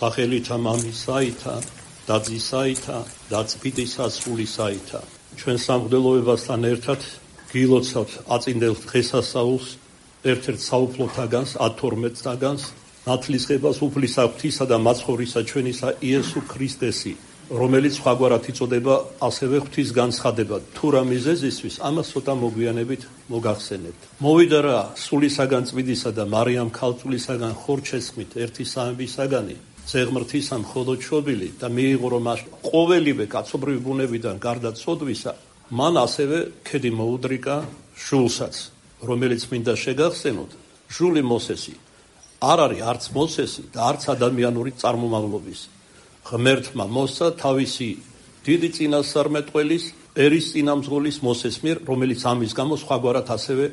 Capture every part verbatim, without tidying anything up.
სახელითა მამისაითა და ძისაითა და წმინდისა სულისაითა. ჩვენ სამღვდელოებასთან ერთად გილოცავთ აწინდელ დღესასწაულს, ერთ-ერთ საუფლოთაგანს, ათორმეტ წაგანს, ნათლისღებას უფლისა ღვთისა და მაცხოვრისა ჩვენისა იესო ქრისტესი, რომელიც სხვაგვარად იწოდება ასევე ღვთის განცხადება. თუ რა მიზეზისთვის, ამას ცოტა მოგვიანებით მოგახსენებთ. მოვიდა რა სულისაგან წმინდისა და მარიამ ქალწულისაგან ხორჩესხმით ერთი სამებისაგანი, ზეღმრთისა მხოლოდ შობილი და მიიღო რომ ყოველივე კაცობრივი ბუნებიდან გარდა ცოდვისა, მან ასევე ქედი მოუდრიკა ჟულსაც, რომელიც მინდა შეგახსენოთ, ჟული მოსესი არ არის არც მოსესი და არც ადამიანური წარმომავლობის. ღმერთმა მოსცა თავისი დიდი წინასწარმეტყველის, ერის წინამძღოლის მოსეს მიერ, რომელიც ამის გამო სხვაგვარად ასევე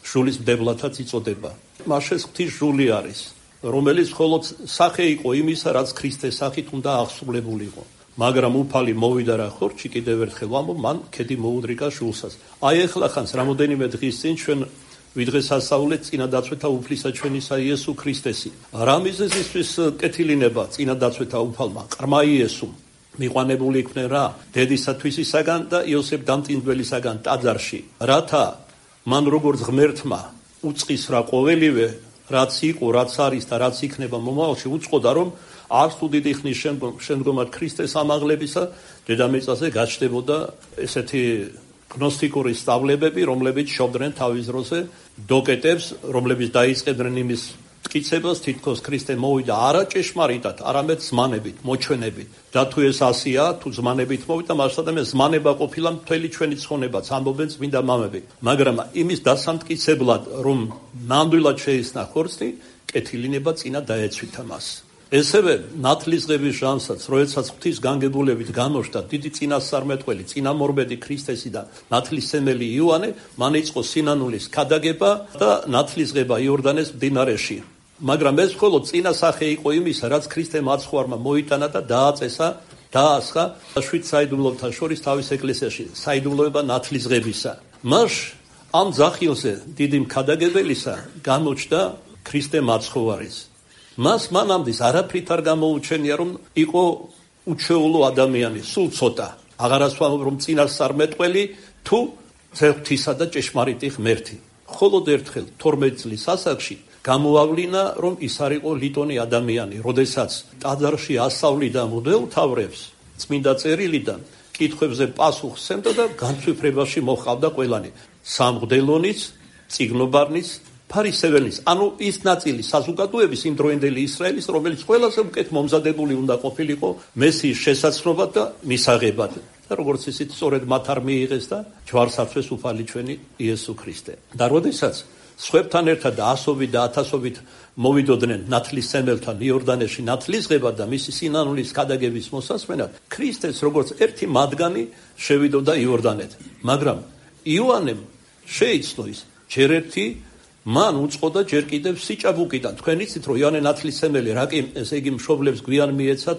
ჟულის მდებლათაც იწოდება. მაშეს ღვთის ჟული არის, რომელიც მხოლოდ სახე იყო იმისა, რაც ქრისტეს სახით უნდა აღსრულებულიყო. მაგრამ უფალი მოვიდა რა ხორჩი, კიდევ ერთხელ ვამბობ, მან ქედი მოუდრიკა ჟულსაც. აი ეხლა ხანს რამოდენიმე დღის წინ ჩვენ ვიდღესასწაულეთ წინადაცვეთა უფლისა ჩვენისა იესო ქრისტესი. რა მიზეზისთვის კეთილინება წინადაცვეთა უფალმა? ყრმა იესომ მიყვანებული იქნენ რა დედისათვისისაგან და იოსებ დამტინდველისაგან ტაძარში, რათა მან როგორც ღმერთმა უწყის რა ყოველივე, რაც იყო, რაც არის და რაც იქნება მომავალში, უწყოდა რომ არც თუ დიდი ხნის შემდგომად ქრისტეს ამაღლებისა დედამიწაზე გაჩნდებოდა ესეთი გნოსტიკური სწავლებები, რომლებიც შობდნენ თავის დროზე დოკეტებს, რომლებიც დაიწყებდნენ იმის მტკიცებას, თითქოს ქრისტე მოვიდა არა ჭეშმარიტად, არამედ ზმანებით, მოჩვენებით. და თუ ეს ასია, თუ ზმანებით მოვიდა, მასადამე ზმანება ყოფილა მთელი ჩვენი ცხონებაც, ამბობენ წმინდა მამები. მაგრამ იმის დასამტკიცებლად, რომ ნამდვილად შეისნა ხორცი, კეთილინება წინა დაეცვითა მას. ესევე ნათლისღების ჟამსაც, როდესაც ღვთის განგებულებით გამოშდა დიდი წინასწარმეტყველი, წინამორბედი ქრისტესი და ნათლისმცემელი იოანე, მან იწყო სინანულის ქადაგება და ნათლისღება იორდანეს მდინარეში. მაგრამ ეს მხოლოდ წინა სახე იყო იმისა, რაც ქრისტემ აცხვარმა მოიტანა და დააწესა, დაასხა შვიდ საიდუმლოებთან შორის თავის ეკლესიაში, საიდუმლოება ნათლისღებისა. მას ამ ძახილზე დიდი მქადაგებელისა გამოჩნდა ქრისტე მაცხოვარის. მას მანამდე არაფრით არ გამოუჩენია, რომ იყო უჩვეულო ადამიანი, სულ ცოტა. აღარას ვამბობ, რომ წინასწარმეტყველი თუ ღვთისა და ჭეშმარიტი ღმერთი. მხოლოდ ერთხელ თორმეტ წლის ასაკში გამოავლინა, რომ ის არ იყო ლიტონი ადამიანი, როდესაც ტაძარში ასავლიდა მღვდელმთავრებს წმინდა წერილიდან, კითხვებზე პასუხს სცემდა და განცვიფრებაში მოჰყავდა ყველანი. სამღვდელონიც, წიგნობარნიც, ფარისეველის, ანუ ის ნაწილი საზოგადოების იმ დროინდელი ისრაელის, რომელიც ყველაზე უკეთ მომზადებული უნდა ყოფილიყო მესიის შესაცნობად და მისაღებად. და როგორც ისიც სწორედ მათ არ მიიღეს და ჯვარს აწვეს უფალი ჩვენი იესო ქრისტე. და როდესაც სხვებთან ერთად და ასობით და ათასობით მოვიდოდნენ ნათლისმცემელთან იორდანეში ნათლისღებად და მისი სინანულის ქადაგების მოსასმენად, ქრისტეს როგორც ერთი მათგანი შევიდოდა იორდანეთ. მაგრამ იოანემ შეიცნო ის ჯერ ერთი მან უწყოდა ჯერ კიდევ სიჭაბუკიდან. თქვენ იცით, რომ იოანე ნათლისმცემელი რაკი ესე იგი მშობლებს გვიან მიეცათ,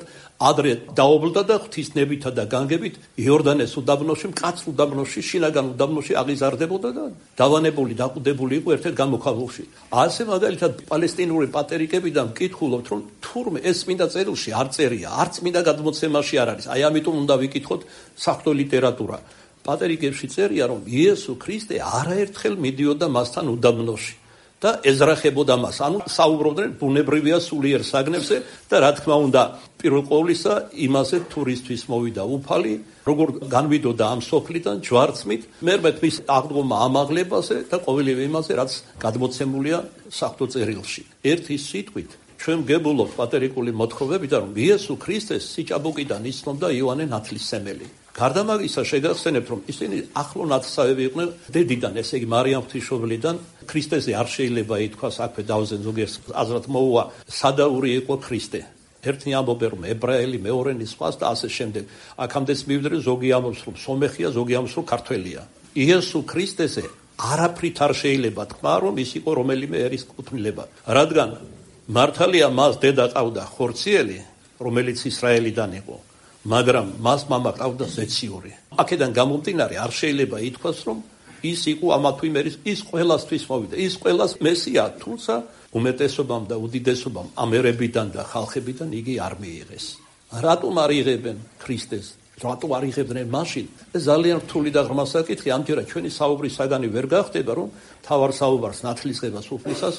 ადრე დაობლდა და ღვთისნებითა და განგებით იორდანეს უდაბნოში, მკაცრ უდაბნოში, შინაგან უდაბნოში აღიზარდებოდა და დავანებული, დაყუდებული იყო ერთ-ერთ გამოქვაბულში. ასე მაგალითად პალესტინური პატერიკებიდან მკითხულობთ, რომ თურმე ეს წმინდა წერილში არ წერია, არც წმინდა გადმოცემაში არ არის. აი ამიტომ უნდა ვიკითხოთ საღვთო ლიტერატურა. პატერიკებში წერია, რომ იესო ქრისტე არაერთხელ მიდიოდა მასთან უდაბნოში და ეძრახებოდა მას. ანუ საუბრობდნენ ბუნებრივია სულიერ საგნებზე და რა თქმა უნდა, პირველ ყოვლისა იმაზე თურისთვის მოვიდა უფალი, როგორ განვიდოდა ამ სოფლიდან ჯვარცმით, მერმეთ მის აღდგომა ამაღლებაზე და ყოველივე იმაზე, რაც გადმოცემულია საღვთო წერილში. ერთი სიტყვით ჩვენ გებულობთ პატერიკული მოთხოვებიდან, რომ იესო ქრისტეს სიჭაბუკიდან იცნობდა იოანე ნათლისმცემელი. გარდა მაგისა შეგახსენებთ, რომ ისინი ახლო ნათესავები იყვნენ დედიდან, ესე იგი მარიამ ღვთისმშობლიდან. ქრისტეზე არ შეიძლება ითქვას, აქვე დავზენ ზოგიერთ აზრად მოუვა, სადაური იყო ქრისტე. ერთი ამბობენ, რომ ებრაელი, მეორენი სხვას და ასე შემდეგ. აქამდეც მივიდრე, ზოგი ამბობს, რომ სომეხია, ზოგი ამბობს, რომ ქართველია. იესო ქრისტეზე არაფრით არ შეიძლება თქვა, რომ ის იყო რომელიმე ერის კუთვნილება. რადგან მართალია მას დედა ყავდა ხორციელი, რომელიც ისრაელიდან იყო. მაგრამ მას მამა ყავდა ზეციური. აქედან გამომდინარე არ შეიძლება ითქვას, რომ ის იყო ამა თუ იმ ერის, ის ყველასთვის მოვიდა, ის ყველას მესია, თუმცა უმეტესობამ და უდიდესობამ ამ ერებიდან და ხალხებიდან იგი არ მიიღეს. რატომ არ იღებენ ქრისტეს? რატო არ იღებდნენ მაშინ? ეს ძალიან რთული და ღრმა საკითხი. ამჯერად ჩვენი საუბრის საგანი ვერ გახდება, რომ თავარ საუბარს ნათლისღებას უფლისას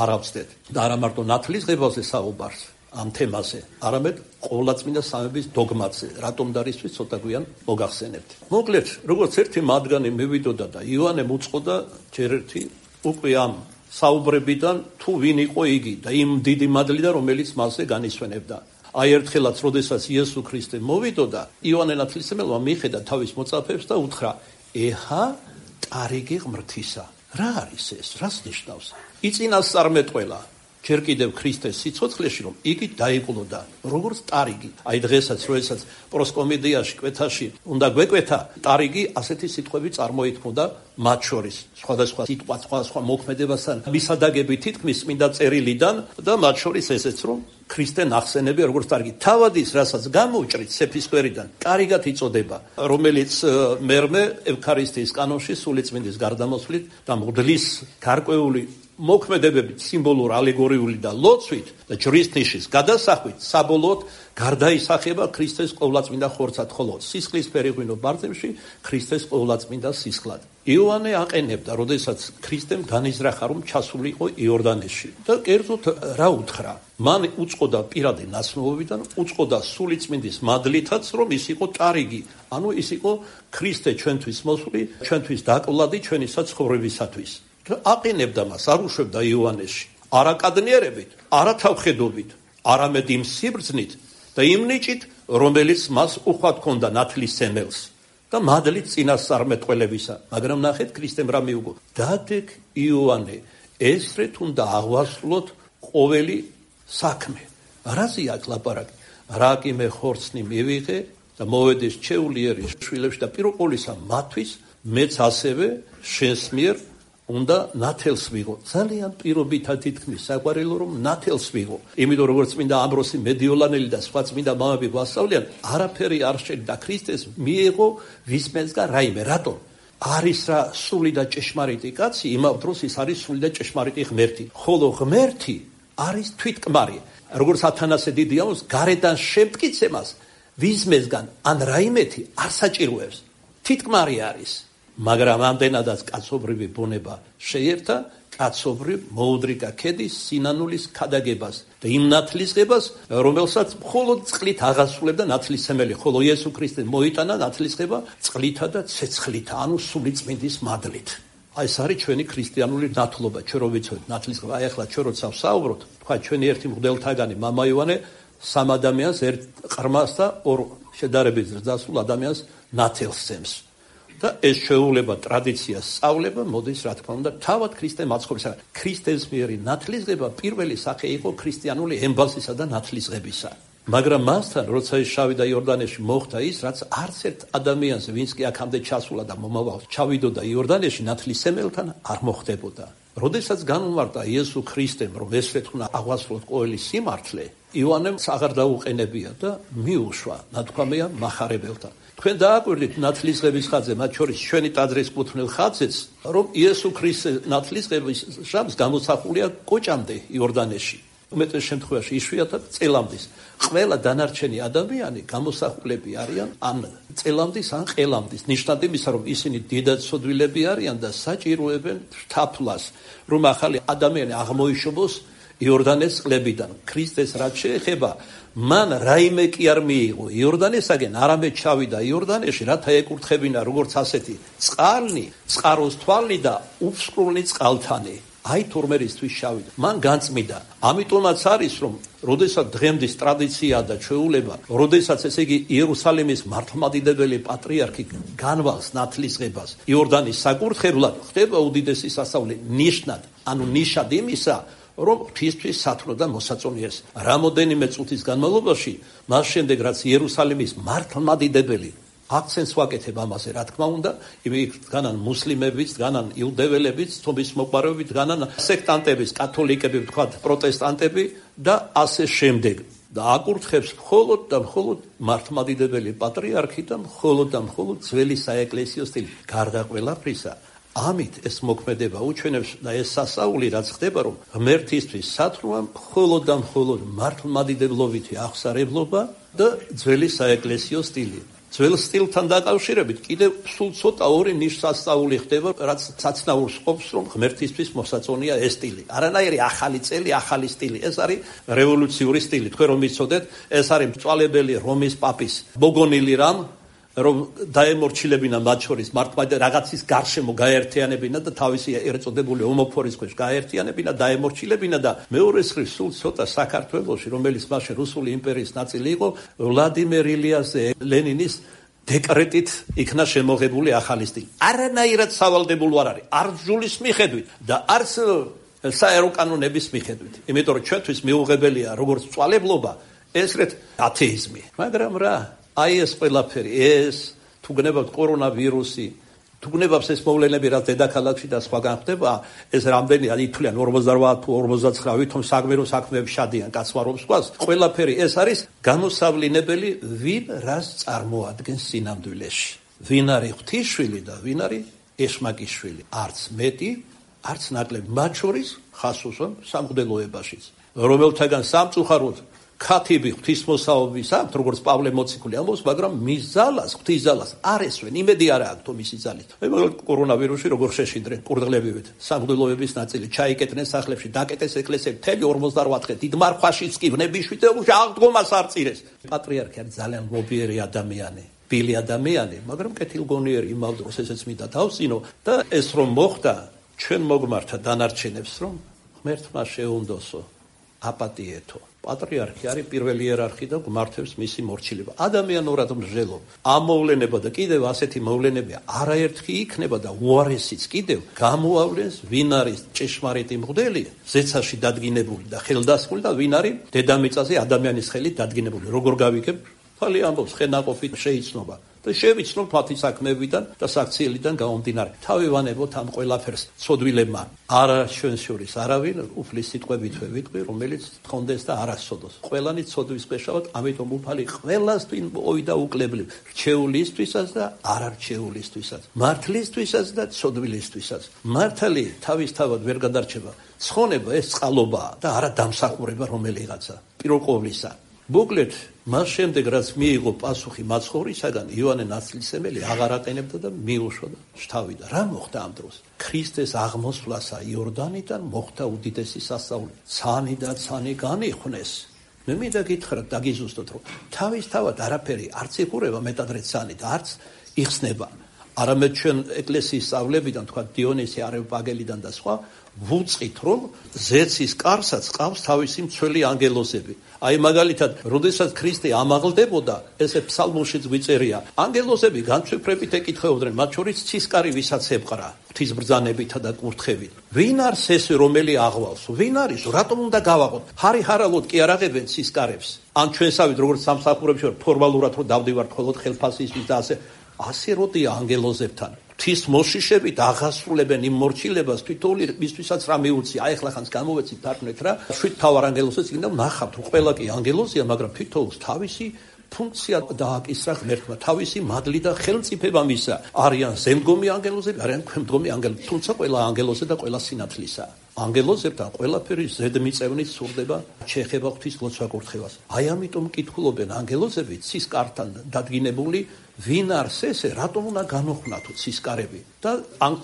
არ ავწდეთ. და არა მარტო ნათლისღებაზე საუბარს ამ თემაზე, არამედ ყოვლადწმინდა სამების დოგმაზე, რატომ და რისთვის ცოტა გვიან მოგახსენებთ. მოკლედ, როგორც ერთი მათგანი მივიდოდა და იოანემ უწყოდა ჯერ ერთი უკვე ამ საუბრებიდან თუ ვინ იყო იგი და იმ დიდი მადლიდან, რომელიც მასზე განისვენებდა. აი ერთხელაც, როდესაც იესო ქრისტე მოვიდოდა, იოანე ნათლისმცემელმა მიხედა თავის მოწაფეებს და უთხრა: „ეჰა, ტარიგი ღმრთისა“. რა არის ეს? რას ნიშნავს? იწინასწარმეტყველა ჯერ კიდევ ქრისტეს სიცოცხლეში, რომ იგი დაიყოლოდა როგორც ტარიგი. აი დღესაც, როდესაც პროსკომედიაში, კვეთაში უნდა გვეკვეთა, ტარიგი ასეთი სიტყვები წარმოითქმოდა მათ შორის. სხვადასხვა სიტყვა, სხვადასხვა მოქმედებასთან მისადაგები თითქმის წმინდა წერილიდან და მათ შორის ესეც, რომ ქრისტე ნახსენებია როგორც ტარიგი. თავად ის, რასაც გამოუჭრით სეფისკვერიდან, ტარიგად იწოდება, რომელიც მერმე ევქარისტიის კანონში სულიწმინდის გარდამოსვლით და მღვდლის გარკვეული მოქმედებებით, სიმბოლურ, ალეგორიული და ლოცვით და ჯვრის ნიშის გადასახვით საბოლოოდ გარდაისახება ქრისტეს ყოვლადწმინდა ხორცად, ხოლო სისხლის ფერიღვინო ბრძებში ქრისტეს ყოვლადწმინდა სისხლად. იოანე აყენებდა, როდესაც ქრისტემ განიზრახა, რომ ჩასულიყო იორდანეში და კერძოდ რა უთხრა? მან უწყოდა პირადი ნაცნობობიდან, უწყოდა სულიწმინდის მადლითაც, რომ ის იყო ტარიგი, ანუ ის იყო ქრისტე ჩვენთვის მოსული, ჩვენთვის დაკლადი, ჩვენისა ცხოვრებისათვის. აყენებდა მას, არ უშვებდა იოანეში, არა კადნიერებით, არა თავხედობით, არამედ იმ სიბრძნით და იმ ნიჭით, რომელიც მას უხვად ჰქონდა ნათლისმცემელს და მადლით წინასწარმეტყველებისა. მაგრამ ნახეთ, ქრისტემ რა მიუგო? დაადგ იოანე, ესრეთ უნდა აღვასრულოთ ყოველი საქმე. რაზეა ლაპარაკი? რა კი მე ხორცნი მივიღე და მოვედეს ჩეულიერი შვილებში და პიროყოლისა მათვის, მეც ასევე შენს მიერ უნდა ნათელს ვიღო. ძალიან პირობითად თითქმის საყვარელო, რომ ნათელს ვიღო. იმიტომ როგორც წმინდა ამბროსი მედიოლანელი და სხვა წმინდა მამები გვასწავლიან, არაფერი არ შეჭდა ქრისტეს მიიღო ვისმენსგან რაიმე. რატომ? არის რა სული და ჭეშმარიტი კაცი, იმავ დროს ის არის სული და ჭეშმარიტი ღმერთი. ხოლო ღმერთი არის თვითკმარი. როგორც ათანასე დიდი ამბობს, გარედან შემტკიცებას ვისმენსგან ან რაიმეთი არ საჭიროებს. თვითკმარი არის. მაგრამ ამდენადაც კაცობრივი ბუნება შეერთა კაცობრივ მოუდრიკა ქედის სინანულის ქადაგებას და იმ ნათლისღებას, რომელსაც მხოლოდ წყლით აღასრულებდა ნათლისმცემელი, ხოლო იესო ქრისტე მოიტანა ნათლისღება წყლითა და ცეცხლითა, ანუ სულიწმინდის მადლით. აი ეს არის ჩვენი ქრისტიანული ნათლობა, ჩვენ რო ვიცოდით ნათლისღება. აი ახლა ჩვენ როცა ვსაუბრობთ, თქვა ჩვენი ერთი მღვდელთაგანი მამა იოანე სამ ადამიანს ერთ ყრმას და ორ შედარებით ზრდასრულ ადამიანს ნათელს სცემს. და ეს შეუძლება ტრადიციას სწავლება მოდის, რა თქმა უნდა, თავად ქრისტე მაცხოვრებისა. ქრისტეს მიერი ნათლისღება პირველი სახე იყო ქრისტიანული ემბაზისა და ნათლისღებისა. მაგრამ მასთან, როცა ის შავიდა იორდანეში, მოხდა ის, რაც არც ერთ ადამიანს, ვინც კი აქამდე ჩასულა და მომავალ ჩავიდოდა იორდანეში, ნათლისმცემელთან არ მოხდებოდა. როდესაც განმარტა იესო ქრისტემ, რომ ესრეთ უნდა აღვასრულოთ ყოველი სიმართლე, იოანემ აღარ დაუყენებია და მიუშვა, ნათქვამია მახარებელთან. თქვენ დააკვირდით ნათლისღების ხაზზე, მათ შორის ჩვენი ტაძრის კუთვნილ ხაზზეც, რომ იესო ქრისტეს ნათლისღების ჟამს გამოსახულია კოჭამდე იორდანეში. უმეტეს შემთხვევაში იშვიათად წელამდის. ყველა დანარჩენი ადამიანი გამოსახულები არიან ან წელამდის ან ყელამდის. ნიშნად იმისა, რომ ისინი დიდად სოდვილები არიან და საჭიროებენ თაფლას, რომ ახალი ადამიანი აღმოიშობოს იორდანეს წყლებიდან. ქრისტეს რაც შეეხება, მან რაიმე კი არ მიიღო იორდანესაგან, არამედ ჩავიდა იორდანეში, რათა ეკურთხებინა როგორც ასეთი წყალნი, წყაროს თვალნი და უფსკრულნი წყალთანი. აი თორმერისთვის შავიდა. მან განწმიდა. ამიტომაც არის, რომ როდესაც დღემდის ტრადიცია და ჩვეულება, როდესაც ესე იგი იერუსალიმის მართლმადიდებელი პატრიარქი განვალს ნათლისღებას იორდანის საკურთხევლად, ხდება უდიდესი სასწაული ნიშნად, ანუ ნიშად იმისა, რომ ღვთისთვის სათნო და მოსაწონიეს. რამოდენიმე წუთის განმავლობაში, მას შემდეგ რაც იერუსალიმის მართლმადიდებელი აქცენტს ვაკეთებ ამაზე, რა თქმა უნდა, იქ დგანან მუსლიმებიც, დგანან იუდეველებიც, თობის მოყვარეობით, დგანან სექტანტებიც, კათოლიკები, ვთქვათ, პროტესტანტები და ასე შემდეგ. და აკურთხებს მხოლოდ და მხოლოდ მართლმადიდებელი პატრიარქი და მხოლოდ და მხოლოდ ძველი საეკლესიო სტილი. გარდა ყველაფრისა, ამით ეს მოქმედება უჩვენებს და ეს სასაული რაც ხდება, რომ ღმერთისთვის სათნოა მხოლოდ და მხოლოდ მართლმადიდებლობითი აღსარებლობა და ძველი საეკლესიო სტილი. ძველ სტილთან დაკავშირებით კიდევ სულ ცოტა ორი ნიშნასწაული ხდება, რაც საცნაურს ყოფს, რომ ღმერთისთვის მოსაწონია ეს სტილი. არანაირი ახალი წელი, ახალი სტილი. ეს არის რევოლუციური სტილი. თქვენ რომ იცოდეთ, ეს არის მწვალებელი რომის პაპის მოგონილი რამ, რომ დაემორჩილებინა მათ შორის მართლმადიდებლობა რაღაცის გარშემო გაერთიანებინა და თავისი ერწოდებული ომოფორის ქვეშ გაერთიანებინა, დაემორჩილებინა და მეორე მხრივ სულ ცოტა საქართველოში, რომელიც მაშინ რუსული იმპერიის ნაწილი იყო, ვლადიმერ ილიაზე ლენინის დეკრეტით იქნა შემოღებული ახალი სტილი. არანაირად სავალდებულო არ არის, არც ბრძოლის მიხედვით და არც საერო კანონების მიხედვით. იმიტომ რომ ჩვენთვის მიუღებელია როგორც მწვალებლობა, ესრეთ ათეიზმი. მაგრამ რა აი ეს ყველაფერი, ეს თუ გნებავთ კორონავირუსი, თუ გნებავს ეს მოვლენები, რაც დედაქალაქში და სხვაგან ხდება, ეს რამდენი ითვლიან ორმოცდაოთხ თუ ორმოცდათვრამეტ, ვითომ საგმირო საქმეებში შადიან კაცმარობს ყავს, ყველაფერი ეს არის გამოსავლინებელი, ვინ რას წარმოადგენს სინამდვილეში. ვინ არის ღვთისშვილი და ვინ არის ეშმაკიშვილი. არც მეტი, არც ნაკლები. მათ შორის ხასუსონ სამღვდელოებაშიც, რომელთაგან სამწუხაროდ ქათიბი ღვთისმოსაობის აქვთ, როგორც პავლე მოციქული ამბობს, მაგრამ მის ძალას, ღვთის ძალას არ ესვენ, იმედი არ აქვს თუ მისი ძალით. მაგალითად, კორონავირუსში როგორ შეშინდნენ კურდღლებივით, სამღვდელოების ნაწილი ჩაიკეტნენ სახლებში, დაკეტეს ეკლესიები, მთელი ორმოცდაოთხ დღე დიდმარ ქვაშიც კი ვნებიშვით აღდგომას არ წირეს. პატრიარქი არის ძალიან მობიერი ადამიანი, ბილი ადამიანი, მაგრამ კეთილგონიერი იმავ დროს ესეც მინდა თავსინო და ეს რომ მოხდა, ჩვენ მოგმართა დანარჩენებს, რომ ღმერთმა შეუნდოსო, აპატიეთო. პატრიარქი არის პირველი იერარქი და გმართებს მისი მორჩილება. ადამიანურად მსჯელობ. ამ მოვლენება და კიდევ ასეთი მოვლენები არაერთხი იქნება და უარესიც კიდევ გამოავლენს, ვინ არის ჭეშმარიტი მღვდელი, ზეცაში დადგინებული და ხელდასხმული და ვინ არის დედამიწაზე ადამიანის ხელით დადგინებული. როგორ გავიგებ? ფალი ამბობს, ხენაყოფით შეიცნობა. და შევიცნობ მათი საქმეებიდან და საქციელიდან გამომდინარე. თავი ვანებოთ ამ ყველაფერს ცოდვილებმა. არა ჩვენ შორის არავინ უფლის სიტყვებითვე ვიტყვი, რომელიც თხონდეს და არასწოდოს. ყველანი ცოდვის ქვეშავთ, ამიტომ უფალი ყველასთვის მოვიდა უკლებლივ, რჩეულისთვისაც და არარჩეულისთვისაც, მართლისთვისაც და ცოდვილისთვისაც. მართალი თავისთავად ვერ გადარჩება. ცხონება ეს წყალობაა და არა დამსახურება რომელიღაცა. პიროყოვლისა. მოკლედ, მას შემდეგ რაც მიიღო პასუხი მაცხოვრისაგან, იოანე ნათლისმცემელი აღარ ატენებდა და მიუშვა და შთავიდა. რა მოხდა ამ დროს? ქრისტეს აღმოსვლასა იორდანიდან მოხდა უდიდესი სასწაული. ცანი და ცანი განიხვნეს. მე მინდა გითხრათ, დაგიზუსტოთ, რომ თავისთავად არაფერი არც იხურება მეტადრე ცანი და არც იხსნება. არამედ ჩვენ ეკლესიის სწავლებიდან, თქვა დიონისე არეოპაგელიდან და სხვა, ვუწყით, რომ ზეცის კარსაც ყავს თავისი მცველი ანგელოზები. აი მაგალითად, როდესაც ქრისტე ამაღლდებოდა, ესე ფსალმოშიც გვიწერია, ანგელოზები განცვიფრებით ეკითხებოდნენ, მათ შორის ცისკარი ვისაც ებრყა, ღვთისბრძანებითა და კურთხებით. ვინ არის ეს, რომელი აღვალს? ვინ არის? რატომ უნდა გავაღოთ? ჰარი-ჰარალოდ კი არ აღებენ ცისკარებს. ან ჩვენსავით, როგორც სამსახურებში ვარ, ფორმალურად რომ დავდივართ მხოლოდ ხელფასისთვის და ასე, ასე როდია ანგელოზებთან. ღვთის მოშიშებით აღასრულებენ იმ მორჩილებას, თითოეული მისთვისაც რა მიუწია. აი ახლა ხანს გამოვეცით თარგმნეთ რა. შვიდ თავარ ანგელოზებს იქნება ნახავთ, რომ ყველა კი ანგელოზია, მაგრამ თითოეულს თავისი ფუნქცია დააკისრა ღმერთმა, თავისი მადლი და ხელმწიფება მისცა. არიან ზემდგომი ანგელოზები, არიან ქვემდგომი ანგელოზები, თუმცა ყველა ანგელოზე და ყველა სინათლისა. ანგელოზებთან ყველაფერი ზედმიწევნით სურდება, შეეხება ღვთის ლოცვა-კურთხევას. აი ამიტომ კითხულობენ ანგელოზები ცისკართან დადგინებული, ვინ არის ესე, რატომ უნდა განოხვნათო ცისკარები და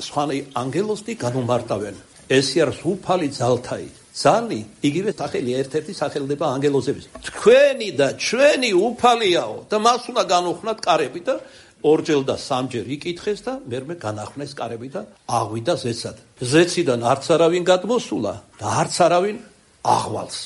სხვა ანგელოზი განუმარტავენ. ესე არის უფალი ძალთაი. ზალი იგივე სახელი ერთ-ერთი სახელდება ანგელოზების. თქვენი და ჩვენი უფალიაო და მას უნდა განოხვნათ კარები და ორჯერ და სამჯერ იკითხეს და მერმე განახვნეს კარები და აღვიდა ზეცად. ზეციდან არც არავინ გადმოსულა და არც არავინ აღვალს.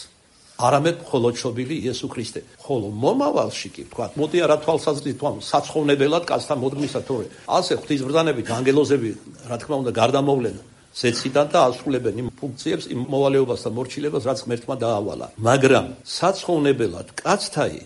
არამედ მხოლოდ შობილი იესო ქრისტე. ხოლო მომავალში კი თქვა, მოდი არა თვალსაზრისით თქვა, საცხოვნებელად კაცთან მოდგმისა თორე. ასე ღვთისბრძანებით ანგელოზები, რა თქმა უნდა, გარდამოვლენ ზეციდან და ასრულებენ იმ ფუნქციებს, იმ მოვალეობას და მორჩილებას, რაც ღმერთმა დაავალა. მაგრამ საცხოვნებელად კაცთაი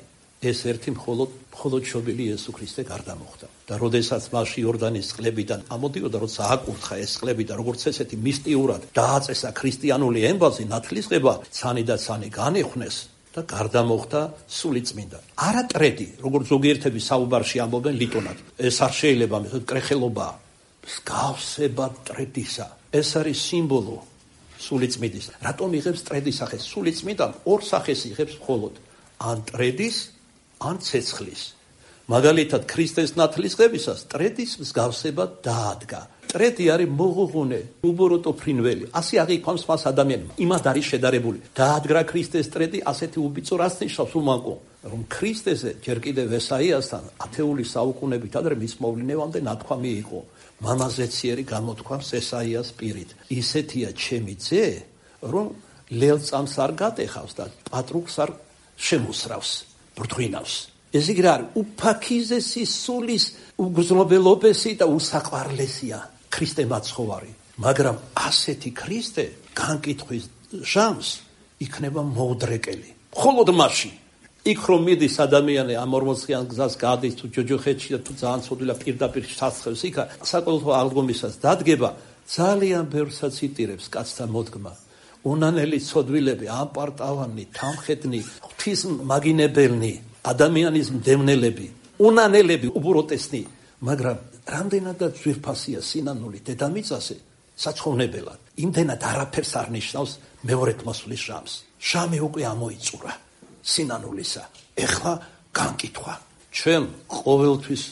ეს ერთი მხოლოდ მხოლოდ შობილი იესო ქრისტე გარდამოხდა. და როდესაც მასში იორდანის წყლებიდან ამოდიოდა, როცა აკურთხა ეს წყლები და როგორც ესეთი მისტიურად დააწესა ქრისტიანული ემბაზი, ნათლისღება, ცანი და ცანი განიხვნეს და გარდამოხდა სულიწმინდა. არა ტრედი, როგორც ზოგიერთები საუბარში ამბობენ ლიტონად. ეს არ შეიძლება, კრეხელობაა. მსგავსება მტრედისა. ეს არის სიმბოლო სულიწმიდის. რატომ იღებს მტრედის სახეს? სულიწმიდა ორ სახეს იღებს მხოლოდ, ან მტრედის, ან ცეცხლის. მაგალითად, ქრისტეს ნათლისღებისას მტრედის მსგავსება დაადგა. მტრედი არის მოღუღუნე, უბოროტო ფრინველი. ასე აღიქვამს მას ადამიანმა. იმად არის შედარებული. დაადგა ქრისტეს მტრედი, ასეთი უბიწო რას ნიშნავს უმანკო? რომ ქრისტეზე ჯერ კიდევ ესაიასთან ათეული საუკუნებით ადრე მის მოვლენამდე ნათქვამი იყო. მამაზე ციერი გამოთქვამს ესაიას პირით. ისეთია ჩემი ძე, რომ ლელწამს არ გატეხავს და პატრუკს არ შემოსრავს, ბრდღვინავს. ეს იგი არის უფაქიზესი სულის უგრძნობელობესი და უსაყვარლესია ქრისტე მაცხოვარი. მაგრამ ასეთი ქრისტე განკითხვის ჟამს იქნება მოუდრეკელი. მხოლოდ მაშინ იქ რომ მიდის ადამიანი ამ ორმოციან გზას გადის თუ ჯოჯოხეთში და თუ ძალიან ცოდვილად პირდაპირ ჩასწევს იქ საკოლთო აღდგომისას დადგება ძალიან ბევრსაც იტირებს კაცთა მოდგმა. უნანელი ცოდვილები, ამპარტავანი, თამხედნი, ღვთის მაგინებელნი, ადამიანის მდევნელები, უნანელები, უბროტესნი, მაგრამ რამდენადაც ძვირფასია სინანული დედამიწაზე საცხოვნებელად. იმდენად არაფერს არ ნიშნავს მეორედ მოსვლის ჟამს. ჟამი უკვე ამოიწურა სინანულისა. ეხლა განკითხვა. ჩვენ ყოველთვის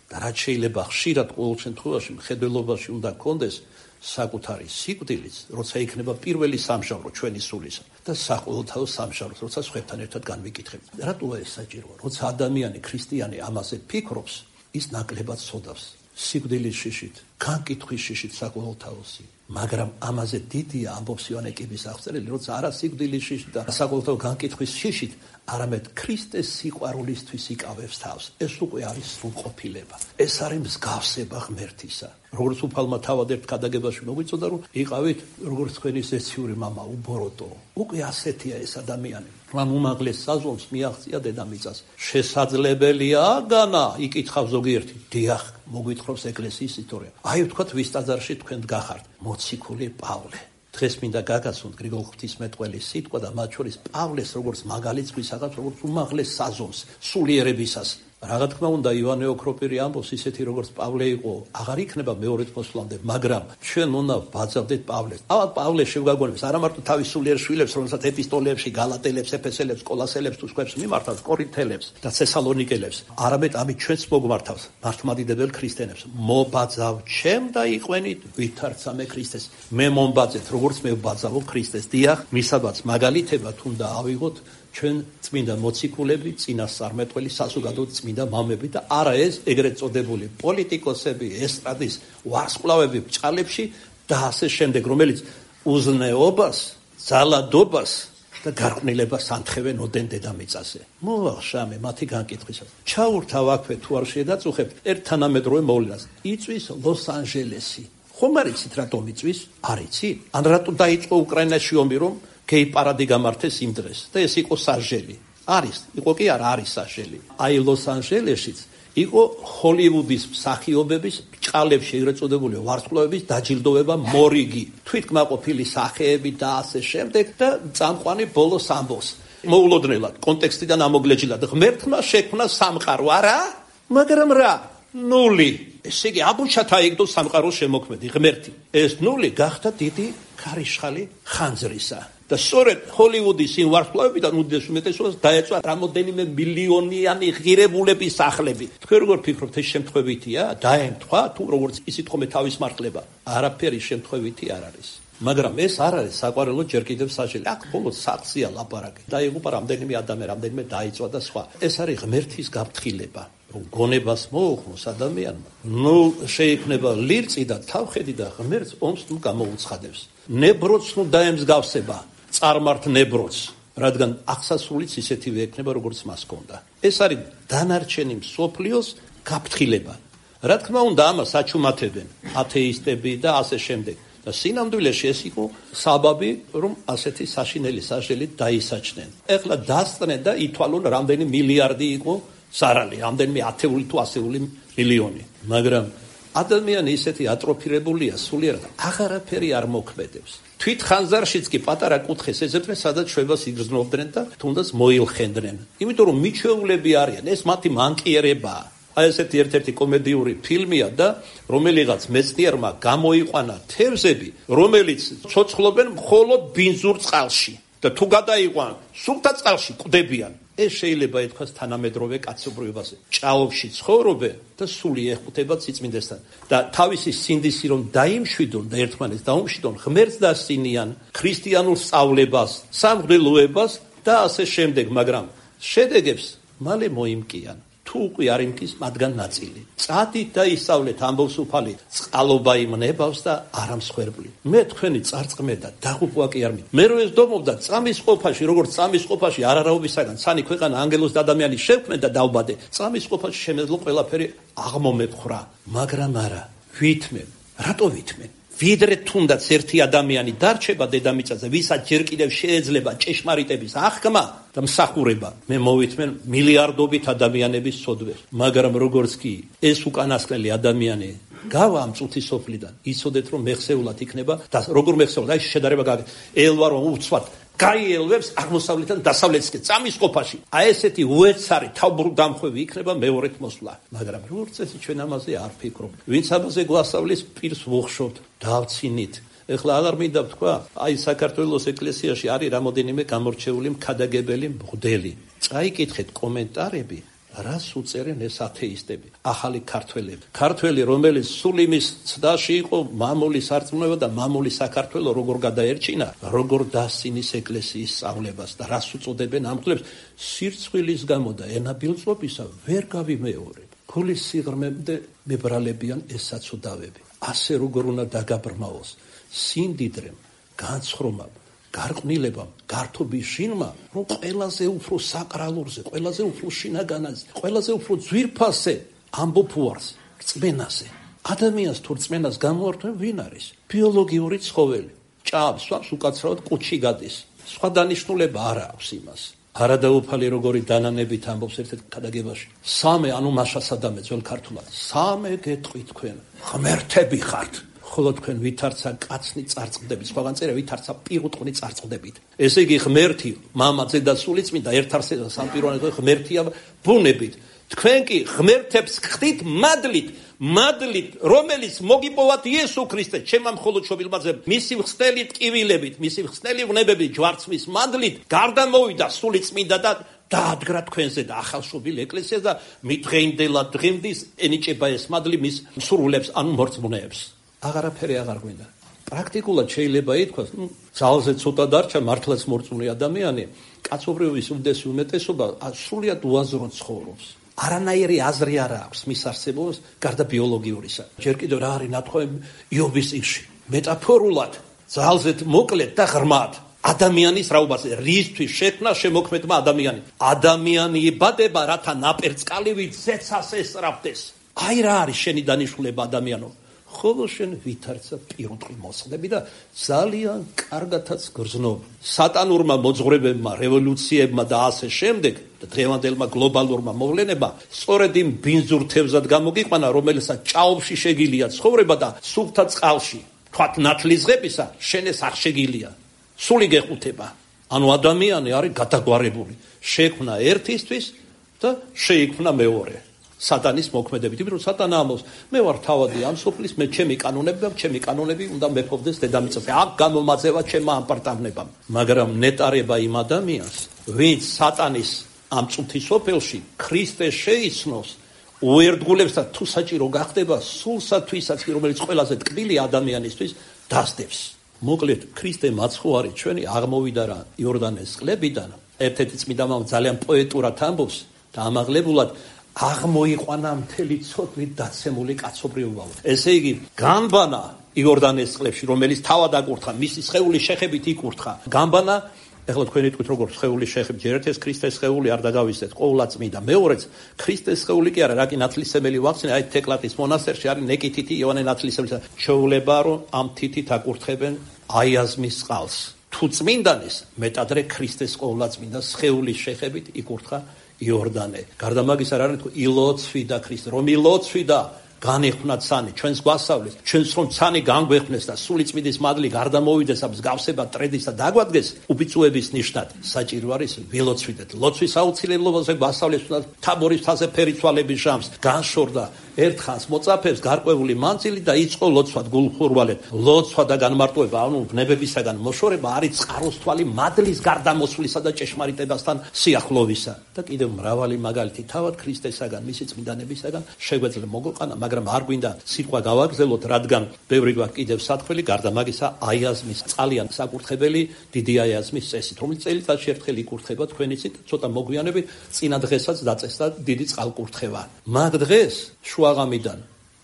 და რაც შეიძლება ხშირად ყოველ შემთხვევაში მხედველობაში უნდა გქონდეს საკუთარი სიკვდილიც, როცა იქნება პირველი სამჟავრო ჩვენი სულისა და საყოველთაო სამჟავროს, როცა სხვებთან ერთად განვიკითხებთ. რატოა ეს საჭიროა? როცა ადამიანი ქრისტიანი ამაზე ფიქრობს, ის ნაკლებად ცოდავს სიკვდილის შიშით, განკითხვის შიშით საყოველთაოსი. მაგრამ ამაზე დიდია ამბობს იოანე კიბის აღწერილი, როცა არა სიკვდილის შიშით და საყოველთაო განკითხვის შიშით, არამედ ქრისტეს სიყვარულისთვის იკავებს თავს. ეს უკვე არის სრულყოფილება. ეს არის მსგავსება ღმერთისა. როგორც უფალმა თავად ერთ ქადაგებაში მოგვიწოდა, რომ იყავით როგორც თქვენი ზეციური მამა, უბოროტო. უკვე ასეთია ეს ადამიანი. მან უმაღლეს საზომს მიაღწია დედამიწას. შესაძლებელია განა, იკითხავს ზოგიერთი. დიახ, მოგვითხრობს ეკლესიის ისტორია. აი ვთქვათ, ვის ტაძარში თქვენ დგახართ? მოციქული პავლე. დღეს მინდა გაგაცნოთ გრიგოლ ღვთისმეტყველის სიტყვა და მათ შორის პავლეს როგორც მაგალითს გვისახავს, როგორც უმაღლეს საზომს სულიერებისას. რა თქმა უნდა, ივანე ოქროპირი ამბობს, ისეთი როგორც პავლე იყო, აღარ იქნება მეორედ მოსვლამდე, მაგრამ ჩვენ უნდა ვაძავდეთ პავლეს. ავად პავლე შევგაგონებს არა მარტო თავის სულიერ შვილებს, რომელსაც ეპისტოლეებში, გალატელებს, ეფესელებს, კოლასელებს თუ სხვებს მიმართავს, კორინთელებს და თესალონიკელებს, არამედ ამით ჩვენც მოგმართავს, მართლმადიდებელ ქრისტიანებს. მობაძავ ჩემ და იყვენით ვითარცამე ქრისტეს. მე მომბაძეთ, როგორც მე ვბაძავო ქრისტეს. დიახ, მისაბაც მაგალითებად უნდა ავიღოთ ჩვენ წმინდა მოციქულები, წინასწარმეტყველი, საზოგადო წმინდა მამები და არა ეს ეგრეთ წოდებული პოლიტიკოსები, ესტრადის ვარსკვლავები ბჭყალებში და ასე შემდეგ, რომელიც უზნეობას, ძალადობას და გარყვნილებას ანთხოვენ ოდენ დედამიწაზე. მოახშამე მათი განკითხვისას. ჩაურთავ აქვე თუ არ შედაწუხებთ ერთ თანამედროვე მოვლენას. იწვის ლოს-ანჯელესი. ხომ არ იცით რატომ იწვის? არ იცით? ან რატო დაიწყო უკრაინაში ომი, რომ გეი პარადი გამართეს იმ დღეს და ეს იყო სასჯელი. არის, იყო კი არა, არის სასჯელი. აი ლოს-ანჯელესშიც იყო ჰოლივუდის მსახიობების ბჭყალებში ეგრეთ წოდებული ვარსკვლავების დაჯილდოვება მორიგი, თვითკმაყოფილი სახეები და ასე შემდეგ და წამყვანი ბოლოს ამბობს. მოულოდნელად კონტექსტიდან ამოგლეჯილად ღმერთმა შექმნა სამყარო, არა? მაგრამ რა? ნული. ესე იგი აბუჩათ აიგდო სამყაროს შემოქმედი ღმერთი. ეს ნული გახდა დიდი ქარიშხალი ხანძრისა. და სწორედ ჰოლივუდის იმ ვარსკვლავებიდან უდიდეს უმეტესობას დაეწვა რამოდენიმე მილიონიანი ღირებულების სახლები. თქვენ როგორ ფიქრობთ, ეს შემთხვევითია? დაემთხვა თუ როგორც ისიც ხომ თავის მართლება? არაფერი შემთხვევითი არ არის. მაგრამ ეს არ არის საყვარელო ჯერ კიდევ სასჯელი. აქ მხოლოდ სახლზეა ლაპარაკი. დაიღუპა რამდენიმე ადამიანი, რამდენიმე დაიწვა და სხვა. ეს არის ღმერთის გაფრთხილება. რომ გონებას მოუხმოს ადამიანმა, ნუ შეიქმნება ლირწი და თავხედი და ღმერთს ომს ნუ გამოუცხადებს. ნებროც ნუ დაემსგავსება, წარმართ ნებროც, რადგან აღსასრულიც ისეთივე ექნება, როგორც მას ჰქონდა. ეს არის დანარჩენი მსოფლიოს გაფრთხილება. რა თქმა უნდა, ამას აჩუმათებენ ათეისტები და ასე შემდეგ. და სინამდვილეში ეს იყო საბაბი, რომ ასეთი საშინელი სასჯელით დაისაჯნენ. ეხლა დასწრნენ და ითვალონ რამდენი მილიარდი იყო სარალი, რამდენიმე ათეული თუ ასეული მილიონი. მაგრამ ადამიანი ისეთი ატროფირებულია სულიერად, აღარაფერი არ მოქმედებს. თვით ხანძარშიც კი პატარა კუთხეს ეძებდნენ, სადაც შვებას იგრძნობდნენ და თუნდაც მოილხენდნენ. იმიტომ რომ მიჩვეულები არიან, ეს მათი მანკიერებაა. აი ესეთი ერთ-ერთი კომედიური ფილმია და რომელიღაც მეცნიერმა გამოიყვანა თევზები, რომელიც ცოცხლობენ მხოლოდ ბინძურ წყალში და თუ გადაიყვან სუფთა წყალში კვდებიან. ეს შეიძლება ითქვას თანამედროვე კაცობრიობაზე. ჭაობში ცხოვრობენ და სული ეხუთება სიწმინდესთან და თავისი სინდისი რომ დაიმშვიდონ და ერთმანეთს დაუმშვიდონ, ღმერთს დასწინიან, ქრისტიანულ სწავლებას, სამღვდელოებას და ასე შემდეგ, მაგრამ შედეგებს მალე მოიმკიან. თუ უკვე არ იმკის მათგან ნაწილი. წადით და ისწავლეთ, ამბობს უფალი, წყალობა იმნებავს და არა მსხვერპლი. მე თქვენი წარწყმე და დაღუპვა კი არ მინდა. მე რო ეს დომობდა წამის ყოფაში, როგორც წამის ყოფაში არარავისაგან, სანი ქვეყანა ანგელოზ და ადამიანი შევქმნე და დავბადე. წამის ყოფაში შემეძლო ყველაფერი აღმომეფხრა, მაგრამ არა, ვითმენ. რატო ვითმენ? ვიდრე თუნდაც ერთი ადამიანი დარჩება დედამიწაზე, ვისაც ჯერ კიდევ შეეძლება ჭეშმარიტების აღქმა და მსახურება, მე მოვითმენ მილიარდობით ადამიანების სოდვეს. მაგრამ როგორც კი ეს უკანასკნელი ადამიანი გავა ამ წუთის სოფლიდან, იცოდეთ რომ მეხსეულად იქნება და როგორ მეხსეულად, აი შედარება გააკეთე. ელვა რომ უცბად გაიელვებს აღმოსავლეთიდან დასავლეთისკენ წამის ყოფაში. აი ესეთი უეცარი თავბრუდამხვევი იქნება მეორეთ მოსვლა. მაგრამ როგორც ეს ჩვენ ამაზე არ ფიქრობ. ვინც ამაზე გვასწავლის, პირს ვუხშობთ, დავცინით. ეხლა აღარ მინდა ვთქვა, აი საქართველოს ეკლესიაში არის რამოდენიმე გამორჩეული მქადაგებელი მღვდელი. წაიკითხეთ კომენტარები, რას უწერენ ეს ათეისტები, ახალი ქართველები. ქართველი, რომელიც სულ იმის ცდაში იყო, მამული სარწმუნება და მამული საქართველო როგორ გადაერჩინა, როგორ დასცინის ეკლესიის სწავლებას და რას უწოდებენ ამ მღვდლებს, სირცხვილის გამო და ენაბილწობისა ვერ გავიმეორებ. გულის სიღრმემდე მებრალებიან ეს საცუდავები. ასე როგორ უნდა დაგაბრმავოს სინდიდრემ, განცხრომამ, გარყვნილებამ, გართობის შინმა, რომ ყველაზე უფრო საკრალურზე, ყველაზე უფრო შინაგანაზე, ყველაზე უფრო ძვირფასზე ამბობ უარს, რწმენაზე. ადამიანს თუ რწმენას გამოართვენ, ვინ არის? ბიოლოგიური ცხოველი. ჭამს, სვამს, უკაცრავად კუჩი გადის. სხვა დანიშნულება არ აქვს იმას. არადაუფალი როგორი დანანებით ამბობს ერთ-ერთ ქადაგებაში. სამე, ანუ მაშა სადამე ძველ ქართულად. სამე გეტყვით თქვენ, ღმერთები ხართ. ხოლო თქვენ ვითარცა კაცნი წარწყდებით, სხვაგან წერია ვითარცა პირუტყვი წარწყდებით. ესე იგი ღმერთი, მამა, ძე და სულიწმინდა ერთ არსება სამპიროვანად ღმერთია ბუნებით. თქვენ კი ღმერთებს ხდით მადლით, მადლით, რომელიც მოგიპოვათ იესო ქრისტე, ჩემმა მხოლოდ შობილმაძე, მისი ხსნელი ტკივილებით, მისი ხსნელი ვნებებით, ჯვარცმის მადლით, გარდა მოვიდა სულიწმინდა და დაადგრა თქვენზე და ახალშობილ ეკლესიას და მიდღეინდელა დღემდის ენიჭება ეს მადლი მის მსრულებს, ანუ მორწმუნეებს. აღარაფერი აღარ გვინდა. პრაქტიკულად შეიძლება ითქვას, ნუ ძალზე ცოტა დარჩა, მართლაც მორწმუნე ადამიანი, კაცობრიობის უდიდესი უმეტესობა სრულიად უაზრო ცხოვრობს. არანაირი აზრი არ აქვს მის არსებობას გარდა ბიოლოგიურისა. ჯერ კიდევ რა არის ნათქვამი იობის წიგნში. მეტაფორულად, ძალზედ მოკლედ და ღრმად ადამიანის რაობაზე, რისთვის შექმნა შემოქმედმა ადამიანი. ადამიანი იბადება, რათა ნაპერწკალივით ზეცას ესწრაფდეს. აი რა არის შენი დანიშნულება ადამიანო. ხოლო შენ ვითარცა პირუტყვი მოსხდები და ძალიან კარგათაც გრძნობ. სატანურმა მოძღვრებებმა, რევოლუციებმა და ასე შემდეგ და დღევანდელმა გლობალურმა მოვლენებმა სწორედ იმ ბინძურ თევზად გამოგიყვანა, რომელსაც ჭაობში შეგილია ცხოვრება და სუფთა წყალში, თქვათ ნათლისღებისა, შენ ეს არ შეგილია. სული გეხუთება. ანუ ადამიანი არის გადაგვარებული. შექმნა ერთისთვის და შეიქმნა მეორე. სატანის მოქმედებით, იმიტომ რომ სატანა ამბობს, მე ვარ თავადი ამ სოფლის, მე ჩემი კანონები და ჩემი კანონები უნდა მეფობდეს დედამიწაზე. აქ გამომაძევა ჩემმა ამპარტავნებამ. მაგრამ ნეტარება იმ ადამიანს, ვინც სატანის ამ წუთის სოფელში ქრისტე შეიცნოს, უერთგულებს და თუ საჭირო გახდება, სულსათვისაც, რომელიც ყველაზე ტკბილი ადამიანისთვის დასდევს. მოკლედ, ქრისტე მაცხოვარი ჩვენი აღმოვიდა რა იორდანეს წყლებიდან. ერთ-ერთი წმინდა მამა ძალიან პოეტურად ამბობს და ამაღლებულად აღმოიყვანა მთელი ცოდვით დაცემული კაცობრიობა. ესე იგი, გამბანა იორდანეს წყლებში, რომელიც თავად აკურთხა, მისი სხეულის შეხებით იკურთხა. გამბანა, ეხლა თქვენ იტყვით როგორ სხეულის შეხები, ჯერ ერთ ეს ქრისტეს სხეული არ დაგავიწყეთ, ყოვლადწმიდა. მეორეც, ქრისტეს სხეული კი არა, რა კი ნათლისმელი ვახსენე, აი თეკლატის მონასტერში არის ნეკითითი იოანე ნათლისმელი. ჩეულება რომ ამ თითით აკურთხებენ აიაზმის წყალს. თუ წმინდანის, მეტადრე ქრისტეს ყოვლადწმიდა სხეულის შეხებით იკურთხა იორდანე. გარდა მაგისა არ არის ილოცვიდა ქრისტე, რომ ილოცვიდა განეხვნა ცანი, ჩვენს გვასწავლეს, ჩვენს რომ ცანი განგვეხვნეს და სულიწმიდის მადლი გარდა მოვიდეს ამ მსგავსება ტრედის და დაგვადგეს უბიწუების ნიშნად. საჭირო არის ვილოცვიდეთ. ლოცვის აუცილებლობაზე გვასწავლეს თუნდაც თაბორის მთაზე ფერიცვალების ჟამს, განშორდა ერთხანს მოწაფებს გარკვეული მანძილი და იწყო ლოცვა გულხურვალეთ. ლოცვა და განმარტოება, ანუ ვნებებისაგან მოშორება არის წყაროსთვალი მადლის გარდამოსვლისა და ჭეშმარიტებასთან სიახლოვისა. და კიდევ მრავალი მაგალითი თავად ქრისტესაგან, მისი წმინდანებისაგან შეგვეძლო მოგოყანა, მაგრამ არ გვინდა სიტყვა გავაგზელოთ, რადგან ბევრი გვაქვს კიდევ სათხელი, გარდა მაგისა აიაზმის წყალიან საკურთხებელი, დიდი აიაზმის წესით, რომელიც წელიწადში ერთხელ იკურთხება თქვენიცით, ცოტა მოგვიანებით წინა დღესაც დაწესდა დიდი წყალკურთხევა. მაგ დღეს შუაღამიდან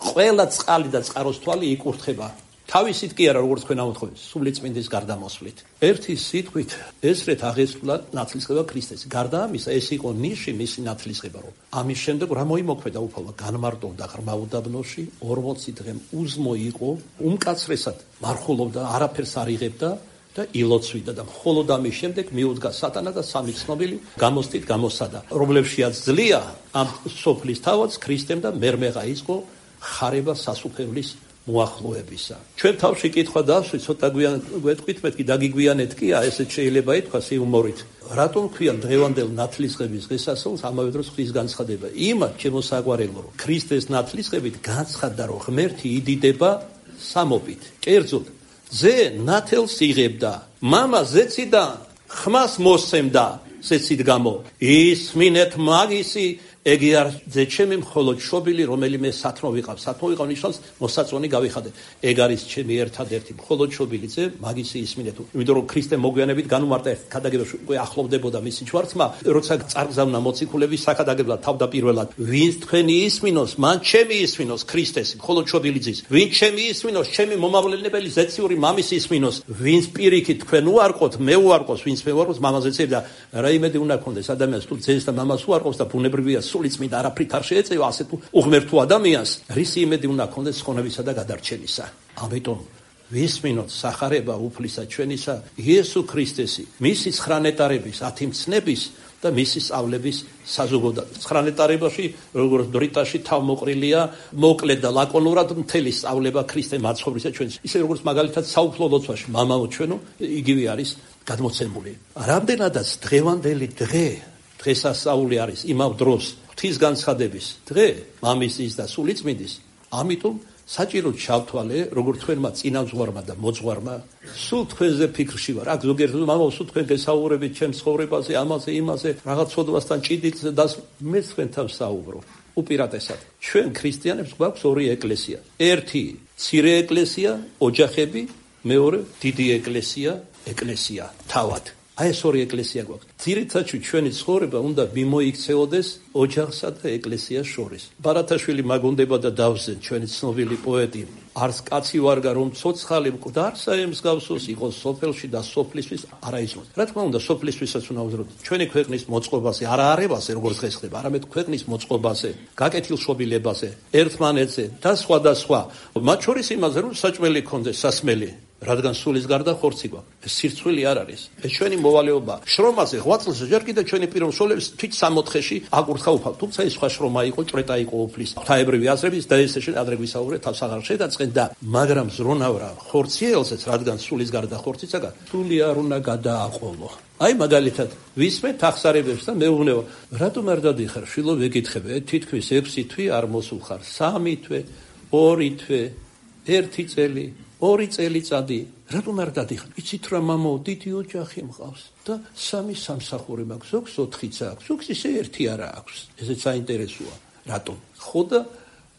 ყველა წყალი და წყაროსთვალი იკურთხება. თავისით კი არა, როგორც თქვენ ამოთხოვეთ, სულიწმინდის გარდამოსვლით. ერთი სიტყვით ესრეთ აღესრულა ნათლისღება ქრისტეს. გარდა ამისა, ეს იყო ნიში მისი ნათლისღება, რომ ამის შემდეგ რა მოიმოქმედა უფალმა, განმარტოვდა ღრმა უდაბნოში, ორმოცი დღე უზმო იყო, უმკაცრესად მარხულობდა, არაფერს არ იღებდა და ილოცვიდა და მხოლოდ ამის შემდეგ მიუდგა სატანა და სამი ცნობილი გამოსტით გამოსადა, რომლებშიაც ძლია ამ სოფლის თავადს ქრისტემ და მერმეღა იყო ხარება სასუფევლის მოახლოებისა. ჩვენ თავში კითხვა დავსვით, ცოტა გვეტყვით, მეთქი დაგიგვიანეთ კი, ესეც შეიძლება ითქვას იუმორით. რატომ ქვიან დღევანდელ ნათლისღების დღესასწაულს ამავე დროს ღვთის განცხადება? იმათ, ჩემო საყვარელო, რომ ქრისტეს ნათლისღებით განცხადდა, რომ ღმერთი იდიდება სამობით. კერძოდ, ზე ნათელს იღებდა, მამა ზეციდან ხმას მოსცემდა ზეცით გამო. ისმინეთ მაგისი ეგი არ ძეჩემი მხოლოდ შობილი, რომელიმე სათნო ვიყავ. სათნო ვიყავ ნიშნავს მოსაწონი გავიხადე. ეგ არის ჩემი ერთადერთი მხოლოდ შობილი ძე, მაგისი ისმინეთ. იმიტომ რომ ქრისტე მოგვიანებით განუმარტა ერთ ქადაგებაში უკვე ახლოვდებოდა მისი ჯვარცმა, როცა წარგზავნა მოციქულების საქადაგებლად თავდაპირველად. ვინც თქვენი ისმინოს, მან ჩემი ისმინოს ქრისტესი, მხოლოდ შობილი ძის. ვინც ჩემი ისმინოს, ჩემი მომავლენებელი ზეციური მამის ისმინოს. ვინც პირიქით თქვენ უარყოთ, მე უარყოს, ვინც მე უარყოს, მამაზე წერდა და რა იმედი უნდა ქონდეს ადამიანს თუ ძეს და მამას უარყოს და ბუნებრივია სულიწმიდა არაფრით არ შეეწევა ასეთ უღმერთო ადამიანს, რისი იმედი უნდა ქონდეს ხონებისა და გადარჩენისა. ამიტომ ვისმინოთ სახარება უფლისა ჩვენისა იესო ქრისტესი, მისი ცხრანეტარების ათიმცნების და მისი სწავლების საზოგადოება. ცხრანეტარებაში, როგორც დრიტაში თავმოყრილია, მოკლედ და ლაკონურად მთელი სწავლება ქრისტე მაცხოვრისა ჩვენს. ისე როგორც მაგალითად საუფლო ლოცვაში, მამაო ჩვენო, იგივე არის გადმოცემული. რამდენადაც დღევანდელი დღე დღესასწაული არის იმავ დროს ღვთის განცხადების დღე, მამისის და სულიწმინდის, ამიტომ საჭირო ჩავთვალე, როგორც თქვენმა წინამძღვარმა და მოძღვარმა, სულ თქვენზე ფიქრში ვარ. აქ ზოგიერთი მამაო, სულ თქვენ გესაუბრებით ჩემს ცხოვრებაზე, ამაზე, იმაზე, რაღაც ცოდვასთან ჭიდილზე და მე თქვენთან საუბრობ. უპირატესად, ჩვენ ქრისტიანებს გვაქვს ორი ეკლესია. ერთი მცირე ეკლესია, ოჯახები, მეორე დიდი ეკლესია, ეკლესია თავად. აი ეს ორი ეკლესია გვაქვს. ძირითადად ჩვენი ცხოვრება უნდა მიმოიქცეოდეს ოჯახსა და ეკლესიას შორის. ბარათაშვილი მაგონდება და დავზენ, ჩვენი ცნობილი პოეტი. არც კაცი ვარგა რომ ცოცხალი მკვდარსა ემსგავსოს იყოს სოფელში და სოფლისთვის არა იზროს. რა თქმა უნდა, სოფლისთვისაც უნდა ვზროთ. ჩვენი ქვეყნის მოწყობაზე, არა არებაზე, როგორც დღეს ხდება, არამედ ქვეყნის მოწყობაზე, გაკეთილშობილებაზე, ერთმანეთზე და სხვა და სხვა. მათ შორის იმაზე, რომ საჭმელი ქონდეს, სასმელი. რადგან სულის გარდა ხორცი გვაქვს. ეს სირცხვილი არ არის. ეს ჩვენი მოვალეობა. შრომაზე ღვაწლზე ჯერ კიდევ ჩვენი პიროვნების თვით სამოთხეში აკურთხა უფალ. თუმცა ეს სხვა შრომა იყო, ჭრეტა იყო უფლის. ღვთაებრივი აზრების და ეს ადრე გვისაუბრეთ თავს აღარ შედაწყენ და მაგრამ ზრუნავრა ხორციელზეც, რადგან სულის გარდა ხორციცაგან სული არ უნდა გადააყოლო. აი მაგალითად, ვისმენთ აღსარებებს და მეუბნება, რატომ არ დადიხარ? შვილო ვეკითხები, თითქმის ექვსი თვე არ მოსულ ხარ, სამი თვე, ორი თვე, ერთი წელი. ორი წელიწადი, რატომ არ დადიხარ? იცით რა მამაო, დიდი ოჯახი მყავს და სამი სამსახური მაქვს, ზოგს ოთხიც აქვს, ზოგს ისე ერთი არა აქვს. ესეც საინტერესოა. რატომ? ხო და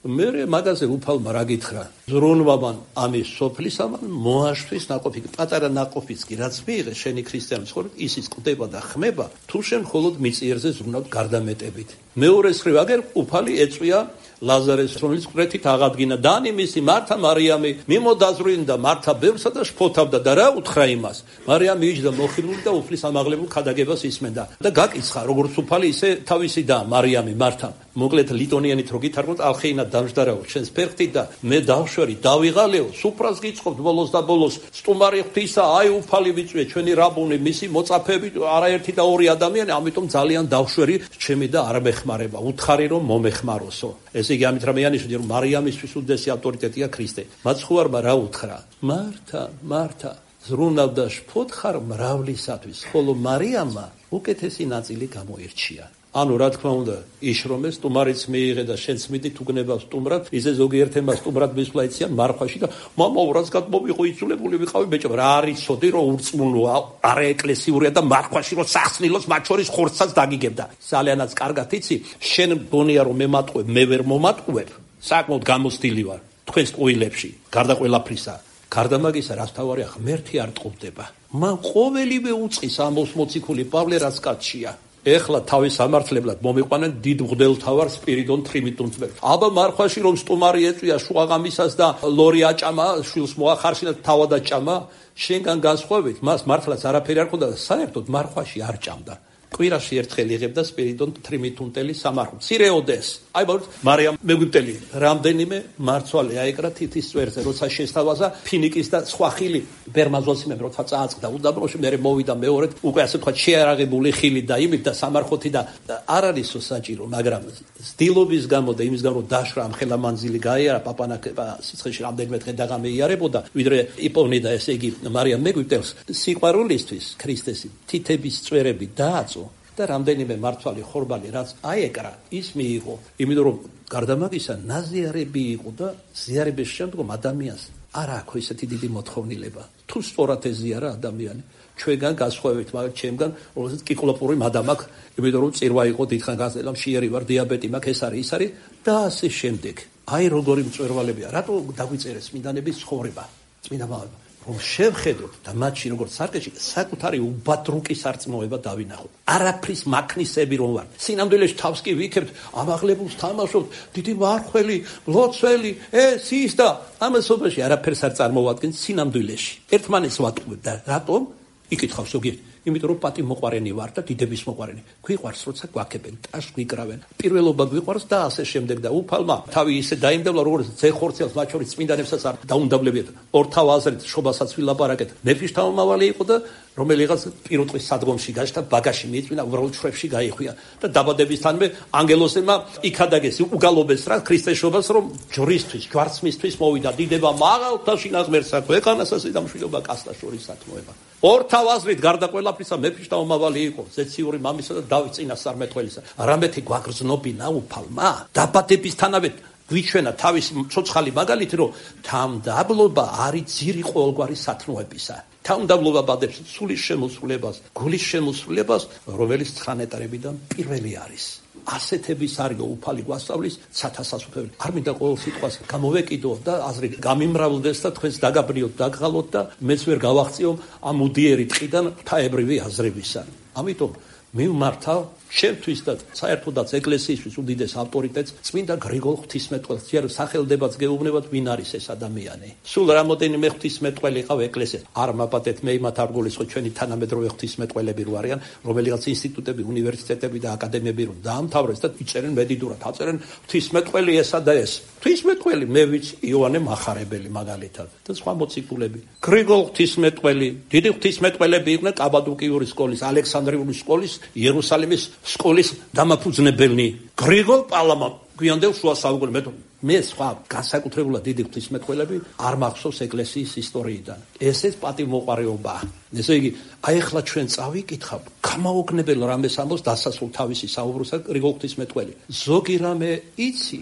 მე მაგაზე უფალმა რა გითხრა? ზრუნვამან ამის სოფლისამან მოაშთვის ნაყოფი, პატარა ნაყოფიც კი რაც მიიღე შენი ქრისტიანის ცხოვრებით, ისიც ყდება და ხმება, თუ შენ მხოლოდ მიწიერზე ზრუნავ გარდამეტებით. მეორეს მხრივ აგერ უფალი ეწვია ლაზარეს, რომელიც ყრეთით აღადგინა და მისი მართა მარიამი მიმოდაზრუნდა მართა ბევრსა და შფოთავდა და რა უთხრა იმას? მარიამი იჯდა მოხიბლული და უფლის ამაღლებულ ქადაგებას ისმენდა და გაკიცხა, როგორც უფალი ისე თავისი და მარიამი მართამ. მოკლედ ლიტონიანით რო გითარგმნოთ, ალხეინა დამждаრაო ჩვენს ფერხთი და მე დავშვერი, დავიღალეო, სუფრას გიწყობთ ბოლოს და ბოლოს, სტუმარი ღვთისა, აი უფალი ვიწვიე, ჩვენი რაბუნი, მისი მოწაფეები, არაერთი და ორი ადამიანი, ამიტომ ძალიან დავშვერი, ჩემი და არ მეხმარება, უთხარი რომ მომეხმაროსო. ესე იგი ამით რამე ანიშნე, რომ მარიამისთვის უდიდესი ავტორიტეტია ქრისტე. მაცხოვარმა რა უთხრა? მართა, მართა, ზრუნავდა შფოთხარ მრავლისათვის, ხოლო მარიამმა უკეთესი ნაწილი გამოირჩია. ანუ რა თქმა უნდა, იშრომეს, სტუმარიც მიიღე და შენც მიდით უგნება სტუმრად, ისე ზოგიერთმა სტუმრად მისვლა იციან მარხვაში და მამაო რაც გადმოვიყო იცულებული ვიყავი ბეჭო, რა არის ცოდი რომ ურწმუნოა, არა ეკლესიურია და მარხვაში რომ სახსნილოს მათ შორის ხორცსაც დაგიგებდა. ძალიანაც კარგად იცი, შენ გონია რომ მე მატყუებ, მე ვერ მომატყუებ, საკმაოდ გამოცდილი ვარ თქვენს ყოილებში, გარდა ყველაფრისა. გარდა მაგისა, რაც თავარი ღმერთი არ ტყუპდება. მან ყოველივე უწყის ამოს მოციქული პავლე რაც კაცშია. ეხლა თავის სამართლებლად მომიყვანენ დიდ მღვდელთავარ სპირიდონ ტრიმიტუნწმებს. აბა მარხვაში რომ სტუმარი ეწვია შუაღამისას და ლორი აჭამა, შვილს მოახარშინა და თავად აჭამა, შენგან განსხვავებით, მას მართლაც არაფერი არ ხონდა და საერთოდ მარხვაში არ ჭამდა. კვირაში ერთხელ იღებდა სპირიდონ ტრიმიტუნტელი სამარხვ. მცირეოდეს. აი ბოლოს მარიამ მეგვიტელი რამდენიმე მარცვალი აეკრა თითის წვერზე, როცა შესთავაზა ფინიკის და სხვა ხილი ბერმაზოსიმემ როცა წააწყდა უდაბნოში, მე მოვიდა მეორედ, უკვე ასე თქვა შეარაღებული ხილი და იმით და სამარხვოთი და არ არისო საჭირო, მაგრამ ძდილობის გამო და იმის გამო დაშრა ამ ხელა მანძილი გაიარა პაპანაკება სიცხეში რამდენიმე დღე დაღამეიარებოდა, ვიდრე იპოვნიდა, ესე იგი მარიამ მეგვიტელს სიყვარულისთვის ქრისტესი თითების წვერები დააწ და რამდენიმე მართვალი ხორბალი რაც აეკრა, ის მიიღო, იმიტომ რომ გარდა მაგისა ნაზიარები იყო და ზიარების შემდგომ ადამიანს არ აქვს ესეთი დიდი მოთხოვნილება. თუ სწორად ეზიარა ადამიანი, ჩვენგან გასხვავებით, მაგრამ ჩემგან, რომელსაც კიკლოპური მადამ აქვს, იმიტომ რომ წირვა იყო დიდხან გაზელა, მშიერი ვარ, დიაბეტი მაქვს, ეს არის, ის არის და ასე შემდეგ. აი როგორი მწვერვალებია, რატო დაგვიწერეს წმინდანების ცხოვრება, წმინდა მამებმა, რომ შევხედოთ და მათში როგორც სარკეში საკუთარი უბადრუკი სარწმუნოება დავინახოთ. არაფრის მაქნისები რომ ვარ. სინამდვილეში თავს კი ვიქებთ, ამაღლებულს თამაშობთ, დიდი მარხველი, ლოცველი, ეს ის და ამასობაში არაფერს არ წარმოვადგენს სინამდვილეში. ერთმანეთს ვატყუებთ და რატომ? იკითხავს ზოგიერთი. იმიტომ რომ პატი მოყარენი ვარ და დიდების მოყარენი. გვიყვარს როცა გვაქებენ, ტაშს გვიკრავენ. პირველობა გვიყვარს და ასე შემდეგ და უფალმა თავი ისე დაიმდევლა, როგორც ძეხორცელს მათ შორის წმინდანებსაც არ დაუნდაბლებიათ. ორთავ აზრით შობასაც ვილაპარაკეთ. მეფის თავმავალი იყო და რომელიღაც პირუტყვის სადგომში გაჩნდა, ბაგაში მიიწვინა, უბრალოდ შრებში გაიხვია და დაბადებისთანვე ანგელოსებმა იქადაგეს, უგალობეს რა ქრისტეშობას, რომ ჯვრისთვის, ჯვარცმისთვის მოვიდა დიდება მაღალთაში ნაღმერსაქვე, ეკანასასი და მშვიდობა კაცთა შორის სათმოება. ორთავ აზრით გარდა ყველაფრისა მეფის თავმავალი იყო, ზეციური მამისა და დავით წინასწარმეტყველისა. რამეთი გვაგრძნობინა უფალმა, დაბადებისთანავე გვიჩვენა თავის ცოცხალი მაგალითი, რომ თავმდაბლობა არის ძირი ყოველგვარი სათნოებისა. თავმდაბლობა ბადებს სულის შემოსვლებას, გულის შემოსვლებას, რომელიც ცხანეტარებიდან პირველი არის. ასეთების არისო უფალი გვასწავლის ცათასასუფეველი. არ მინდა ყოველ სიტყვას გამოვეკიდო და აზრი გამიმრავლდეს და თქვენს დაგაბრიოთ, დაგღალოთ და მეც ვერ გავაღწიო ამ უდიერი ტყიდან ღვთაებრივი აზრებისა. ამიტომ მივმართავ ჩემთვის და საერთოდაც ეკლესიისთვის უდიდეს ავტორიტეტს წმინდა გრიგოლ ღვთისმეტყველს. ჯერ სახელდებაც გეუბნებათ, ვინ არის ეს ადამიანი. სულ რამოდენიმე ღვთისმეტყველი ყავ ეკლესიას. არ მაპატეთ მე იმათ არ გულისხმობ, ჩვენი თანამედროვე ღვთისმეტყველები რო არიან, რომელიღაც ინსტიტუტები, უნივერსიტეტები და აკადემიები რო დაამთავრეს და იწერენ მედიდურად, აწერენ ღვთისმეტყველი ესა და ეს. ღვთისმეტყველი მე ვიცი, იოანე მახარებელი მაგალითად და სხვა მოციქულები. გრიგოლ ღვთისმეტყველი, დიდი ღვთისმეტყველები იყვნენ კაბადოკიური სკოლის, ალექსანდრიული სკოლის, იერუსალიმის სკოლის დამაფუძნებელნი. გრიგოლ პალამა გვიანდელ შუა საუკუნეებში მე სხვა განსაკუთრებულად დიდი ღვთისმეტყველები არ მახსოვს ეკლესიის ისტორიიდან. ესეც პატივმოყვარეობაა. ესე იგი, აი ახლა ჩვენ წავიკითხავ, გამაოგნებელ რამეს ამბობს დასასრულ თავისი საუბრისა გრიგოლ ღვთისმეტყველი. ზოგი რამე იცი,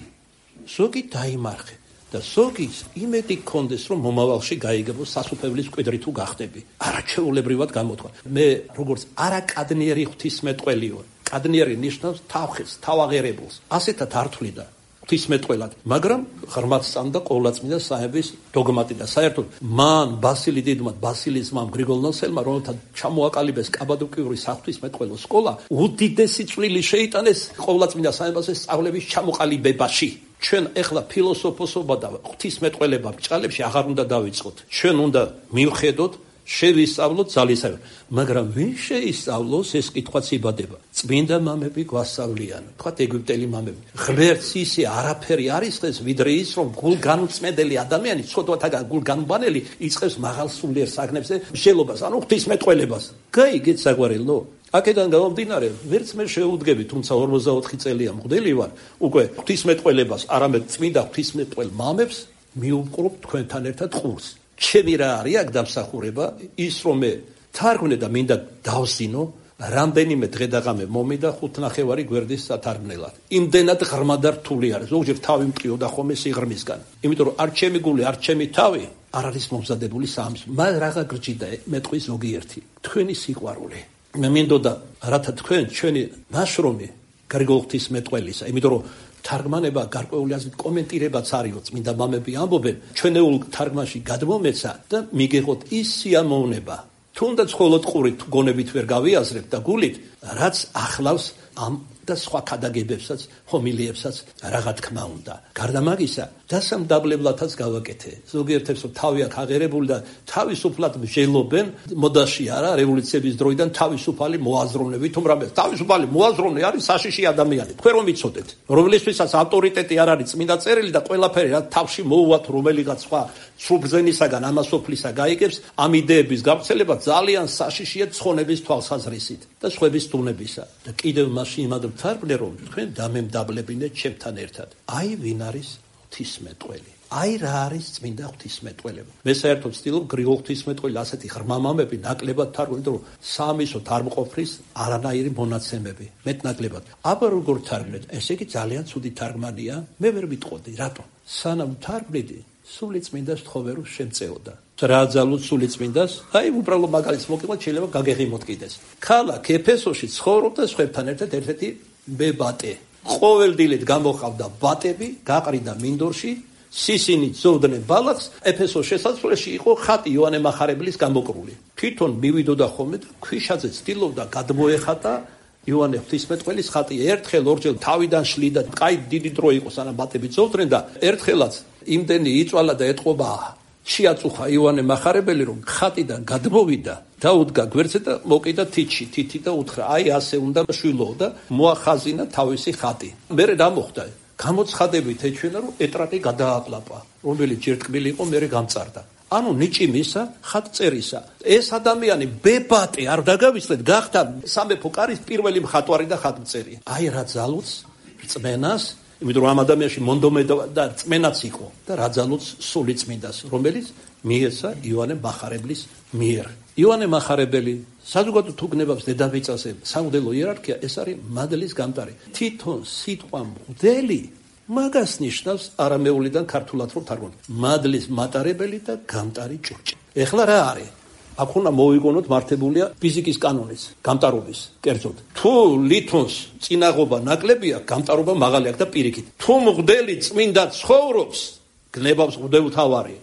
ზოგი დაიმარხე და ზოგის იმედი გქონდეს, რომ მომავალში გაიგებოს სასუფეველის მკვიდრი თუ გახდები. არაჩვეულებრივად გამოთქვა. მე როგორც არაკადნიერი ღვთისმეტყველიო, კადნიერი ნიშნავს თავხეს, თავაღერებულს. ასეთად არ თვლიდა ღვთისმეტყველად, მაგრამ ღრმად სწამდა ყოვლადწმინდა სამების დოგმატი და საერთოდ მან ბასილი დიდმა, ბასილის მამ გრიგოლ ნოსელმა, რომელთან ჩამოაკალიბეს კაბადოკიური საღვთისმეტყველო სკოლა, უდიდესი წვლილი შეიტანეს ყოვლადწმინდა სამებაზე სწავლების ჩამოყალიბებაში. ჩვენ ეხლა ფილოსოფოსობა და ღვთისმეტყველება ბრჭყალებში აღარ უნდა დავიწყოთ. ჩვენ უნდა მივხედოთ შევისწავლოთ ძალისაგან. მაგრამ ვინ შეისწავლოს ეს კითხვაც იბადება. წმინდა მამები გვასწავლიან, თქვათ ეგვიპტელი მამები. ღმერთს ისე არაფერი არის ხეს, ვიდრე ის, რომ გულგანუწმედელი ადამიანი, ცოდვათაგან გულგანბანელი იწყებს მაღალ სულიერ საგნებზე მშელობას, ანუ ღვთისმეტყველებას. გაიგეთ საყვარელო? აქედან გამომდინარე, ვერც მე შეუდგები, თუმცა ორმოცდაოთხი წელია მღვდელი ვარ, უკვე ღვთისმეტყველებას, არამედ წმინდა ღვთისმეტყველ მამებს მიუყრობ თქვენთან ერთად ყურს. ჩემი რა არის აქ დამსახურება, ის რომ მე თარგმნე და მინდა დავსინო, რამდენიმე დღე და ღამე მომიდა ხუთნახევარი გვერდის სათარგმნელად. იმდენად ღრმა და რთული არის. ზოგჯერ თავი მტყიოდა ხოლმე სიღრმისგან. იმიტომ რომ არ ჩემი გული, არ ჩემი თავი არ არის მომზადებული სამს. მაგ რაღა გრჯიდა მეტყვის ზოგიერთი. თქვენი სიყვარული. მე მინდოდა რათა თქვენ ჩვენი ნაშრომი გრიგოლ ღვთისმეტყველისა, იმიტომ რომ თარგმანება გარკვეული აზრით კომენტირებაც არისო, წმინდა მამები ამბობენ, ჩვენეულ თარგმანში გადმომეცა და მიგეღოთ ის სიამოვნება. თუნდაც მხოლოდ ყურით გონებით ვერ გავიაზრებთ და გულით, რაც ახლავს ამ და სხვა ქადაგებებსაც, ჰომილიებსაც რაღა თქმა უნდა. გარდა მაგისა, დასამდაბლებლათაც გავაკეთე. ზოგიერთებს რომ თავი აქვს აღერებული და თავისუფლად მსჯელობენ, მოდაში არა, რევოლუციების დროიდან თავისუფალი მოაზროვნე, თუმ რამე თავისუფალი მოაზროვნე არის საშიში ადამიანი. თქვენ რომ იცოდეთ, რომლისთვისაც ავტორიტეტი არ არის წმინდა წერილი და ყველაფერი რა თავში მოუვათ რომელიღაც სხვა სრულბრძენისაგან ამასოფლისა გაიგებს, ამ იდეების გავრცელება ძალიან საშიშია ცხონების თვალსაზრისით და სხვების თუნებისა. და კიდევ მასში იმად ვთარგმნე, რომ თქვენ დამემდაბლებინეთ ჩემთან ერთად. აი ვინ არის ღვთისმეტყველი. აი რა არის წმინდა ღვთისმეტყველება. მე საერთოდ ვცდილობ გრიგოლ ღვთისმეტყველი ასეთი ღრმა მამები ნაკლებად თარგმნით, რომ სამისოთ არ მყოფრის არანაირი მონაცემები, მეტნაკლებად. აბა როგორ თარგმნეთ? ესე იგი ძალიან ცუდი თარგმანია. მე ვერ ვიტყოდი, რატო? სანამ თარგმნიდი, სული წმინდას თხოვერო შემწეოდა. რა ძალუც სული წმინდას? აი უბრალოდ მაგალითს მოგიყვეთ, შეიძლება გაგეღიმოთ კიდეს. ქალაქ ეფესოში ცხოვრობდა სხვებთან ერთად ერთ-ერთი ბებატე. ყოველდილით გამოხავდა ბატები, გაყრიდა მინდორში, სისინით ზოვდნენ ბალახს, ეფესოს შესასვლელში იყო ხატი იოანე მახარებლის გამოკრული. თვითონ მივიდოდა ხოლმე და ქვიშაზე ცდილობდა გადმოეხატა იოანე ღვთისმეტყველის ხატი. ერთხელ ორჯერ თავიდან შლიდა, კაი დიდი დრო იყო სანამ ბატები ზოვდნენ და ერთხელაც იმდენი იწვალა და ეთყობა შეაწუხა იოანე მახარებელი, რომ ხატიდან გადმოვიდა, დაუდგა გვერდზე და მოკიდა თითში, თითი და უთხრა, აი ასე უნდა შვილო და მოახაზინა თავისი ხატი. მერე რა მოხდა? გამოცხადებით ეჩვენა, რომ ეტრატი გადააყლაპა, რომელიც ჯერტკბილი იყო, მერე გამწარდა. ანუ ნიჭიმისა, ხატწერისა. ეს ადამიანი ბებატე არ დაგავიწყდეთ, გახდა სამეფო კარის პირველი მხატვარი და ხატმწერი. აი რა ძალუც რწმენას, იმიტომ რომ ამ ადამიანში მონდომედა და რწმენაც იყო და რა ძალუც სული წმინდას, რომელიც მიეცა იოანე მახარებლის მიერ. იოანე მახარებელი საზოგადო თუგნებავს დედამიწაზე სამღვდელო იერარქია, ეს არის მადლის გამტარი. თვითონ სიტყვა მღვდელი მაგას ნიშნავს არამეულიდან ქართულად რო თარგმნოთ. მადლის მატარებელი და გამტარი ჭურჭი. ეხლა რა არის? აქ უნდა მოვიგონოთ მართებულია ფიზიკის კანონის, გამტარობის, კერძოდ. თუ ლითონს წინაღობა ნაკლებია, გამტარობა მაღალი აქვს და პირიქით. თუ მღვდელი წმინდა ცხოვრობს, გნებავს მღვდელმთავარი.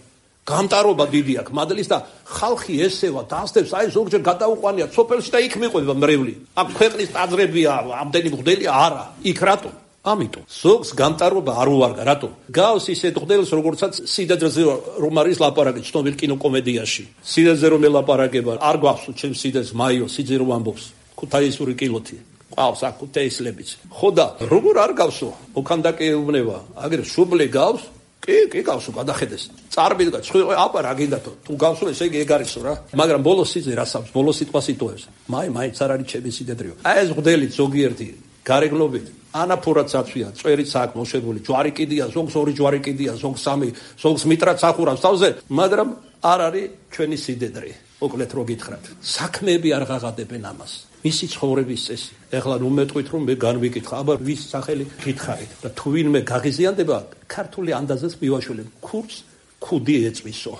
გამტარობა დიდი აქვს მადლის და ხალხი ესევა დასდებს, აი ზოგჯერ გადაუყვანია სოფელში და იქ მიყვება მრევლი. აქ ქვეყნის ტაძრებია, ამდენი მღვდელი არა. იქ რატო? ამიტომ ზოგს გამტარობა არ უვარგა, რატო? გავს ისეთ მღვდელს, როგორცაც სიდაძეზე რომ არის ლაპარაკი ცნობილ კინოკომედიაში. სიდაძე რომ ელაპარაკება, არ გვახსოვს ჩემს სიდაძეს მაიო, სიძე რომ ამბობს, ქუთაისური კილოთი. ყავს აქ ქუთაისლებიც. ხო და როგორ არ გავსო? მოქანდაკე ეუბნება, აგერ შუბლე გავს? კი, კი გავსო, გადახედეს. წარბიდგა, ცხვილ, აბა რა გინდათო? თუ გავსო, ესე იგი ეგ არისო რა. მაგრამ ბოლოს სიძე რასავს, ბოლოს სიტყვას იტოვებს. მაი, მაინც არ არის ჩემი სიდედრიო. აი ეს მღვდელი ზოგიერთი გარეგნობით ანაფორაც აწვია, წვერიც აქვს მოშებული, ჯვარი კიდია, ზოგს ორი ჯვარი კიდია, ზოგს სამი, ზოგს მიტრაც ახურავს თავზე, მაგრამ არ არის ჩვენი სიდედრე. მოკლედ რო გითხრათ, საქმეები არ ღაღადებენ ამას. მისი ცხოვრების წესი. ეხლა ნუ მეტყვით რომ მე განვიკითხა, აბა ვის სახელი გითხარით და თუ ვინმე გაღიზიანდება, ქართული ანდაზეს მივაშველებ, ქურს ქუდი ეწვისო.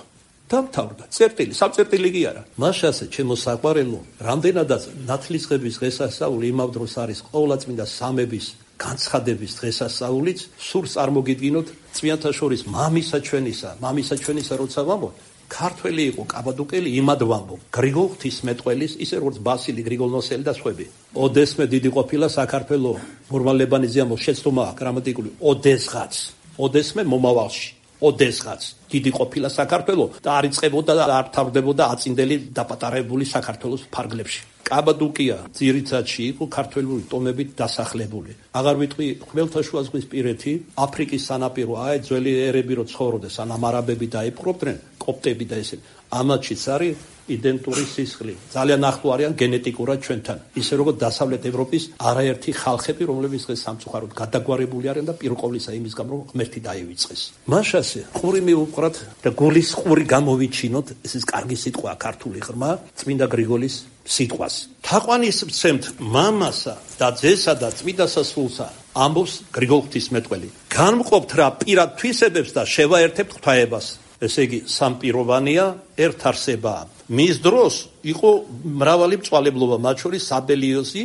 დამთავრდა. წერტილი, სამწერტილი კი არა. მაშასე ჩემო საყვარელო, რამდენადაც ნათლისღების დღესასწაული იმავ დროს არის ყოვლადწმინდა სამების განცხადების დღესასწაულიც, სურს წარმოგიდგინოთ წვიანთა შორის მამისა ჩვენისა, მამისა ჩვენისა როცა ვამბობ, ქართველი იყო კაბადუკელი იმად ვამბობ, გრიგოლ ღვთისმეტყველის, ისე როგორც ბასილი გრიგოლ-ნოსელი და სხვები. ოდესმე დიდი ყოფილა საქართველო, მურმან ლებანიძე ამბობს, შეცდომა გრამატიკული, ოდესღაც, ოდესმე მომავალში. ოდესღაც დიდი ყოფილა საქართველო და არ იწყებოდა და არ თავდებოდა აწინდელი დაპატარებული საქართველოს ფარგლებში. კაბადოკია ძირითადში იყო ქართველური ტომებით დასახლებული. აღარ ვიტყვი ხმელთაშუა ზღვის პირეთი, აფრიკის სანაპირო, აი ძველი ერები რო ცხოვრობდნენ, სანამ არაბები დაიპყრობდნენ, კოპტები და ესე. ამათშიც არის იდენტური სისხლი. ძალიან ახლო არიან გენეტიკურად ჩვენთან. ისე როგორც დასავლეთ ევროპის არაერთი ხალხები, რომლებიც დღეს სამწუხაროდ გადაგვარებული არიან და პირყოვლისა იმის გამო რომ ღმერთი დაივიწყეს. მაშასე ყური მიუყრათ და გულის ყური გამოვიჩინოთ, ეს ის კარგი სიტყვაა ქართული ღრმა, წმინდა გრიგოლის სიტყვას. თაყვანისმცემთ მამასა და ძესა და წმინდა სასულსა, ამბობს გრიგოლ ღვთისმეტყველი. განმყოფთ რა პირად თვისებებს და შევაერთებთ ღვთაებას. ესე იგი სამპიროვანია, ერთ არსებაა. მის დროს იყო მრავალი მწვალებლობა, მათ შორის საბელიოსი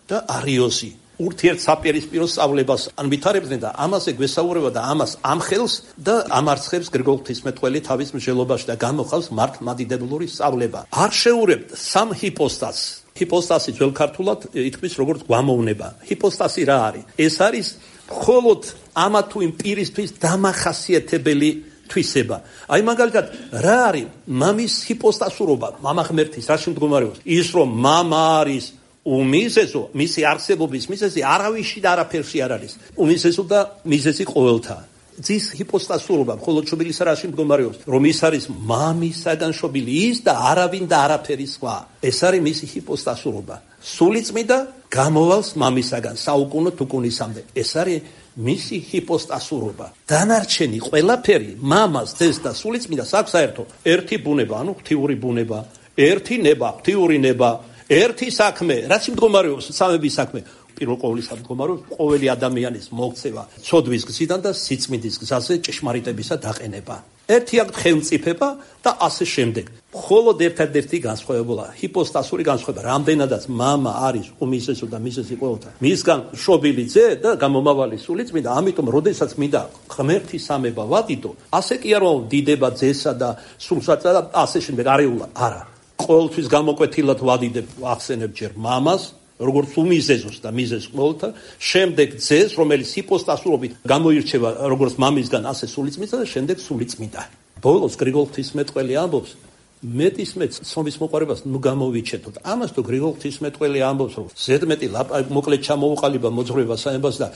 და არიოსი. ურთიერთ საპირისპირო სწავლებას ანვითარებდნენ და ამაზე გვესაუბრება და ამას ამხელს და ამარცხებს გრიგოლ ღვთისმეტყველი თავის მსჯელობაში და გამოხავს მართლმადიდებლური სწავლება. არ შეურებთ სამ ჰიპოსტასს. ჰიპოსტასი ძველ ქართულად ითქმის როგორც გვამოვნება. ჰიპოსტასი რა არის? ეს არის მხოლოდ ამა თუ იმ პირისთვის დამახასიათებელი თვისება. აი მაგალითად, რა არის მამის ჰიპოსტასურობა, მამა ღმერთის, რაში მდგომარეობს? ის რომ მამა არის უმიზესო, მისი არსებობის მიზეზი არავისში და არაფერში არ არის. უმიზესო და მიზეზი ყოველთა. ძის ჰიპოსტასურობა მხოლოდ შობილისა რაში მდგომარეობს? რომ ის არის მამისაგან შობილი ის და არავინ და არაფერი სხვა. ეს არის მისი ჰიპოსტასურობა. სულიწმიდა გამოვალს მამისაგან საუკუნო თუკუნისამდე. ეს არის მისი ჰიპოსტასურობა. დანარჩენი ყველაფერი მამას, ძეს და სულიწმიდას აქვს საერთო. ერთი ბუნება, ანუ ღვთიური ბუნება, ერთი ნება, ღვთიური ნება, ერთი საქმე, რაც მდგომარეობს სამების საქმე. პირველ ყოვლისა მდგომარეობს ყოველი ადამიანის მოქცევა ცოდვის გზიდან და სიწმინდის გზაზე ჭეშმარიტებისა დაყენება. ერთი აქ ხელმწიფება და ასე შემდეგ. მხოლოდ ერთადერთი განსხვავებაა ჰიპოსტასური განსხვავება. რამდენადაც მამა არის უმიზესო და მიზეზი ყოველთა. მისგან შობილი ძე და გამომავალი სულიწმიდა, ამიტომ როდესაც მინდა ღმერთის სამება ვადიდო, ასე კი არ ვდიდება ძესა და სულსა და ასე შემდეგ არეულა. არა. ყოველთვის გამოკვეთილად ვადიდებ, ახსენებ ჯერ მამას, როგორც უმიზეზოს და მიზეზს ყოველთა, შემდეგ ძეს, რომელიც ჰიპოსტასურობით გამოირჩევა როგორც მამისგან, ასე სულიწმიდა და შემდეგ სულიწმიდა. ბოლოს გრიგოლ ღვთისმეტყველი ამბობს, მეტის მეც ცნობის მოყარებას ნუ გამოვიჩეთოთ. ამას თუ გრიგოლ ღვთისმეტყველი ამბობს, რომ ზედმეტი მოკლედ ჩამოუყალიბა მოძღვრება საებას და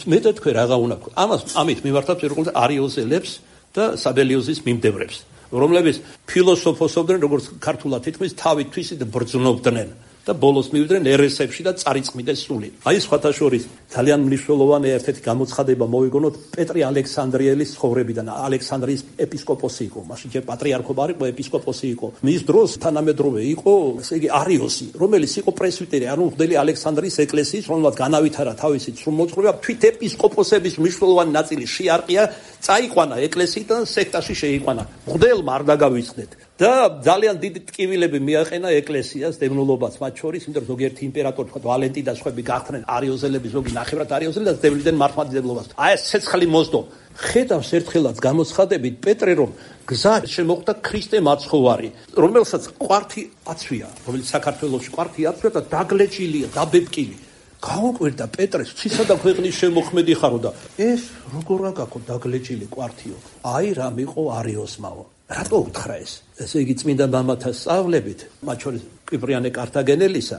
მეტად თქვენ რაღა უნდა გქონდეს. ამას ამით მიმართავთ როგორც არიოზელებს და საბელიოზის მიმდევრებს, რომლებიც ფილოსოფოსობდნენ, როგორც ქართულად ითქმის, თავით თვისით ბრძნობდნენ. და ბოლოს მივიდნენ ერესებში და წარიწმიდეს სული. აი სხვათა შორის ძალიან მნიშვნელოვანი ერთ-ერთი გამოცხადება მოვიგონოთ პეტრე ალექსანდრიელის ცხოვრებიდან. ალექსანდრიის ეპისკოპოსი იყო, მაშინ ჯერ პატრიარქობა არ იყო, ეპისკოპოსი იყო. მის დროს თანამედროვე იყო, ესე იგი არიოსი, რომელიც იყო პრესვიტერი, ანუ მღვდელი ალექსანდრიის ეკლესიის, რომელმაც განავითარა თავისი სრულმოძღვრება, თვით ეპისკოპოსების მნიშვნელოვანი ნაწილი შეარყია, წაიყვანა ეკლესიიდან, სექტაში შეიყვანა. მღვდელმა არ დაგავიწყდეთ. და ძალიან დიდი ტკივილები მიაყენა ეკლესიას, დევნილობას მათ შორის, იმიტომ რომ ზოგიერთი იმპერატორი, თქვა ვალენტი და სხვები გახდნენ არიოზელები, ზოგი ნახევრად არიოზელი და დევნიდნენ მართლმადიდებლობას. აი ეს ცეცხლი მოსდო. ხედავს ერთხელაც გამოცხადებით პეტრე, რომ გზა შემოხვდა ქრისტე მაცხოვარი, რომელსაც ყვართი აცვია, რომელიც საქართველოში ყვართი აცვია და დაგლეჭილია, დაბებკილი. გაუკვირდა პეტრეს, ცისა და ქვეყნის შემოქმედი ხარო და ეს როგორ აგაკო დაგლეჭილი ყვართიო. აი რამ იყო არიოსმაო. რატო უთხრა ეს? ესე იგი წმინდა მამათა სწავლებით, მათ შორის კვიპრიანე კართაგენელისა,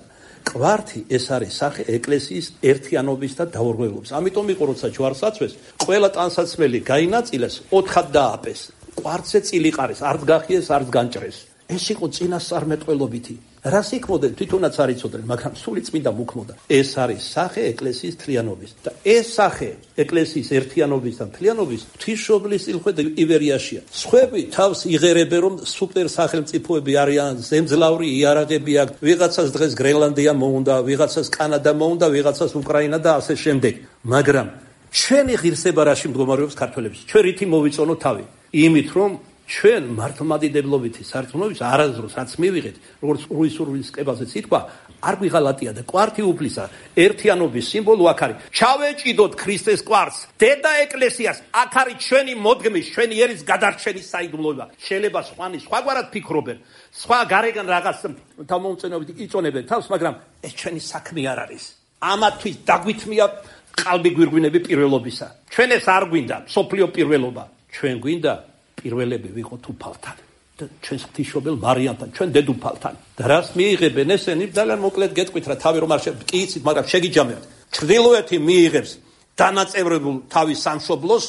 ყვართი ეს არის სახე ეკლესიის ერთიანობის და დაურღვევლობის. ამიტომ იყო როცა ჯვარს აცვეს, ყველა ტანსაცმელი გაინაწილეს, ოთხად დააპეს. ყვართზე წილიყარეს, არც გახიეს, არც განჭრეს. ეს იყო წინასწარმეტყველობითი. რას იქმოდნენ თვითონაც არ იცოდნენ, მაგრამ სული წმინდა მუქმოდა. ეს არის სახე ეკლესიის თლიანობის და ეს სახე ეკლესიის ერთიანობის და თლიანობის ღვთისმშობლის წილხვედა ივერიაში. სხვები თავს იღერებენ, რომ სუპერ სახელმწიფოები არიან, ზემძლავრი იარაღები აქვს, ვიღაცას დღეს გრენლანდია მოუნდა, ვიღაცას კანადა მოუნდა, ვიღაცას უკრაინა და ასე შემდეგ. მაგრამ ჩვენი ღირსება რაში მდგომარეობს ქართველებს? ჩვენ რითი მოვიწონოთ თავი? იმით, რომ ჩვენ მართლმადიდებლობითი სარწმუნოების არასდროს რაც მივიღეთ, როგორც რუისურვილის კებაზეც ითქვა, არ გვიღალატია და კვართი უფლისა ერთიანობის სიმბოლო აქ არის. ჩავეჭიდოთ ქრისტეს კვართს, დედა ეკლესიას, აქ არის ჩვენი მოდგმის, ჩვენი ერის გადარჩენის საიდუმლოება. შეიძლება სხვანი სხვაგვარად ფიქრობენ, სხვა გარეგან რაღაც თავმომწონებით იწონებენ თავს, მაგრამ ეს ჩვენი საქმე არ არის. ამათთვის დაგვითმია ყალბი გვირგვინები პირველობისა. ჩვენ ეს არ გვინდა, სოფლიო პირველობა. ჩვენ გვინდა პირველები ვიყოთ უფალთან და ჩვენს ღვთისმშობელ მარიამთან, ჩვენ დედუფალთან. და რას მიიღებენ ესენი? ძალიან მოკლედ გეტყვით რა, თავი რომ არ კი იცით, მაგრამ შეგიჯამებთ. ჩრდილოეთი მიიღებს დანაწევრებულ თავის სამშობლოს,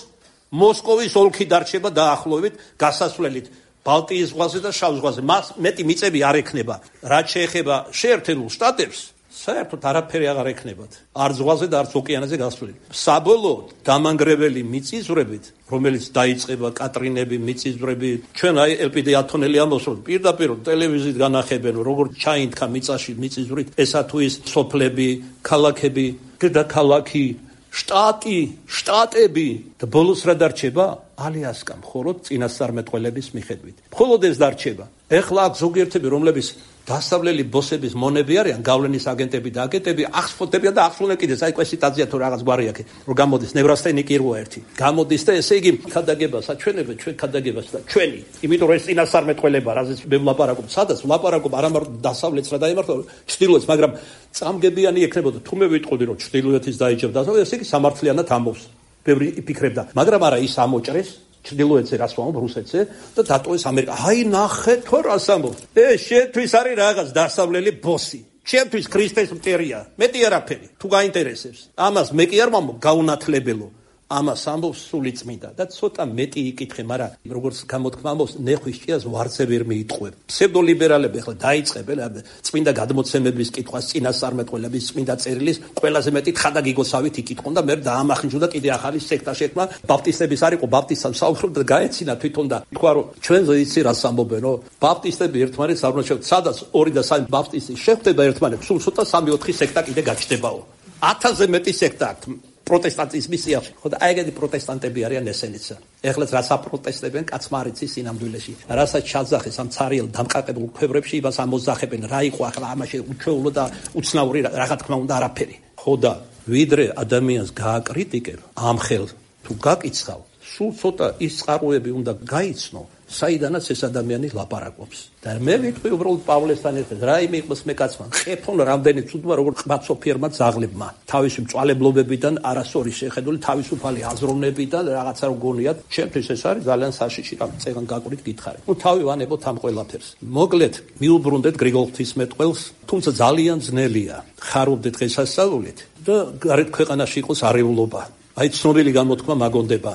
მოსკოვის ოლქი დარჩება დაახლოებით გასასვლელით ბალტიის ზღვაზე და შავ ზღვაზე. მას მეტი მიწები არ ექნება. რაც შეეხება შეერთებულ შტატებს, საერთოდ არაფერი აღარ ექნებათ. არც ზღვაზე და არც ოკეანეზე გასვლით. საბოლოოდ დამანგრეველი მიწისძვრებით, რომელიც დაიწყება კატრინები, მიწისძვრები, ჩვენ აი ელპიდე ათონელი ამბობს, რომ პირდაპირ ტელევიზიით განახებენ, როგორ ჩაინთქა მიწაში მიწისძვრით, ესა თუ ის სოფლები, ქალაქები, დედაქალაქი, შტატი, შტატები და ბოლოს რა დარჩება? ალიასკა მხოლოდ წინასწარმეტყველების მიხედვით. მხოლოდ ეს დარჩება. ეხლა აქ ზოგიერთები, რომლებიც დასავლელი ბოსების მონები არიან, გავლენის აგენტები და აგენტები, ახსფოთებიან და ახსოვნენ კიდეც, აი კვესიტაძია თუ რაღაც გვარი აქვს, რომ გამოდის ნევრასთენიკი როა ერთი. გამოდის და ესე იგი ქადაგებას აჩვენებენ, ჩვენ ქადაგებას და ჩვენი. იმიტომ რომ ეს წინასწარმეტყველება, რაზეც მე ვლაპარაკობ, სადაც ვლაპარაკობ არა მარტო დასავლეთს რა დაემართო, ჩრდილოეთს, მაგრამ წამგებიანი ექნებოდა. თუ მე ვიტყოდი, რომ ჩრდილოეთის დაიჭერა დასავლეთს, ესე იგი სამართლიანად ამბობს. ბევრი იფიქრებდა, მაგრამ არა ის ამოჭრეს ჩრდილოეთზე რას ვამბობ რუსეთზე და დატოვეს ამერიკა. აი ნახე თუ რას ამბობ. ეს შეთვის არის რაღაც დასავლელი ბოსი. ჩემთვის ქრისტეს მტერია. მეტი არაფერი. თუ გაინტერესებს. ამას მე კი არ ვამბობ გაუნათლებელო. ამას ამბობს სული წმინდა და ცოტა მეტი იკითხე, მაგრამ როგორც გამოთქმა ამბობს, ნეხვის ჭიას ვარზე ვერ მიიტყვებ. ფსევდოლიბერალები ახლა დაიწყებენ წმინდა გადმოცემების კითხვას, წინასწარმეტყველების, წმინდა წერილის ყველაზე მეტი თხადაგიგოსავით იკითხონ და მე დაამახინჯო და კიდე ახალი სექტა შექმნა. ბაპტისტების არ იყო, ბაპტისტებს საუბრობ და გაეცინა თვითონ და თქვა რომ ჩვენზე იცი რას ამბობენო? ბაპტისტები ერთმანეთს არ უნდა შევხვდეთ. სადაც ორი და სამი ბაპტისტი შეხვდება ერთმანეთს, სულ ცოტა სამი ოთხი სექტა კიდე გაჩნდებაო. ათასზე მეტი სექტა აქვს. პროტესტანტიზმის სიახლოვე. ხო და აი ეგეთი პროტესტანტები არიან ესენიც. ეხლაც რას აპროტესტებენ კაცმარიცის სინამდვილეში. რასაც ჩაძახეს ამ цаრიელ დამყარებულ ქვევრებში, იმას ამოძახებენ. რა იყო ახლა ამაში უჩვეულო და უცნაური რა თქმა უნდა არაფერი. ხო და ვიდრე ადამიანს გააკრიტიკებ, ამ ხელ თუ გაკიცხავ, სულ ცოტა ის წყაროები უნდა გაიცნო, საიდანაც ეს ადამიანი ლაპარაკობს. და მე ვიტყვი უბრალოდ პავლესთან ერთად, რა იმ იყოს მე კაცმა, ხეფონ რამდენი ცუდმა როგორ ყბაცოფიერმა ძაღლებმა, თავისი მწვალებლობებიდან არასორი შეხედული თავისუფალი აზროვნებიდან რაღაცა რო გონიათ, ჩემთვის ეს არის ძალიან საშიში რამ წეგან გაკვირით გითხარი. ნუ თავი ვანებოთ ამ ყველაფერს. მოკლედ, მიუბრუნდეთ გრიგოლ ღვთისმეტყველს, თუმცა ძალიან ძნელია ხარობდეთ დღესასწაულით და გარეთ ქვეყანაში იყოს არეულობა. აი ცნობილი გამოთქმა მაგონდება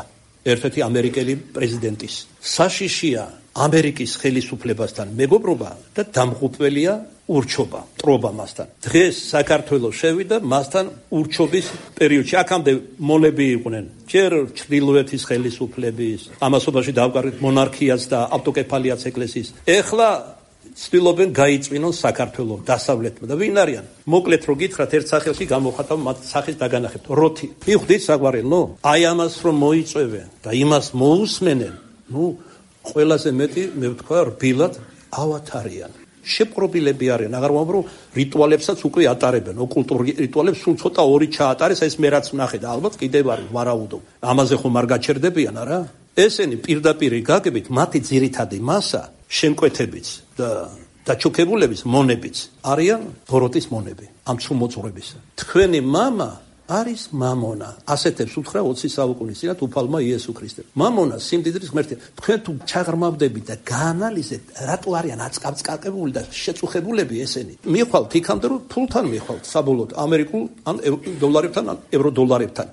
ერთ-ერთი ამერიკელი პრეზიდენტის. საშიშია ამერიკის ხელისუფლებასთან მეგობრობა და დამღუპველია ურჩობა, ტრობა მასთან. დღეს საქართველოს შევიდა მასთან ურჩობის პერიოდში. აქამდე მონები იყვნენ. ჯერ ჩრდილოეთის ხელისუფლების, ამასობაში დავკარგეთ მონარქიას და ავტოკეფალიას ეკლესიის. ეხლა ცდილობენ გაიწვინონ საქართველოს დასავლეთმა და ვინ არიან? მოკლედ რო გითხრათ ერთ სახელში გამოხატავ მათ სახის დაგანახებთ. როთი. მივხვდით საგვარელო? აი ამას რომ მოიწევენ და იმას მოусმენენ, ნუ ყველაზე მეტი მე ვთქვა რბილად ავათარიან. შეპყრობილები არიან, აღარ ვამბობ რომ რიტუალებსაც უკვე ატარებენ, ოკულტურ რიტუალებს სულ ცოტა ორი ჩაატარეს, ეს მე რაც ვნახე და ალბათ კიდევ არის ვარაუდო. ამაზე ხომ არ გაჩერდებიან, არა? ესენი პირდაპირ გაგებით მათი ძირითადი მასა შემკვეთებიც და დაჩოქებულების მონებიც არიან ბოროტის მონები, ამ ცრუმოწურების. თქვენი мама არის მამონა. ასეთებს უთხრა ოცი საუკუნის წინათ უფალმა იესო ქრისტემ. მამონა სიმდიდრის ღმერთია. თქვენ თუ ჩაღრმავდებით და გაანალიზეთ, რატო არიან აწკაბწკაკებული და შეწუხებულები ესენი? მიხვალთ იქამდე რომ ფულთან მიხვალთ საბოლოოდ ამერიკულ ან დოლარებთან ან ევროდოლარებთან.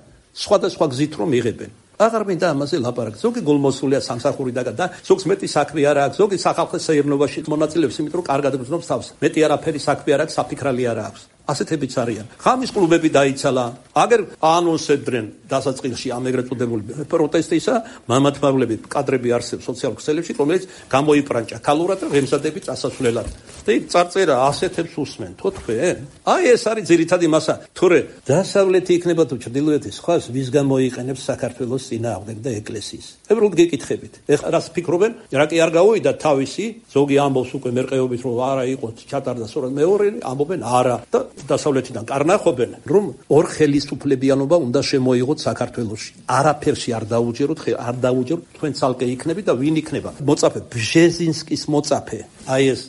სხვადასხვა გზით რომ იღებენ. აღარ მინდა ამაზე ლაპარაკი. ზოგი გულმოსულია სამსახურიდან და ზოგს მეტი საქმე არ აქვს, ზოგი სახალხო საერთნობაში მონაწილეობს, იმიტომ რომ კარგად გრძნობს თავს. მეტი არაფერი საქმე არ აქვს, საფიქრალი არ აქვს. ასეთებიც არიან. ხამის კლუბები დაიცალა. აგერ აანონსებდნენ დასაწყისში ამ ეგრეთ წოდებული პროტესტისა, მამათმავლები კადრები არსებობს სოციალურ ქსელებში, რომელიც გამოიპრანჭა ქალურად და ღემზადებით წასასვლელად. და იქ წარწერა ასეთებს უსმენ, თო თქვენ? აი ეს არის ძირითადი მასა. თორე დასავლეთი იქნება თუ ჩრდილოეთი სხვას ვის გამოიყენებს საქართველოს წინააღმდეგ და ეკლესიის. ებრალოდ გეკითხებით. ეხლა რას ფიქრობენ? რა კი არ გავუვიდა თავისი, ზოგი ამბობს უკვე მერყეობით რომ არა იყო ჩატარდა სწორად მეორე, ამბობენ არა და დასავლეთიდან კარნახობენ, რომ ორ ხელისუფლებიანობა უნდა შემოიღოთ საქართველოში. არაფერში არ დაუჯეროთ, არ დაუჯეროთ, თქვენ ცალკე იქნები და ვინ იქნება? მოწაფე ბჟეზინსკის მოწაფე. აი ეს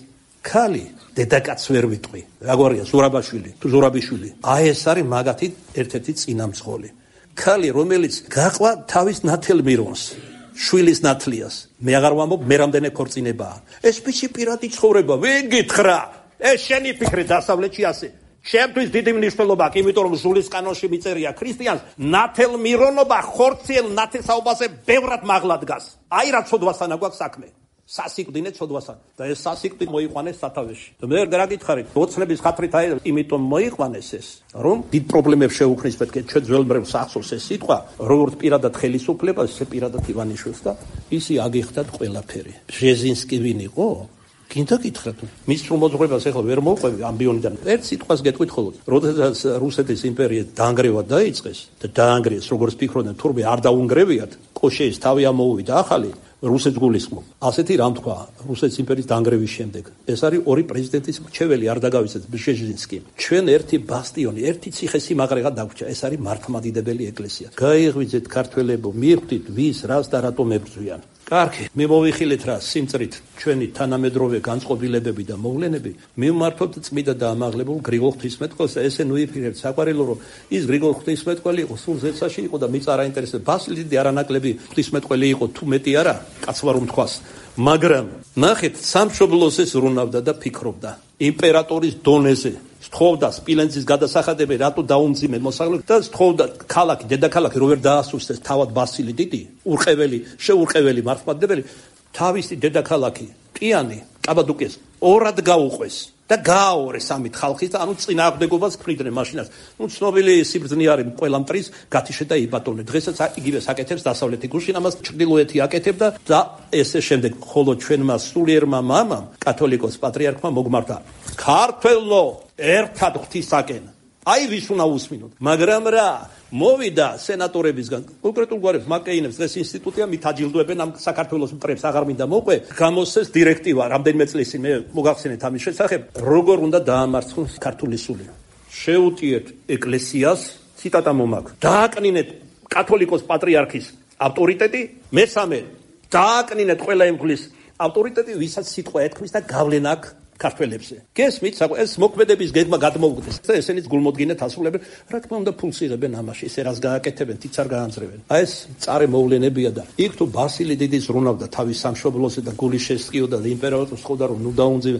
ქალი დედაკაც ვერ ვიტყვი. რაგვარია ზურაბაშვილი, თუ ზურაბიშვილი. აი ეს არის მაგათი ერთ-ერთი წინამძღოლი. ქალი, რომელიც გაყვა თავის ნათელ მირონს. შვილის ნათლიას. მე აღარ ვამბობ, მე რამდენი ქორწინებაა. ეს მისი პირადი ცხოვრება, ვერ გითხრა. ეს შენი ფიქრი დასავლეთში ასე. შემთვის დიდი მნიშვნელობა აქვს, იმიტომ რომ ჟულის კანონში მიწერია ქრისტიანს ნათელმირონობა ხორციელ ნათესაობაზე ბევრად მაღლა დგას. აი რა ცოდვასანა გვაქვს საქმე. სასიკვდინე ცოდვასან და ეს სასიკვდილი მოიყვანეს სათავეში. და მე რა გითხარით, ოცნების ხათრით აი იმიტომ მოიყვანეს ეს, რომ დიდ პრობლემებს შეუქმნის მეთქე ჩვენ ძველმრევლ სახსოვს ეს სიტყვა, როგორც პირადად ხელისუფლებას, ესე პირადად ივანიშვილს და ისი აგიხდათ ყველაფერი. ბჟეზინსკი ვინ იყო? გინდა გითხრათ, მის მოძღვრებას ახლა ვერ მოვყვები ამბიონიდან. ერთ სიტყვას გეტყვით ხოლმე, როდესაც რუსეთის იმპერია დაანგრევა დაიწყეს და დაანგრიეს, როგორც ფიქრობდნენ, თურმე არ დაუნგრევიათ, კოშეის თავი ამოუვიდა ახალი რუსეთს გულისხმობ. ასეთი რამ თქვა რუსეთის იმპერიის დაანგრევის შემდეგ. ეს არის ორი პრეზიდენტის მრჩეველი არ დაგავიწყეთ ბჟეზინსკი. ჩვენ ერთი ბასტიონი, ერთი ციხესიმაგრეღა დაგვრჩა. ეს არის მართლმადიდებელი ეკლესია. გაიღვიძეთ ქართველებო, მიხვდით ვის, რას და რატომ ებრძვიან. კარგი, მე მოვიხილეთ რა სიმწრით ჩვენი თანამედროვე განწყობილებები და მოვლენები მივმართოთ წმიდა და ამაღლებულ გრიგოლ ღვთისმეტყველს და ესე ნუიფიქრებთ საყვარელო რომ ის გრიგოლ ღვთისმეტყველი იყო სულ ზეცაში იყო და მიწა არ აინტერესებს ბასილი დიდი არანაკლები ღვთისმეტყველი იყო თუ მეტი არა კაცმა რომ თქვას მაგრამ ნახეთ სამშობლოს ეს რუნავდა და ფიქრობდა იმპერატორის დონეზე სთხოვდა სპილენძის გადასახადები რატო დაუმძიმეთ მოსახლეობას და სთხოვდა ქალაქი დედაქალაქი რო ვერ დაასუსტეს თავად ბასილი დიდი ურყეველი შეურყეველი მართლმადიდებელი თავისი დედაქალაქი კიანი კაბადოკიას ორად გაუყვეს და გააორეს ამით ხალხის და ანუ წინააღმდეგობას ქრიდნენ მაშინაც ნუ ცნობილი სიბრძნე არის ყველა მტრის გათიშე და იბატონე დღესაც იგივე საკეთებს დასავლეთი გუშინ ამას ჩრდილოეთი აკეთებდა და ესე შემდეგ ხოლო ჩვენმა სულიერმა მამამ კათოლიკოს პატრიარქმა მოგმართა ქართველო ერთად ღვთისაკენ აი ვის უნდა უსმინოთ მაგრამ რა მოვიდა სენატორებისგან კონკრეტულ გვარებს მაკეინებს დღეს ინსტიტუტია მით აჯილდოებენ ამ საქართველოს მტრებს აღარ მინდა მოყვე გამოსცეს დირექტივა რამდენიმე წლის წინ მე მოგახსენეთ ამის შესახებ როგორ უნდა დაამარცხოს ქართული სული შეუტიეთ ეკლესიას ციტატა მომაქვს დააკნინეთ კათოლიკოს პატრიარქის ავტორიტეტი მესამე დააკნინეთ ყველა იმგლის ავტორიტეტი ვისაც სიტყვა ეთქმის და გავლენა აქვს ქართველებზე. გესმით, ეს მოქმედების გეგმა გადმოუგდეს. ესენიც გულმოდგინეთ ასრულებენ, რა თქმა უნდა ფულს იღებენ ამაში, ესე რას გააკეთებენ, თიც არ გაანძრევენ. აი ეს წარე მოვლენებია და იქ თუ ბასილი დიდის რუნავდა თავის სამშობლოზე და გული შესწიოდა და იმპერატორს ხოვდა რომ ნუ დაუნძივე.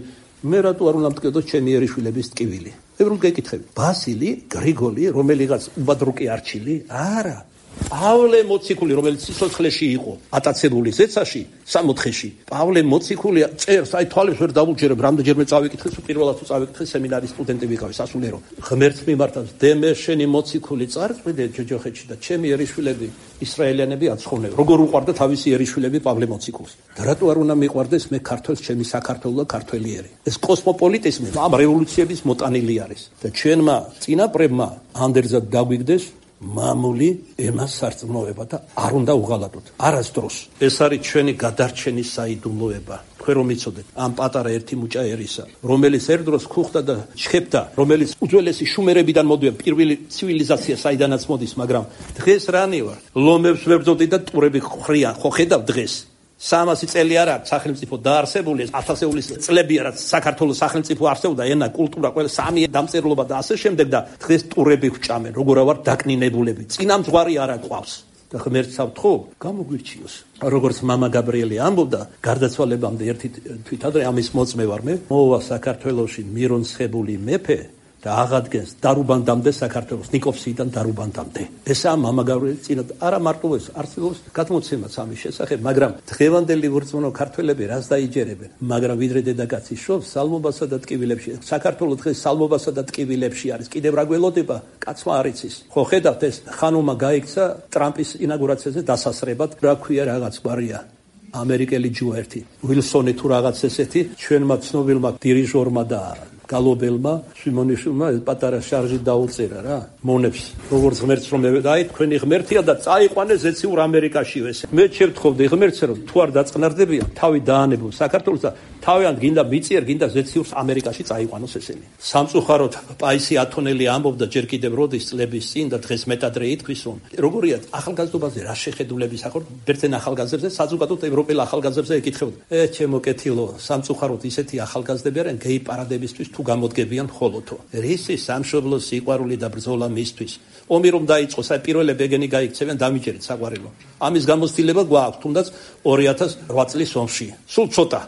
მე რატო არ უნდა მტკიოდოს ჩემი ერიშვილების ტკივილი? მე რომ გეკითხები, ბასილი, გრიგოლი, რომელიღაც უბადრუკი არჩილი? არა. პავლე მოციქული, რომელიც სიცოცხლეში იყო, ატაცებული ზეცაში, სამოთხეში. პავლე მოციქული წერს, აი თვალებს ვერ დავუჯერებ, რამდენჯერმე წავიკითხე, პირველად თუ წავიკითხე სემინარის სტუდენტი ვიყავი, სასულიერო. ღმერთს მიმართავს, დემე შენი მოციქული წარწმიდე ჯოჯოხეთში და ჩემი ერიშვილები ისრაელიანები აცხოვნე. როგორ უყვარდა თავისი ერიშვილები პავლე მოციქულს. და რატო არ უნდა მიყვარდეს მე ქართველს, ჩემი საქართველო და ქართველიერი. ეს კოსმოპოლიტიზმი ამ რევოლუციების მოტანილი არის. და ჩვენმა წინაპრებმა ანდერძად დაგვიგდეს მამული ემას სარწმუნოება და არ უნდა უღალატოთ არასდროს ეს არის ჩვენი გადარჩენის საიდუმლოება თქვენ რომ იცოდეთ ამ პატარა ერთი მუჭა ერისა რომელიც ერთდროს ხუხდა და ჩხებდა რომელიც უძველესი შუმერებიდან მოდიან პირველი ცივილიზაცია საიდანაც მოდის მაგრამ დღეს რანი ვარ ლომებს ვებრძოდი და ტურები ხრიან ხო ხედავ დღეს სამასი წელი არა სახელმწიფო დაარსებული ათასეულის წლებია რაც საქართველოს სახელმწიფო არსებობდა ენა კულტურა ყველა სამი დამწერლობა და ასე შემდეგ და დღეს ტურები ვჭამენ როგორ ვარ დაკნინებულები წინამძღვარი არა ყავს და ღმერთს ავთხო გამოგვირჩიოს როგორც მამა გაბრიელი ამბობდა გარდაცვალებამდე ერთი თვითადრე ამის მოწმე ვარ მე მოვა საქართველოში მირონცხებული მეფე და აღადგენს დარუბანდამდე საქართველოს ნიკოფსიიდან დარუბანდამდე. ესაა მამა გავრიელი წინა არა მარტო ეს არსებობს გადმოცემაც ამის შესახებ, მაგრამ დღევანდელი ვორწმუნო ქართველები რას დაიჯერებენ, მაგრამ ვიდრე დედაკაცი შობს სალმობასა და ტკივილებში. საქართველოს დღეს სალმობასა და ტკივილებში არის. კიდევ რა გველოდება, კაცმა არ იცის. ხო ხედავთ ეს ხანომა გაიქცა ტრამპის ინაგურაციაზე დასასრებად, რა ქვია რაღაც გვარია. ამერიკელი ჯუა ერთი, უილსონი თუ რაღაც ესეთი, ჩვენმა ცნობილმა დირიჟორმა და გალობელმა სიმონიშვილმა პატარა შარჟი დაუწერა რა მონებს როგორც ღმერთს რომ აი თქვენი ღმერთია და წაიყვანე ზეციურ ამერიკაშივე მე შევთხოვდი ღმერთს რომ თუ არ დაწყნარდებიან თავი დაანებულ საქართველოს და თავიანთ გინდა მიწიერ გინდა ზეციურ ამერიკაში წაიყვანოს ესენი სამწუხაროდ პაისი ათონელი ამბობდა ჯერ კიდევ როდის წლების წინ და დღეს მეტადრე ითქვის რომ როგორია ახალგაზრდობაზე რა შეხედულების ახორ ბერძენ ახალგაზრდებზე საზოგადოებრივ ევროპელ ახალგაზრდებზე ეკითხებოდა ე ჩემო კეთილო სამწუხაროდ ისეთი ახალგაზრდები არიან გეი პარადებისთვის თუ გამოდგებიან მხოლოდო. რისი სამშობლოს სიყვარული და ბრძოლა მისთვის. ომი რომ დაიწყოს, აი პირველები ეგენი გაიქცევენ დამიჯერეთ საყვარელო. ამის გამოცდილება გვაქვს, თუნდაც ორი ათას ოთხ წლის ომში. სულ ცოტა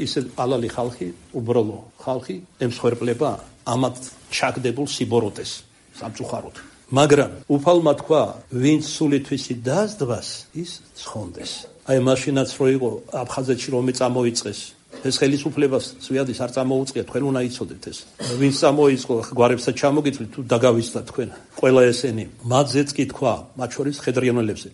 ისე ალალი ხალხი, უბრალო ხალხი ემსხვერპლება ამათ ჩაგდებულ სიბოროტეს სამწუხაროდ. მაგრამ უფალმა თქვა, ვინც სულითვისი დასდღას, ის ცხონდეს. აი მაშინაც რო იყო აფხაზეთში რომ წამოიწყეს ეს ხელისუფლებას ზვიადის არ წამოუწყია, თქვენ უნდა იცოდეთ ეს. ვინც წამოიწყო გვარებსაც ჩამოგიწვით თუ დაგავიწყდათ თქვენ. ყველა ესენი მათზეც კი თქვა, მათ შორის ხედრიანელებზე.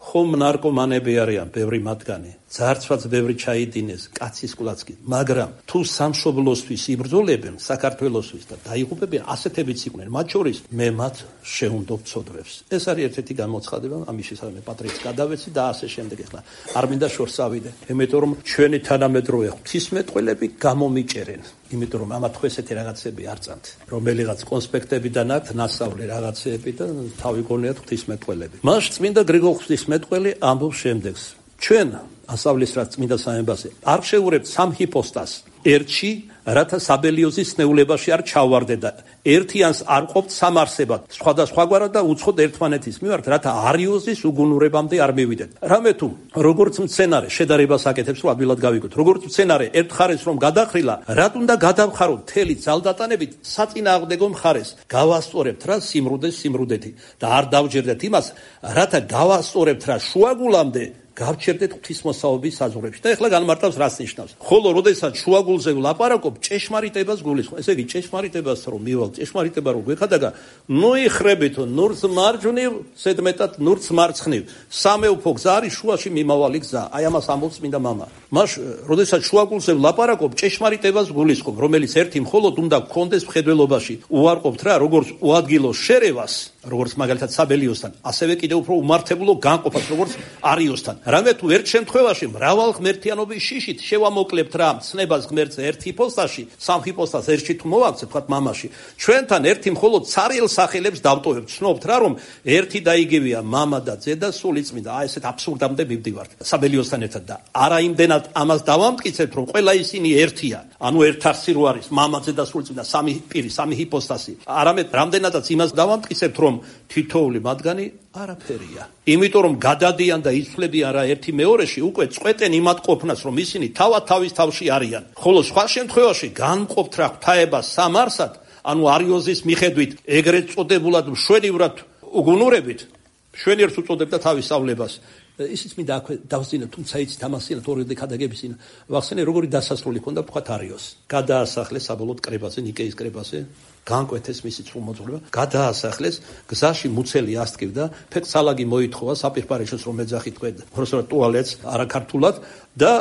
ხომ ნარკომანები არიან ბევრი მათგანი, ძარცვაც ბევრი ჩაიდინეს, კაცის კვლაცკი, მაგრამ თუ სამშობლოსთვის იბრძოლებენ, საქართველოსთვის და დაიღუპებიან, ასეთებიც იყვნენ, მათ შორის მე მათ შეუნდობ ცოდვებს. ეს არის ერთ-ერთი გამოცხადება, ამის შესაძლებელი პატრიოტს გადავეცი და ასე შემდეგ. ახლა არ მინდა შორს ავიდე, იმიტომ რომ ჩვენი თანამედროვე ღვთისმეტყველები გამომიჭერენ. იმიტომ რომ ამათ ხო ესეთი რაღაცები არ წამთ, რომელიღაც კონსპექტებიდან აქვთ ნასწავლი რაღაცეები და თავი გონიათ ღვთისმეტყველები. მას წმინდა გრიგოლ ღვთისმეტყველი ამბობს შემდეგს. ჩვენ ასავლის რაც წმინდა სამებაზე არ შეურებთ სამ ჰიპოსტას ერთში, რათა საბელიოზის ნეულებაში არ ჩავარდეთ და ერთიანს არ ყოფთ სამარსებად, სხვადასხვაგვარად და უცხოდ ერთმანეთის მიმართ, რათა არიოზის უგუნურებამდე არ მივიდეთ. რამე თუ როგორც მცენარე შედარებას აკეთებს, რომ ადვილად გავიგოთ, როგორც მცენარე ერთ მხარეს რომ გადახრილა, რატ უნდა გადავხაროთ მთელი ძალდატანებით საწინააღმდეგო მხარეს, გავასწორებთ რა სიმრუდეს სიმრუდეთი და არ დავჯერდეთ იმას, რათა გავასწორებთ რა შუაგულამდე გავჩერდეთ ღვთისმოსაობის საზღვრებში. და ეხლა განმარტავს რას ნიშნავს. ხოლო როდესაც შუაგულზე ვლაპარაკობ, ჭეშმარიტებას გულისხმობ. ესე იგი ჭეშმარიტებას რომ მივალ, ჭეშმარიტება რომ გვეხადაგა, ნუ იხრებითო, ნურც მარჯვნივ, ზედმეტად ნურც მარცხნივ. სამეუფო გზა არის შუაში მიმავალი გზა. აი ამას ამბობს წმინდა მამა. მას როდესაც შუაგულზე ვლაპარაკობ, ჭეშმარიტებას გულისხმობ, რომელიც ერთი მხოლოდ უნდა გქონდეს მხედველობაში. უარყოფთ რა, როგორც უადგილო შერევას, როგორც მაგალითად საბელიოსთან, ასევე კიდევ უფრო უმართებულო განყოფას, როგორც არიოსთან. რამე თუ ერთ შემთხვევაში მრავალ ღმერთიანობის შიშით შევამოკლებთ რა ცნებას ღმერთზე ერთ ჰიპოსტაში, სამ ჰიპოსტას ერთში თუ მოვაქცევთ, თქვათ მამაში, ჩვენთან ერთი მხოლოდ ცარიელ სახელებს დავტოვებთ. ცნობთ რა, რომ ერთი და იგივეა მამა და ძე და სულიწმინდა. აი ესეთ აბსურდამდე მივდივართ საბელიოსთან ერთად და არა იმდენად ამას დავამტკიცებთ, რომ ყველა ისინი ერთია. ანუ ერთ არსი რო არის მამა, ძე და სულიწმინდა, სამი პირი, სამი ჰიპოსტასი. არამედ რამდენადაც იმას დავამტკიცებთ, რომ თითოეული მათგანი არაფერია. იმიტომ რომ გადადიან და იცვლებიან რა ერთი მეორეში, უკვე წყვეტენ იმათ ყოფნას, რომ ისინი თავად თავის თავში არიან. ხოლო სხვა შემთხვევაში განმყოფთ რა ღვთაებას სამარსად, ანუ არიოზის მიხედვით ეგრეთ წოდებულად მშვენივრად უგუნურებით, მშვენიერს უწოდებდა თავის სწავლებას. ისიც მინდა აქვე დავსწინო, თუმცა იცით ამასინათ ორი დეკადაგებისინა. ვახსენე როგორი დასასრული ჰქონდა ვთქვათ არიოს. გადაასახლეს საბოლოოდ კრებაზე, ნიკეის კრებაზე. განკვეთეს მისი წრუმოძღვრება, გადაასახლეს, გზაში მუცელი ასტკივდა, ფექსალაგი მოითხოვა საპირფარეშოს რომ ეძახი თქვენ, უბრალოდ ტუალეტს არაქართულად და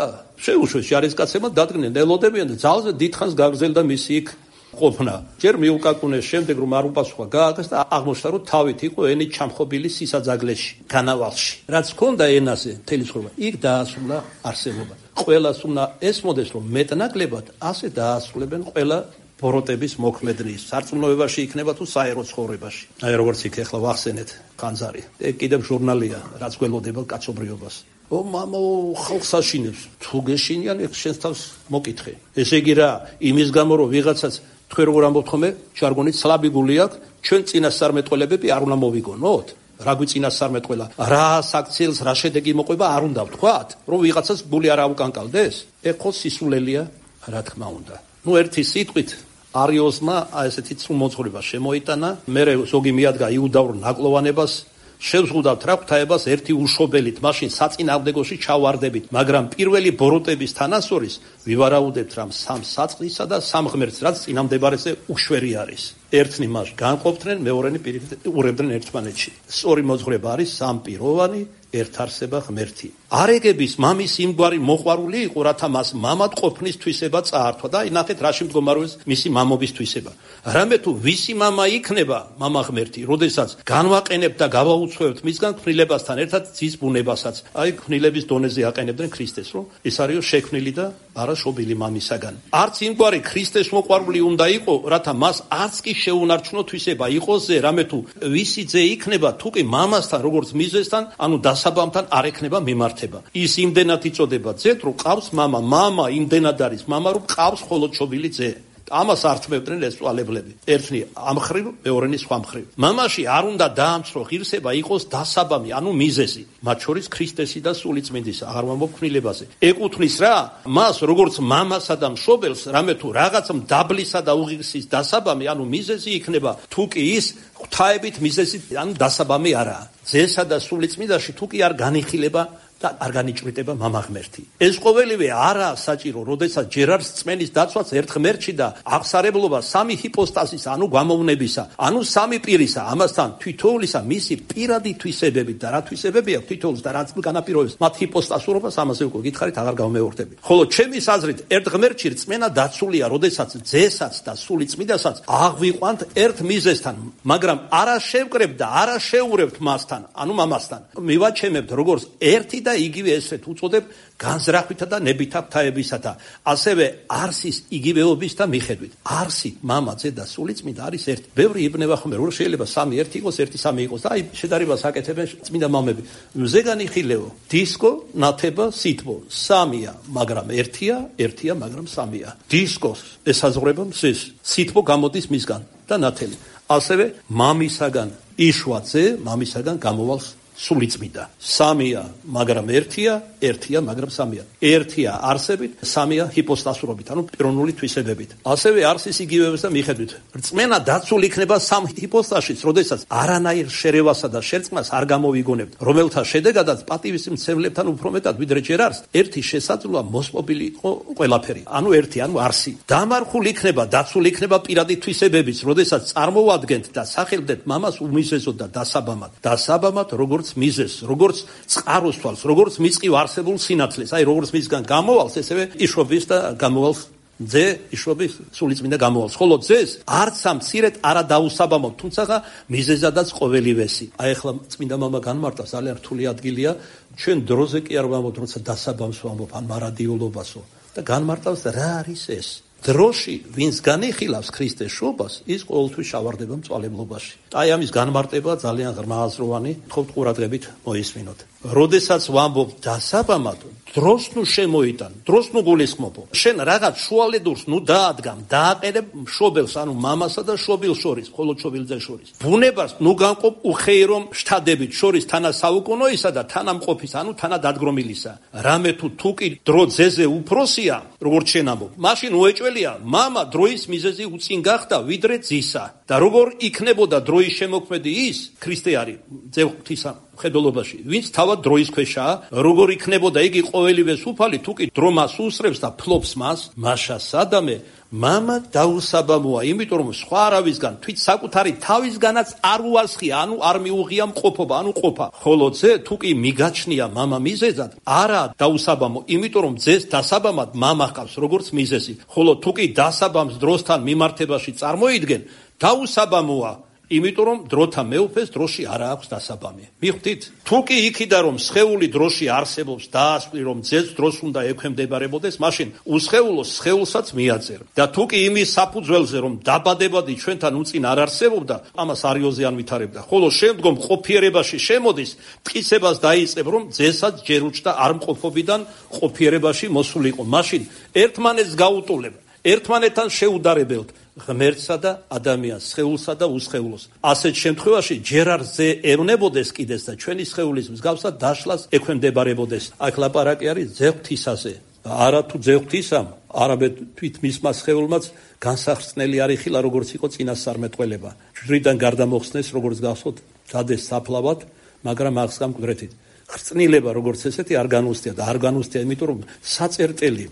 შეუშვეს ჯარისკაცებმა დადგნენ ელოდებიან და ძალზე დიდხანს გაგრძელდა მისი იქ ყოფნა. ჯერ მიუკაკუნეს, შემდეგ რომ არ უპასუხა, გააკეთეს და აღმოჩნდა რომ თავით იყო ენით ჩამხობილი სისაძაგლეში, განავალში. რაც ჰქონდა ენაზე მთელი ცხოვრება, იქ დაასრულა არსებობა. ყველას უნდა ესმოდეს რომ მეტნაკლებად ასე დაასრულებენ ყველა ბოროტების მოქმედნის სარწმუნოებაში იქნება თუ საერო ცხოვრებაში. აი როგორც იქ ახლა ვახსენეთ ხანძარი. ეგ კიდევ ჟურნალია, რაც გველოდება კაცობრიობას. ო მამა ხალხს აშინებს. თუ გეშინიან, ეგ შენს თავს მოკითხე. ესე იგი რა, იმის გამო რომ ვიღაცაც თქვენ როგორ ამბობთ ხოლმე, ჟარგონით სლაბი გული აქვს, ჩვენ წინასწარმეტყველებები არ უნდა მოვიგონოთ. რა გვიწინასწარმეტყველა, რა საქციელს, რა შედეგი მოყვება არ უნდა ვთქვათ, რომ ვიღაცას გული არ აუკანკალდეს? ეგ ხო სისულელია, რა თქმა უნდა. ნუ ერთი სიტყვით არიოსმა ესეთი წრუმოძღვრება შემოიტანა, მერე ზოგი მიადგა იუდაურ ნაკლოვანებას, შევზღუდავთ რა ღვთაებას ერთი უშობელით, მაშინ საწინააღმდეგოში ჩავარდებით, მაგრამ პირველი ბოროტების თანასწორის ვივარაუდებთ რამ სამ საწყისა და სამ ღმერთს, რაც წინამდებარეზე უშვერი არის. ერთნი მას განყოფდნენ, მეორენი პირიქით ურევდნენ ერთმანეთში. სწორი მოძღვრება არის სამპიროვანი ერთარსება ღმერთი. არეგების მამის იმგვარი მოყვარული იყო, რათა მას მამად ყოფნის თვისება წაართვა და ნახეთ რაში მდგომარეობს მისი მამობის თვისება. რამე თუ ვისი მამა იქნება მამა ღმერთი, როდესაც განვაყენებთ და გავაუცხოებთ მისგან ქმნილებასთან ერთად ძის ბუნებასაც. აი ქმნილების დონეზე აყენებდნენ ქრისტეს, რომ ეს არის შექმნილი და არა შობილი მამისაგან. არც იმგვარი ქრისტეს მოყვარული უნდა იყო, რათა მას არც კი შეუნარჩუნო თვისება იყოს ზე, რამე თუ ვისი ძე იქნება, თუ კი მამასთან როგორც მიზესთან, ანუ დასაბამთან არ ექნება მიმართება. ის იმდენად იწოდება ძეთ, რომ ყავს მამა, მამა იმდენად არის მამა, რომ ყავს მხოლოდ შობილი ძე. ამას ართმევდნენ ეს წვალებლები. ერთნი ამ ხრივ, მეორენი სხვა მხრივ. მამაში არ უნდა დაამცრო ღირსება იყოს დასაბამი, ანუ მიზეზი, მათ შორის ქრისტესი და სულიწმინდის, აღარ ვამბობ ქმნილებაზე. ეკუთვნის რა? მას როგორც მამასა და მშობელს, რამე თუ რაღაც მდაბლისა და უღირსის დასაბამი, ანუ მიზეზი იქნება, თუ კი ის ღვთაებით მიზეზი, ანუ დასაბამი არაა. ძესა და სულიწმინდაში თუ კი არ განიხილება და არ განიჭვრიტება მამა ღმერთი. ეს ყოველივე არაა საჭირო, როდესაც ჯერ არის რწმენის დაცვაც ერთ ღმერთში და აღსარებლობა სამი ჰიპოსტაზის, ანუ გამოვნებისა, ანუ სამი პირისა, ამასთან თითოეულისა მისი პირადი თვისებებით და რა თვისებები აქვს თითოეულს და რაც განაპირობებს მათ ჰიპოსტაზურობას, ამაზე უკვე გითხარით, აღარ გავმეორდები. ხოლო ჩემი აზრით, ერთ ღმერთში რწმენა დაცულია, როდესაც ძესაც და სულიწმინდასაც აღვიყვანთ ერთ მიზეზთან, მაგრამ არა შევკრებთ და არა შეურევთ მასთან, ანუ მამასთან. მივაჩემებთ როგორც ერთი და იგივე ესეთ უწოდებ განზრახვითა და ნებითა ღვთაებისათა, ასევე არსის იგივეობის და მიხედვით. არსი, მამა, ძე და სულიწმინდა არის ერთი. ბევრი იბნება ხომ რომ შეიძლება სამი ერთი იყოს, ერთი სამი იყოს და აი შედარებას აკეთებენ წმინდა მამები. მზე განიხილეო, დისკო, ნათება, სითბო, სამია, მაგრამ ერთია, ერთია, მაგრამ სამია. დისკოს ესაზღვრება მზეს, სითბო გამოდის მისგან და ნათელი. ასევე მამისაგან იშვა ძე, მამისაგან გამოვალს სულიწმინდა. სამია, მაგრამ ერთია, ერთია, მაგრამ სამია. ერთია არსებით, სამია ჰიპოსტაზურობით, ანუ პიროვნული თვისებებით. ასევე არსის იგივეობის და მიხედვით. რწმენა დაცული იქნება სამ ჰიპოსტაზშიც, როდესაც არანაირ შერევასა და შერწყმას არ გამოვიგონებთ, რომელთა შედეგადაც პატივის მცემლებთან უფრო მეტად ვიდრე ჯერ არის, ერთი შესაძლოა მოსპობილი იყო ყველაფერი, ანუ ერთი, ანუ არსი. დამარხულ იქნება, დაცული იქნება პირადი თვისებებიც, როდესაც წარმოვადგენთ და სახელდეთ მამას უმიზეზოდ და დასაბამად. დასაბამად როგორც მიზეს, როგორც წყაროს თვალს, როგორც მისყივ არსებულ სინათლეს, აი როგორც მისგან გამოვალს, ესევე იშობის და გამოვალს ძე, იშობის სულიწმინდა გამოვალს. ხოლო ძეს არც ამ მცირედ არა დაუსაბამოთ, თუმცა მიზეზადაც ყოველივესი. აი ახლა წმინდა მამა განმარტა, ძალიან რთული ადგილია, ჩვენ დროზე კი არ ვამბობთ, როცა დასაბამს ვამბობ, ან მარადიულობასო და განმარტავს რა არის ეს. დროში, ვინც განიხილავს ქრისტეს შობას, ის ყოველთვის შავარდება მწვალებლობაში. აი ამის განმარტება ძალიან ღრმააზროვანი, თხოვთ ყურადღებით მოისმინოთ. როდესაც ვამბობ დასაბამად, დროს ნუ შემოიტან, დროს ნუ გულისხმობო. შენ რაღაც შუალედურს ნუ დაადგამ, დააყენებ მშობელს, ანუ მამასა და შობილს შორის, მხოლოდ შობილძეს შორის. ბუნებას ნუ განყოფ უხეირო შთადებით შორის თანასაუკუნოისა და თანამყოფის, ანუ თანადადგრომილისა. რამე თუ თუ კი დრო ძეზე უფროსია, როგორც შენ ამბობ, მაშინ უეჭველია, მამა დროის მიზეზი უწინ გახდა ვიდრე ძისა. და როგორ იქნებოდა დროის შემოქმედი ის, ქრისტე არის, ძე ღვთისა მხედველობაში, ვინც თავად დროის ქვეშაა, როგორ იქნებოდა იგი ყოველივეს უფალი, თუ კი დრო მას უსწრებს და ფლობს მას, მაშა სადამე მამა დაუსაბამოა, იმიტომ რომ სხვა არავისგან, თვით საკუთარი თავისგანაც არ უასხია, ანუ არ მიუღია მყოფობა, ანუ ყოფა. ხოლო ძე თუ კი მიგაჩნია მამა მიზეზად, არა დაუსაბამო, იმიტომ რომ ძეს დასაბამად მამა ჰყავს, როგორც მიზეზი. ხოლო თუ კი დასაბამს დროსთან მიმართებაში წარმოიდგენ, დაუსაბამოა, იმიტომ რომ დროთა მეუფეს დროში არა აქვს დასაბამი. მიხვდით? თუ კი იქიდან რომ სხეული დროში არსებობს, დაასკვი რომ ძეს დროს უნდა ექვემდებარებოდეს, მაშინ უსხეულოს სხეულსაც მიაწერა. და თუ კი იმის საფუძველზე რომ დაბადებადი ჩვენთან უწინ არ არსებობდა, ამას არიოზე არ ვითარებდა. ხოლო შემდგომ ყოფიერებაში შემოდის, მტკიცებას დაიწყებ რომ ძესაც ჯერ უჩნდა არ მყოფობიდან ყოფიერებაში მოსულიყო. მაშინ ერთმანეთს გაუტოლებ, ერთმანეთთან შეუდარებელთ. ღმერთსა და ადამიანს, სხეულსა და უსხეულოს. ასეთ შემთხვევაში ჯერ არ ზე ევნებოდეს კიდეს და ჩვენი სხეულის მსგავსად დაშლას ექვემდებარებოდეს. აქ ლაპარაკი არის ძე ღვთისაზე. არა თუ ძე ღვთისამ, არამედ თვით მისმა სხეულმაც განსახსნელი არ იხილა, როგორც იყო წინასწარმეტყველება. ჯვრიდან გარდამოხსნეს, როგორც გახსოვთ, დადეს საფლავად, მაგრამ აღსგამ მკვდრეთით. ხრწნილება, როგორც ესეთი, არ განუსტია და არ განუსტია, იმიტომ რომ საწერტელი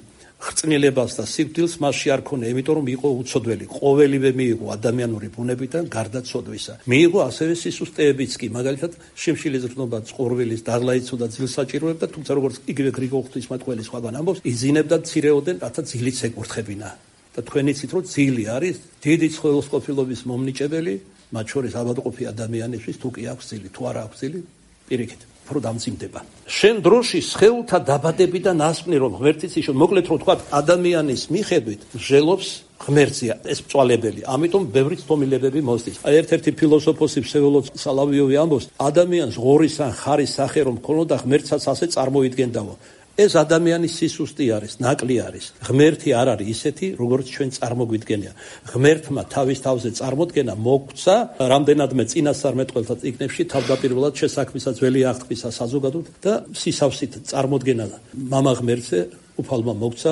ხრწნილებას და სიკვდილს მასში არ ქონია, იმიტომ რომ იყო უცოდველი. ყოველივე მიიღო ადამიანური ბუნებიდან გარდა ცოდვისა. მიიღო ასევე სისუსტეებიც კი, მაგალითად შიმშილის ზრდნობა, წყურვილის დაღლაიცო და ძილს საჭიროებდა, თუმცა როგორც იგივე გრიგოლ ღვთისმეტყველი სხვაგან ამბობს, იზინებდა მცირეოდენ, რათა ძილიც ეკურთხებინა. და თქვენ იცით, რომ ძილი არის დიდი ცხელოსყოფილობის მომნიჭებელი, მათ შორის ავადმყოფი ადამიანისთვის, თუ კი აქვს ძილი, თუ არა აქვს ძილი, პირიქით. უფრო დამძიმდება. შენ დროში სხეულთა დაბადებიდან ასკვნი რომ ღმერთიც იშო, მოკლედ რომ თქვა ადამიანის მიხედვით ჟელობს ღმერთია ეს მწვალებელი. ამიტომ ბევრი ცდომილებები მოსდის. აი ერთ-ერთი ფილოსოფოსი ფსევდოლოდ სალავიოვი ამბობს, ადამიანს ღორის ან ხარის სახე რომ ქონოდა ღმერთსაც ასე წარმოიდგენდაო. ეს ადამიანის სისუსტე არის, ნაკლი არის. ღმერთი არ არის ისეთი, როგორც ჩვენ წარმოგვიდგენია. ღმერთმა თავის თავზე წარმოდგენა მოგცა რამდენადმე წინასწარმეტყველთა წიგნებში, თავდაპირველად შესაქმისა ძველი აღთქმისა საზოგადოდ და სისავსით წარმოდგენა მამა ღმერთზე უფალმა მოგცა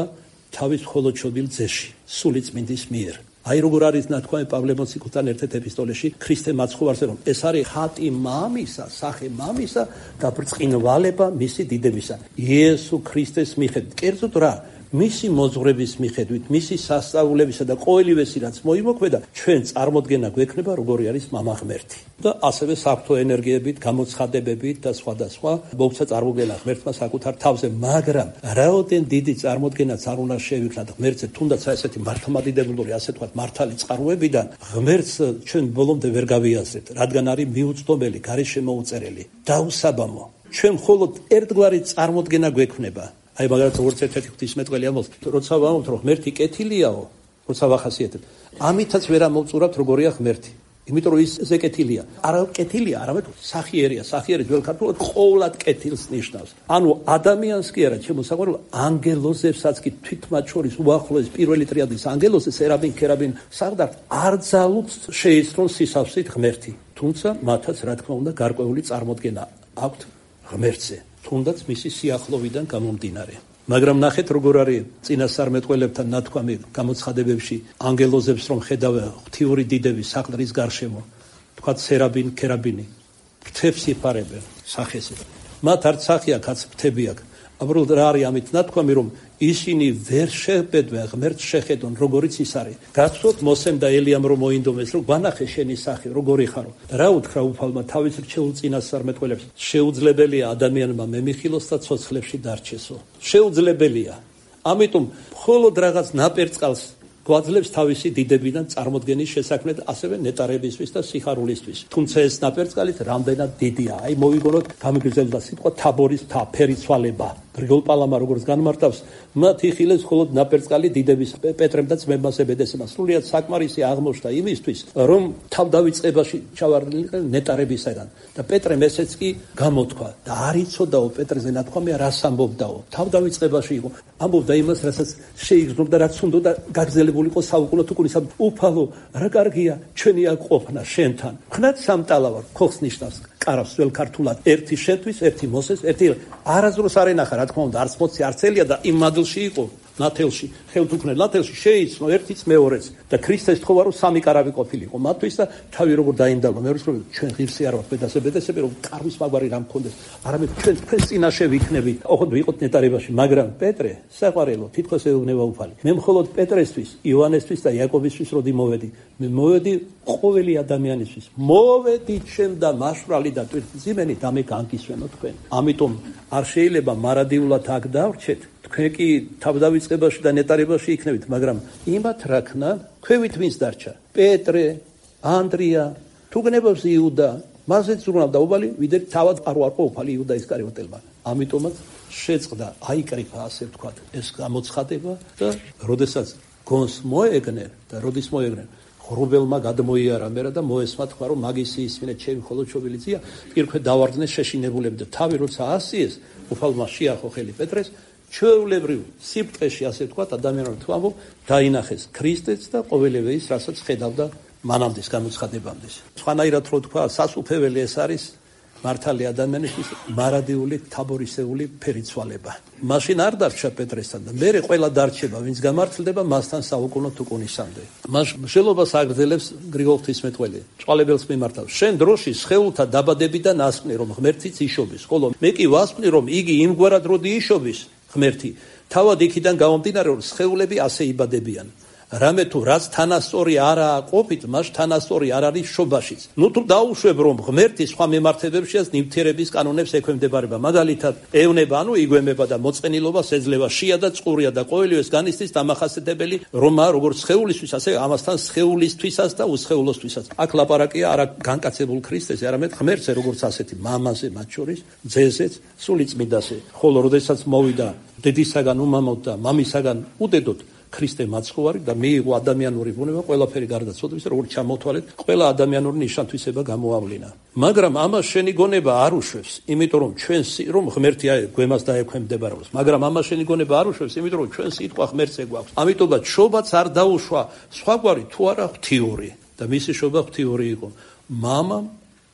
თავის მხოლოდ შობილ ძეში, სული წმინდის მიერ. აი როგორ არის ნათქვამი პავლე მოციქულთან ერთ-ერთ ეპისტოლეში ქრისტე მაცხოვარზე, რომ ეს არის ხატი მამისა, სახე მამისა და ბრწყინვალება მისი დიდებისა. იესო ქრისტეს მიხედვით, კერძოდ რა, მისი მოძღვრების მიხედვით, მისი სასწაულებისა და ყოველივესი რაც მოიმოქმედა, ჩვენ წარმოდგენა გვექნება როგორი არის მამა ღმერთი. და ასევე საფრთხო ენერგიებით, გამოცხადებებით და სხვადასხვა მოგცა წარმოდგენა ღმერთმა საკუთარ თავზე, მაგრამ რაოდენ დიდი წარმოდგენაც არ უნდა შევიქმნათ ღმერთზე, თუნდაც ესეთი მართლმადიდებლური, ასე თქვათ, მართალი წყაროებიდან ღმერთს ჩვენ ბოლომდე ვერ გავიაზრებთ, რადგან არის მიუწვდომელი, გარშემოუწერელი, დაუსაბამო. ჩვენ მხოლოდ ერთგვარი წარმოდგენა გვექნება. აი მაგალითად როგორც ერთ-ერთი ღვთისმეტყველი ამბობს, როცა ვამბობთ რომ ღმერთი კეთილიაო, როცა ვახასიათებთ, ამითაც ვერ ამოვწურავთ როგორია ღმერთი. იმიტომ რომ ის ზე კეთილია. არა კეთილია, არამედ სახიერია. სახიერი ძველ ქართულად ყოვლად კეთილს ნიშნავს. ანუ ადამიანს კი არა, ჩემო საყვარელო, ანგელოზებსაც კი თვით მათ შორის უახლოეს პირველი ტრიადის ანგელოზზე სერაბინ, ქერაბინ, საღდართ არ ძალუც შეისწრონ სისავსით ღმერთი. თუმცა მათაც რა თქმა უნდა გარკვეული წარმოდგენა აქვთ ღმერთზე. თუნდაც მისი სიახლოვიდან გამომდინარე. მაგრამ ნახეთ როგორ არის წინასწარმეტყველებთან ნათქვამი გამოცხადებებში ანგელოზებს რომ ხედავენ ღვთიური დიდების საყდრის გარშემო, თქვათ სერაბინ, ქერაბინი, ფრთებს იფარებენ სახესით. მათ არც სახე აქვს, არც ფრთები აქვს. უბრალოდ რა არის ამით ნათქვამი, რომ ისინი ვერ შეებედვენ ღმერთს შეხედონ, როგორიც ის არის. გაცხოვთ მოსემ და ელიამ რომ მოინდომეს, რომ განახე შენი სახე, როგორი ხარო. რა უთხრა უფალმა თავის რჩეულ წინასწარმეტყველებს? შეუძლებელია ადამიანმა მემიხილოს და ცოცხლებში დარჩესო. შეუძლებელია. ამიტომ მხოლოდ რაღაც ნაპერწკალს გვაძლევს თავისი დიდებიდან წარმოდგენის შესაქმნად, ასევე ნეტარებისთვის და სიხარულისთვის. თუმცა ეს ნაპერწკალით რამდენად დიდია. აი მოვიგონოთ გამიგრძელდა სიტყვა თაბორის მთა, ფერიცვალება. გრიგოლ პალამა როგორც განმარტავს, მათ იხილეს მხოლოდ ნაპერწკალი დიდების პეტრემ და ძმებმა ზებედესმა. სრულიად საკმარისი აღმოჩნდა იმისთვის, რომ თავდავიწყებაში ჩავარდნილიყენ ნეტარებისაგან. და პეტრემ ესეც კი გამოთქვა და არ იცოდაო პეტრეზე ნათქვამია რას ამბობდაო. თავდავიწყებაში იყო. ამბობდა იმას, რასაც შეიგრძნობდა, რაც უნდა გაგრძელებული იყო საუკუნო თუკუნისა. უფალო, რა კარგია ჩვენი აქ ყოფნა შენთან. ხნად სამტალა ვარ, ხოხს ნიშნავს. კარავს ძველ ქართულად ერთი შენთვის, ერთი მოსეს, ერთი არაზრუს არ ენახა, რა თქმა უნდა, არც მოცი, არც ელია და იმ მადლში იყო ნათელში, ხელთუქმნელ ნათელში შეიცნო ერთიც მეორეც და ქრისტეს თხოვა რომ სამი კარავი ყოფილიყო მათთვის და თავი როგორ დაინდალა. მეორის რომ ჩვენ ღირსი არ ვართ ბედასე ბედასები, რომ კარვის მაგვარი რამ მქონდეს, არამედ ჩვენ თქვენს წინაშე ვიქნებით. ოღონდ ვიყოთ ნეტარებაში, მაგრამ პეტრე, საყვარელო, თითქოს ეუბნება უფალი. მე მხოლოდ პეტრესთვის, იოანესთვის და იაკობისთვის როდი მოვედი, მე მოვედი ყოველი ადამიანისთვის. მოვედი ჩემ და მაშვრალი და ტვირთმძიმენი და მე განგისვენო თქვენ. ამიტომ არ შეიძლება მარადიულად აქ დავრჩეთ. თქვენ კი თავდავიწყებაში და ნეტარებაში იქნებით, მაგრამ იმათ რაქნა ქვევით ვინც დარჩა? პეტრე, ანდრია, თუ გნებავს იუდა, მასეც ზრუნავდა უბალი, ვიდრე თავად არ ვარყო უფალი იუდა ისკარიოტელმა. ამიტომაც შეწყდა, აიკრიფა, ასე ვთქვათ, ეს გამოცხადება და როდესაც გონს მოეგნენ და როდის მოეგნენ, ღრუბელმა გადმოიარა მერა და მოესმა თქვა, რომ მაგისი ისმინე ჩემი მხოლოდ შობილი ძია, პირქვე დავარდნეს შეშინებულები და თავი როცა ასიეს, უფალმა შეახო ხელი პეტრეს, ჩვეულებრივ სიბრტყეში, ასე ვთქვათ, ადამიანმა თუ ამბობ, დაინახეს ქრისტეც და ყოველივე ის, რასაც ხედავდა მანამდეს გამოცხადებამდეს. სხვანაირად რო თქვა, სასუფეველი ეს არის მართალი ადამიანისთვის მარადიული თაბორისეული ფერიცვალება. მაშინ არ დარჩა პეტრესთან და მერე ყველა დარჩება, ვინც გამართლდება მასთან საუკუნო თუკუნისამდე. მას მშელობას აგრძელებს გრიგოლ ღვთისმეტყველი. წვალებელს მიმართავს. შენ დროში სხეულთა დაბადებიდან ასკვნე, რომ ღმერთიც იშობის, ხოლო მე კი ვასკვნი, რომ იგი იმგვარად როდი იშობის ღმერთი, თავად იქიდან გამომდინარე, რომ სხეულები ასე იბადებიან. რამე თუ რაც თანასწორი არაა ყოფით, მას თანასწორი არ არის შობაშიც. ნუ თუ დაუშვებ, რომ ღმერთი სხვა მემართებებშიაც ნივთიერების კანონებს ექვემდებარება, მაგალითად ევნება, ანუ იგვემება და მოწყენილობას ეძლევა, შია და წყურია და ყოველივეს განიცდის დამახასიათებელი, რომ როგორც სხეულისთვის, ასე ამასთან სხეულისთვისაც და უსხეულოსთვისაც. აქ ლაპარაკია არა განკაცებულ ქრისტეზე, არამედ ღმერთზე, როგორც ასეთი მამაზე მათ შორის, ძეზეც, სულიწმიდაზე. ხოლო როდესაც მოვიდა დედისაგან უმამოდ და მამისაგან უდედოდ, ქრისტე მაცხოვარი და მიიღო ადამიანური ბუნება ყველაფერი გარდაცვალების, როგორც ჩამოთვალეთ, ყველა ადამიანური ნიშანთვისება გამოავლინა. მაგრამ ამას შენი გონება არ უშვებს, იმიტომ რომ ჩვენ რომ ღმერთი გვემას დაექვემდებარებს, მაგრამ ამას შენი გონება არ უშვებს, იმიტომ რომ ჩვენ სიტყვა ღმერთზე გვაქვს. ამიტომაც შობაც არ დაუშვა სხვაგვარი თუ არა ღვთიური და მისი შობა ღვთიური იყო. მამამ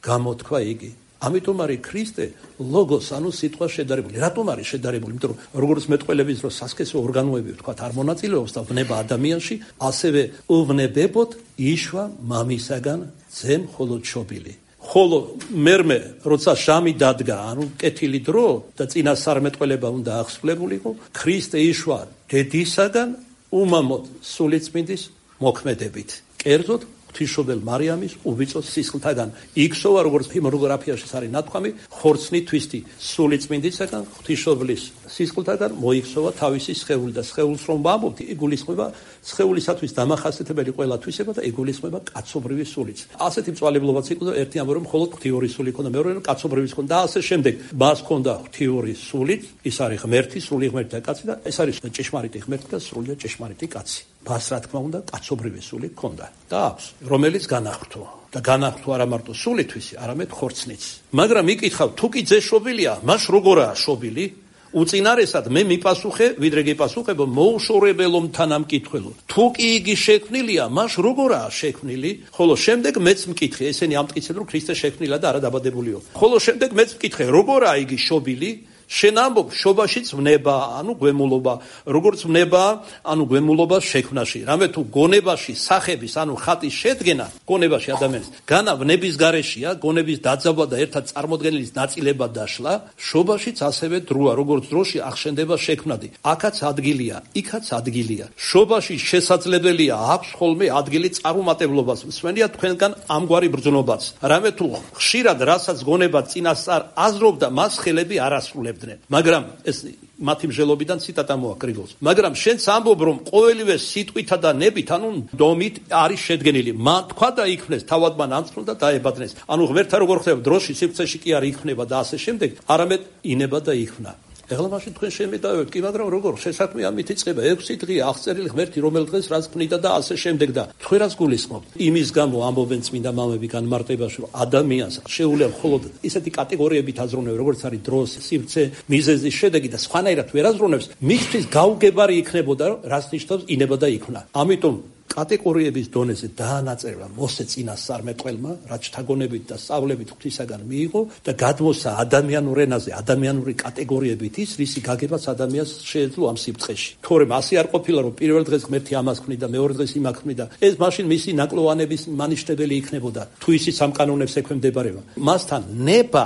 გამოთქვა იგი. ამიტომ არის ქრისტე ლოგოს, ანუ სიტყვა შედარებული. რატომ არის შედარებული? იმიტომ რომ როგორც მეტყველების დროს სასქესო ორგანოები ვთქვათ არ მონაწილეობს და ვნება ადამიანში, ასევე უვნებებოდ იშვა მამისაგან ძემ მხოლოდ შობილი. ხოლო მერმე როცა ჟამი დადგა, ანუ კეთილი დრო და წინასწარმეტყველება უნდა აღსრულებულიყო, ქრისტე იშვა დედისაგან უმამოდ სულიწმინდის მოქმედებით. კერძოდ ღვთისმშობელ მარიამის უბიწო სისხლთაგან. იქსოვა, როგორც ჰიმნოგრაფიაში არის ნათქვამი, ხორცნი თვისთი სულიწმინდისაგან ღვთისმშობლის სისხლთაგან მოიქსოვა თავისი სხეული და სხეულს რომ ვამბობთ, იგულისხმება სხეულისათვის დამახასიათებელი ყველა თვისება და იგულისხმება კაცობრივი სულიც. ასეთი მწვალებლობაც იყო და ერთი ამბობენ, მხოლოდ ღვთიური სული ქონდა, მეორე რომ კაცობრივის ქონდა და ასე შემდეგ. მას ქონდა ღვთიური სულიც, ის არის ღმერთი, სრული ღმერთი და კაცი და ეს არის ჭეშმარიტი ღმერთი და სრული ჭეშმარიტი კაცი. მას რა თქმა უნდა კაცობრივის სული ქონდა და აქვს, რომელიც განახრთო და განახრთო არა მარტო სულითვისი, არამედ ხორცნიც. მაგრამ იკითხავ, თუ კი ძე შობილია, მას როგორაა შობილი? უწინარესად მე მიპასუხე, ვიდრე გიპასუხებო მოუშორებელო თანამკითხველო. თუ კი იგი შექმნილია, მას როგორაა შექმნილი? ხოლო შემდეგ მეც მკითხე, ესენი ამტკიცებენ, რომ ქრისტე შექმნილა და არა დაბადებულიო. ხოლო შემდეგ მეც მკითხე, როგორაა იგი შობილი? შენ ამბობ, შობაშიც ვნება, ანუ გვემულობა, როგორც ვნება, ანუ გვემულობა შექმნაში. რამე თუ გონებაში სახების, ანუ ხატის შედგენა, გონებაში ადამიანის, განა ვნების გარეშია, გონების დაძაბვა და ერთად წარმოდგენილის ნაწილება დაშლა, შობაშიც ასევე დროა, როგორც დროში ახშენდება შექმნადი. აქაც ადგილია, იქაც ადგილია. შობაში შესაძლებელია აქვს ხოლმე ადგილი წარუმატებლობას. მსმენია თქვენგან ამგვარი ბრძნობაც. რამე თუ ხშირად რასაც გონება წინასწარ აზრობდა, მას ხელები არ ასრულებდა. მაგრამ ეს მათი მსჯელობიდან ციტატა მოაკრიბოს. მაგრამ შენც ამბობ, რომ ყოველივე სიტყვითა და ნებით, ანუ დომით არის შედგენილი. მან თქვა და იქმნეს, თავად მან ამწნულ და დაებადნეს. ანუ ღმერთთან როგორ ხდება, დროში სივრცეში კი არ იქმნება და ასე შემდეგ, არამედ ინება და იქმნა. ეხლა მაშინ თქვენ შემედავებთ კი, მაგრამ როგორ შესაქმე ამით იწყება ექვსი დღე აღწერილი ღმერთი, რომელ დღეს რაც ქმნიდა და ასე შემდეგ და თქვენ რას გულისხმობთ? იმის გამო ამბობენ წმინდა მამები განმარტებაში, რომ ადამიანს შეუძლია მხოლოდ ისეთი კატეგორიებით აზროვნებს, როგორც არის დროს, სივრცე, მიზეზის შედეგი და სხვანაირად ვერ აზროვნებს, მისთვის გაუგებარი იქნებოდა, რაც ნიშნავს ინება და იქმნა. ამიტომ კატეგორიების დონეზე დაანაწევრა მოსე წინასწარმეტყველმა, რაც შთაგონებით და სწავლებით ღვთისაგან მიიღო და გადმოსცა ადამიანურ ენაზე, ადამიანური კატეგორიებით ის, რისი გაგებაც ადამიანს შეეძლო ამ სიბრწყეში. თორემ ასე არ ყოფილა, რომ პირველ დღეს ღმერთი ამას ქმნიდა, მეორე დღეს იმას ქმნიდა. ეს მაშინ მისი ნაკლოვანების მანიშნებელი იქნებოდა, თუ ისიც ამ კანონებს ექვემდებარება. მასთან ნება,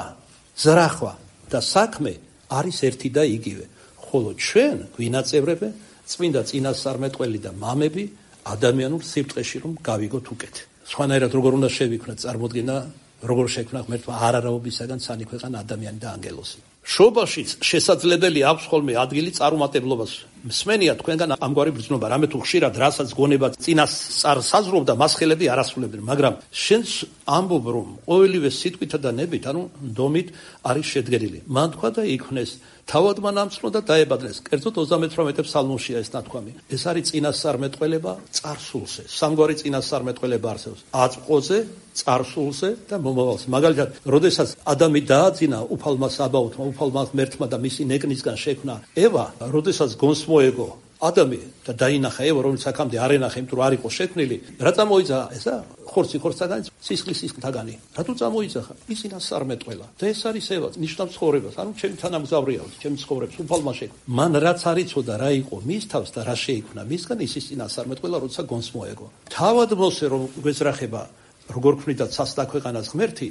ზრახვა და საქმე არის ერთი და იგივე. ხოლო ჩვენ გვინაწევრებენ წმინდა წინასწარმეტყველი და მამები ადამიანურ სიბრწყეში რომ გავიგოთ უკეთ. სხვანაირად როგორ უნდა შევიქმნათ წარმოდგენა, როგორ შექმნა ღმერთმა არარავისაგან ცანი ქვეყანა ადამიანი და ანგელოზი. შობაშიც შესაძლებელი აქვს ხოლმე ადგილი წარუმატებლობას. მსმენია თქვენგან ამგვარი ბრძნობა, რამე თუ ხშირად რასაც გონება წინასწარ საზრობდა, მას ხელები არ ასრულებდნენ, მაგრამ შენს ამბობ, რომ ყოველივე სიტყვითა და ნებით, ანუ დომით არის შედგენილი. მან თქვა და იქმნეს, თავად მან ამწნო და დაებადნეს. კერძოდ ოცდამეთვრამეტე ფსალმუშია ეს ნათქვამი. ეს არის წინასწარმეტყველება წარსულზე. სამგვარი წინასწარმეტყველება არსებობს: აწმყოზე, წარსულზე და მომავალზე. მაგალითად, როდესაც ადამი დააძინა უფალმა საბაუთმა, უფალმა ღმერთმა და მისი ნეკნისგან შექმნა ევა, როდესაც გონს მოეგო ადამი და დაინახა ევა, რომელიც აქამდე არ ენახა, იმიტომ რომ არ იყო შექმნილი, რა წამოიძახა ესა? ხორცი ხორცთაგანი, სისხლი სისხლთაგანი. რატო წამოიძახა? ის წინასწარმეტყველა. და ეს არის ევა, ნიშნავს ცხოვრებას. ანუ ჩემი თანამგზავრია, ჩემი ცხოვრების უფალმა შექმნა. მან რაც არ იცოდა რა იყო მის თავს და რა შეიქმნა მისგან, ის ის წინასწარმეტყველა, როცა გონს მოეგო. თავად მოსე რომ გვეძრახება, როგორ ქმნიდა ცას და ქვეყანას ღმერთი,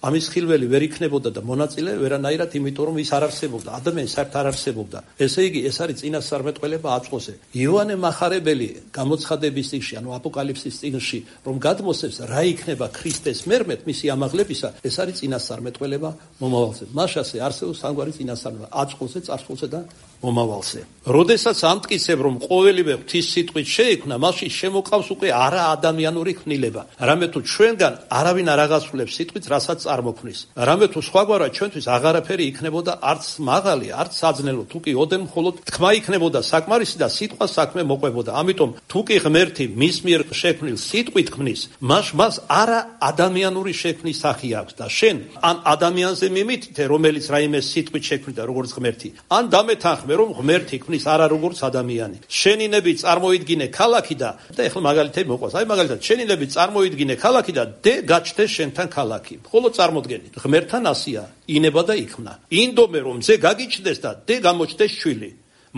ამის ხილველი ვერ იქნებოდა და მონაწილე ვერანაირად, იმიტომ რომ ის არ არსებობდა, ადამიანი საერთოდ არ არსებობდა. ესე იგი, ეს არის წინასწარმეტყველება აწმყოზე. იოანე მახარებელი გამოცხადების წიგნში, ანუ აპოკალიფსის წიგნში, რომ გადმოსცემს რა იქნება ქრისტეს მერმეთ მისი ამაღლებისა, ეს არის წინასწარმეტყველება მომავალზე. მაშასე არსებობს სამგვარი წინასწარმეტყველება: აწმყოზე, წარსულზე და მომავალზე. როდესაც ამტკიცებ, რომ ყოველივე ღვთის სიტყვით შეიქმნა, მაშინ შემოყავს უკვე არა ადამიანური ქმნილება. რამე თუ ჩვენგან არავინ არ აღასრულებს სიტყვით, რასაც წარმოქმნის. რამე თუ სხვაგვარად ჩვენთვის აღარაფერი იქნებოდა არც მაღალი, არც საძნელო, თუ კი ოდენ მხოლოდ თქმა იქნებოდა საკმარისი და სიტყვა საქმე მოყვებოდა. ამიტომ თუ კი ღმერთი მის მიერ შექმნილ სიტყვით ქმნის, მას მას არა ადამიანური შექმნის სახე აქვს და შენ ან ადამიანზე მიმითითე, რომელიც რაიმე სიტყვით შექმნიდა როგორც ღმერთი, ან დამეთანხმე, რომ ღმერთი ქმნის არა როგორც ადამიანი. შენი ნები წარმოიდგინე ქალაქი და და ეხლა მაგალითები მოყვას. აი მაგალითად შენი ნები წარმოიდგინე ქალაქი და დე გაჩნდეს შენთან ქალაქი. მხოლოდ წარმოდგენი. ღმერთთან ასია, ინება და იქმნა. ინდომე რომ ძე გაგიჩნდეს და დე გამოჩნდეს შვილი.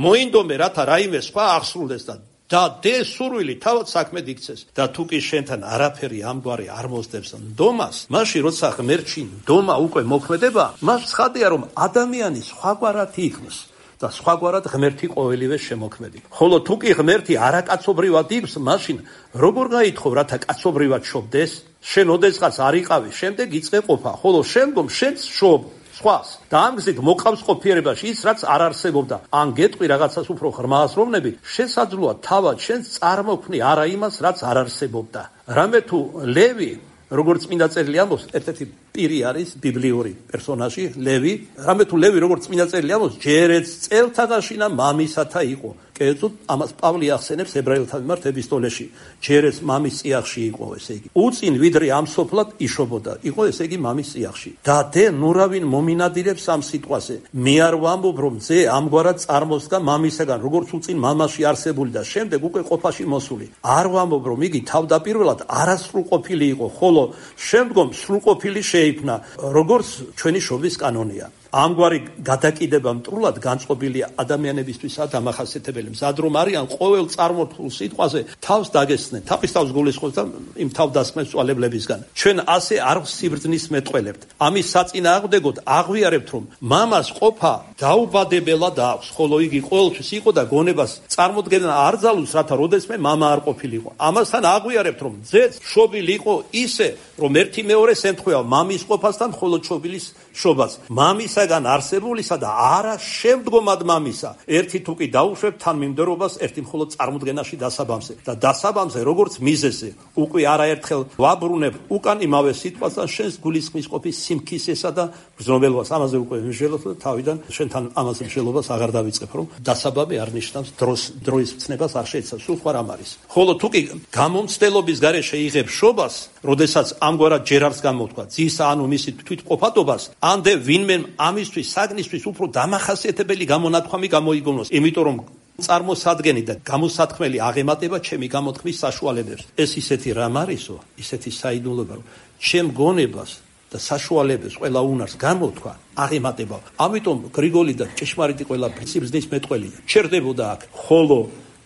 მოინდომე რათა რაიმე სხვა აღსრულდეს და და დე სურვილი თავად საქმედ იქცეს და თუ კი შენთან არაფერი ამგვარი არ მოსდევს ნდომას, მაშინ როცა ღმერთში ნდომა უკვე მოქმედება, მას ცხადია რომ ადამიანი სხვაგვარად იქნეს და სხვაგვარად ღმერთი ყოველივე შემოქმედი. ხოლო თუ კი ღმერთი არაკაცობრივად იქს, მაშინ როგორ გაითხოვ რათა კაცობრივად შობდეს? შენ ოდესღაც არ იყავი, შემდეგ იწყე ყოფა, ხოლო შემდგომ შენც შობ სხვას და ამ გზით მოყავს ყოფიერებაში ის რაც არ არსებობდა. ან გეტყვი რაღაცას უფრო ღრმა აზროვნები, შესაძლოა თავად შენს წარმოქმნი არა იმას რაც არ არსებობდა. რამე თუ ლევი, როგორც წმინდა წერილი ამბობს, ერთ-ერთი პირი არის ბიბლიური პერსონაჟი ლევი. რამე თუ ლევი როგორც წმინდა წერილი ამბობს, ჯერეც წელთაღაშინა მამისათა იყო. კერძოდ ამას პავლე ახსენებს ებრაელთა მიმართ ეპისტოლეში. ჯერეც მამის წიაღში იყო, ესე იგი. უწინ ვიდრე ამ სოფლად იშობოდა, იყო ესე იგი მამის წიაღში. და დე ნურავინ მომინადირებს ამ სიტყვაზე. მე არ ვამბობ, რომ ძე ამგვარად წარმოსდგა მამისაგან, როგორც უწინ მამაში არსებული და შემდეგ უკვე ყოფაში მოსული. არ ვამბობ, რომ იგი თავდაპირველად არასრულყოფილი იყო, ხოლო შემდგომ სრულყოფილი შეიქმნა, როგორც ჩვენი შობის კანონია. ამგვარი გადაკიდება მტრულად განწყობილია ადამიანებისთვისაც დამახასიათებელი. მზად რომ არიან ყოველ წარმოთქმულ სიტყვაზე თავს დაგესცნენ, თავისთავად გულისხმობს და იმ თავდასხმებს წვალებლებისგან. ჩვენ ასე არ სიბრძნის მეტყველებთ. ამის საწინააღმდეგოდ აღვიარებთ, რომ მამას ყოფა დაუბადებელად აქვს, ხოლო იგი ყოველთვის იყო და გონებას წარმოდგენა არ ძალუს, რათა როდესმე მამა არ ყოფილიყო. ამასთან აღვიარებთ, რომ ძეც შობილი იყო ისე, რომ ერთი მეორეს ემთხვევა მამის ყოფასთან, ხოლო შობილის შობას. მამის გან არსებულისა და არა შემდგომად მამისა. ერთი თუ კი დაუშვებ თანმიმდევრობას ერთი მხოლოდ წარმოდგენაში დასაბამზე და დასაბამზე როგორც მიზეზზე უკვე არაერთხელ ვაბრუნებ უკან იმავე სიტყვასთან შენს გულისხმის ყოფის სიმქისესა და ბრძნებელობას. ამაზე უკვე ვიმსჯელოთ და თავიდან შენთან ამაზე მსჯელობას აღარ დავიწყებ, რომ დასაბამი არ ნიშნავს დროს დროის მცნებას არ შეიცავს, სულ სხვა რამ არის. ხოლო თუ კი გამომცდელობის გარეშე იღებ შობას, როდესაც ამგვარად ჯერავს გამოთქვა ძისა ანუ მისი თვითყოფადობას, ამდე ვინმე ამისთვის საგნისთვის უფრო დამახასიათებელი გამონათქვამი გამოიგონოს, იმიტომ რომ წარმოსადგენი და გამოსათქმელი აღემატება ჩემი გამოთქმის საშუალებებს. ეს ისეთი რამ არისო, ისეთი საიდუმლოება, რომ ჩემ გონებას და საშუალებას ყველა უნარს გამოთქვა აღემატება. ამიტომ გრიგოლი და ჭეშმარიტი ყველა სიბრძნის მეტყველია ჩერდებოდა აქ, ხოლო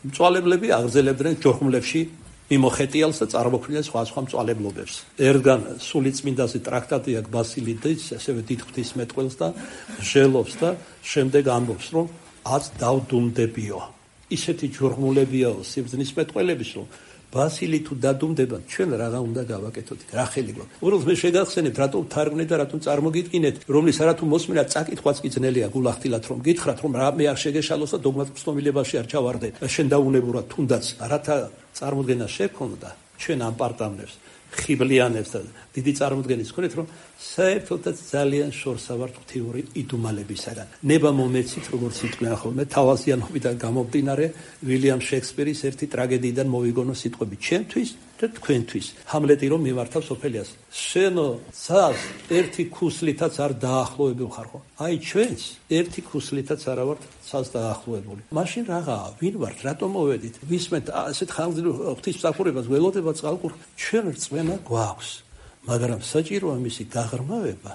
მწვალებლები აღზელებდნენ ჯოხმლებში მიმოხეტიალს და წარმოქმნიან სხვა სხვა მწვალებლობებს. ერთგან სულიწმინდაზე ტრაქტატი აქვს ბასილი დეც, ასევე დიდ ღვთისმეტყველს და ჟელობს და შემდეგ ამბობს, რომ აც დავდუმდებიო. ისეთი ჯოხმულებიაო სიბრძნის მეტყველების, რომ ბასილი თუ დადუმდება, ჩვენ რაღა უნდა გავაკეთოთ, რა ხელი გვაქვს. უბრალოდ მე შეგახსენებთ, რატომ თარგმნეთ და რატომ წარმოგიდგინეთ, რომლის არათუ მოსმენა წაკითხვაც კი ძნელია გულახდილად, რომ გითხრათ, რომ რა მე არ შეგეშალოს და დოგმატურ ცნობილებაში არ ჩავარდეთ. შენ დაუნებურად თუნდაც რათა წარმოდგენა შექონდა ჩვენ ამ პარტამნებს, ხიბლიანებს და დიდი წარმოდგენის ქონეთ, რომ საერთოდაც ძალიან შორსა ვართ ღვთიური იდუმალებისაგან. ნება მომეცით, როგორც იტყვიან ხოლმე, თავაზიანობიდან გამომდინარე ვილიამ შექსპირის ერთი ტრაგედიიდან მოვიგონო სიტყვები ჩემთვის და თქვენთვის. ჰამლეტი რომ მიმართავს ოფელიას, შენო ცას ერთი ქუსლითაც არ დაახლოებულ ხარ ხო? აი ჩვენც ერთი ქუსლითაც არა ვართ ცას დაახლოებული. მაშინ რაღაცა, ვინ ვართ, რატომ მოვედით? ვისმენთ ასეთ ხანგრძლივ ღვთისმსახურებას, ველოდება წყალყურ, ჩვენ რწმენა გვაქვს. მაგრამ საჭიროა მისი გაღრმავება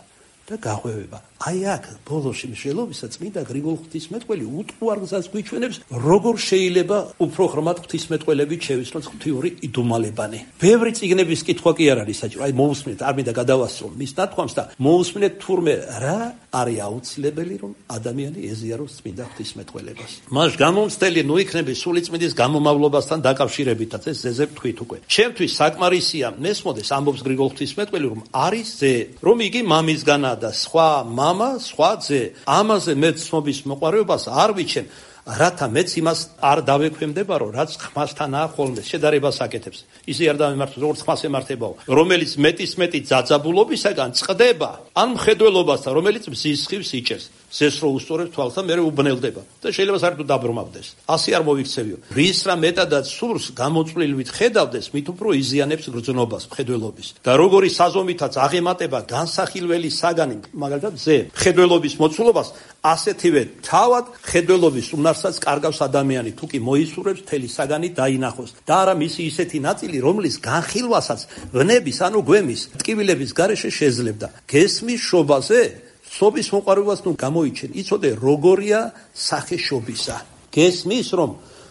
და გაღვევება. აი აქ ბოლოში მსჯელობისა წმინდა გრიგოლ ღვთისმეტყველი უტყუარ გზას გვიჩვენებს, როგორ შეიძლება უფრო ღრმად ღვთისმეტყველები შევისწროთ ღვთიური იდუმალებანი. ბევრი წიგნების კითხვა კი არ არის საჭირო. აი მოусმინეთ, არ მინდა გადავასწრო მის ნათქვამს და მოусმინეთ თურმე რა არის აუცილებელი, რომ ადამიანი ეზიაროს წმინდა ღვთისმეტყველებას. მას გამომცდელი ნუ იქნები სულიწმინდის გამომავლობასთან დაკავშირებითაც, ეს ზეზე ვთქვით უკვე. ჩემთვის საკმარისია მესმოდეს, ამბობს გრიგოლ ღვთისმეტყველი, რომ არის ზე, რომ იგი მამისგანაა და სხვა მამა, სხვა ძე. ამაზე მე ცნობის მოყვარეობას არ ვიჩენ. რათა მეც იმას არ დავექვემდება, რომ რაც ხმასთანაა ხოლმე შედარებას აკეთებს. ისე არ დავემართოს, როგორც ხმას ემართებაო, რომელიც მეტის მეტი ძაძაბულობისაგან წყდება, ან მხედველობასთან, რომელიც მზის სხივს იჭერს. ზეს რო უსწორებს თვალს და მერე უბნელდება და შეიძლება საერთოდ დაბრმავდეს. ასე არ მოვიქცევიო. რის რა მეტადაც სურს გამოწვლილივით ხედავდეს, მით უფრო იზიანებს გრძნობას მხედველობის. და როგორი საზომითაც აღემატება განსახილველი საგანი, მაგალითად ზე, მხედველობის მოცულობას, ასეთივე თავად მხედველობის უნარსაც კარგავს ადამიანი, თუ კი მოისურვებს მთელი საგანი დაინახოს. და არა მისი ისეთი ნაწილი, რომლის განხილვასაც ვნების, ანუ გვემის, ტკივილების გარეშე შეძლებდა. გესმის შობაზე სობის მოყარებას ნუ გამოიჩენ, იცოდე როგორია სახე შობისა. გესმის რომ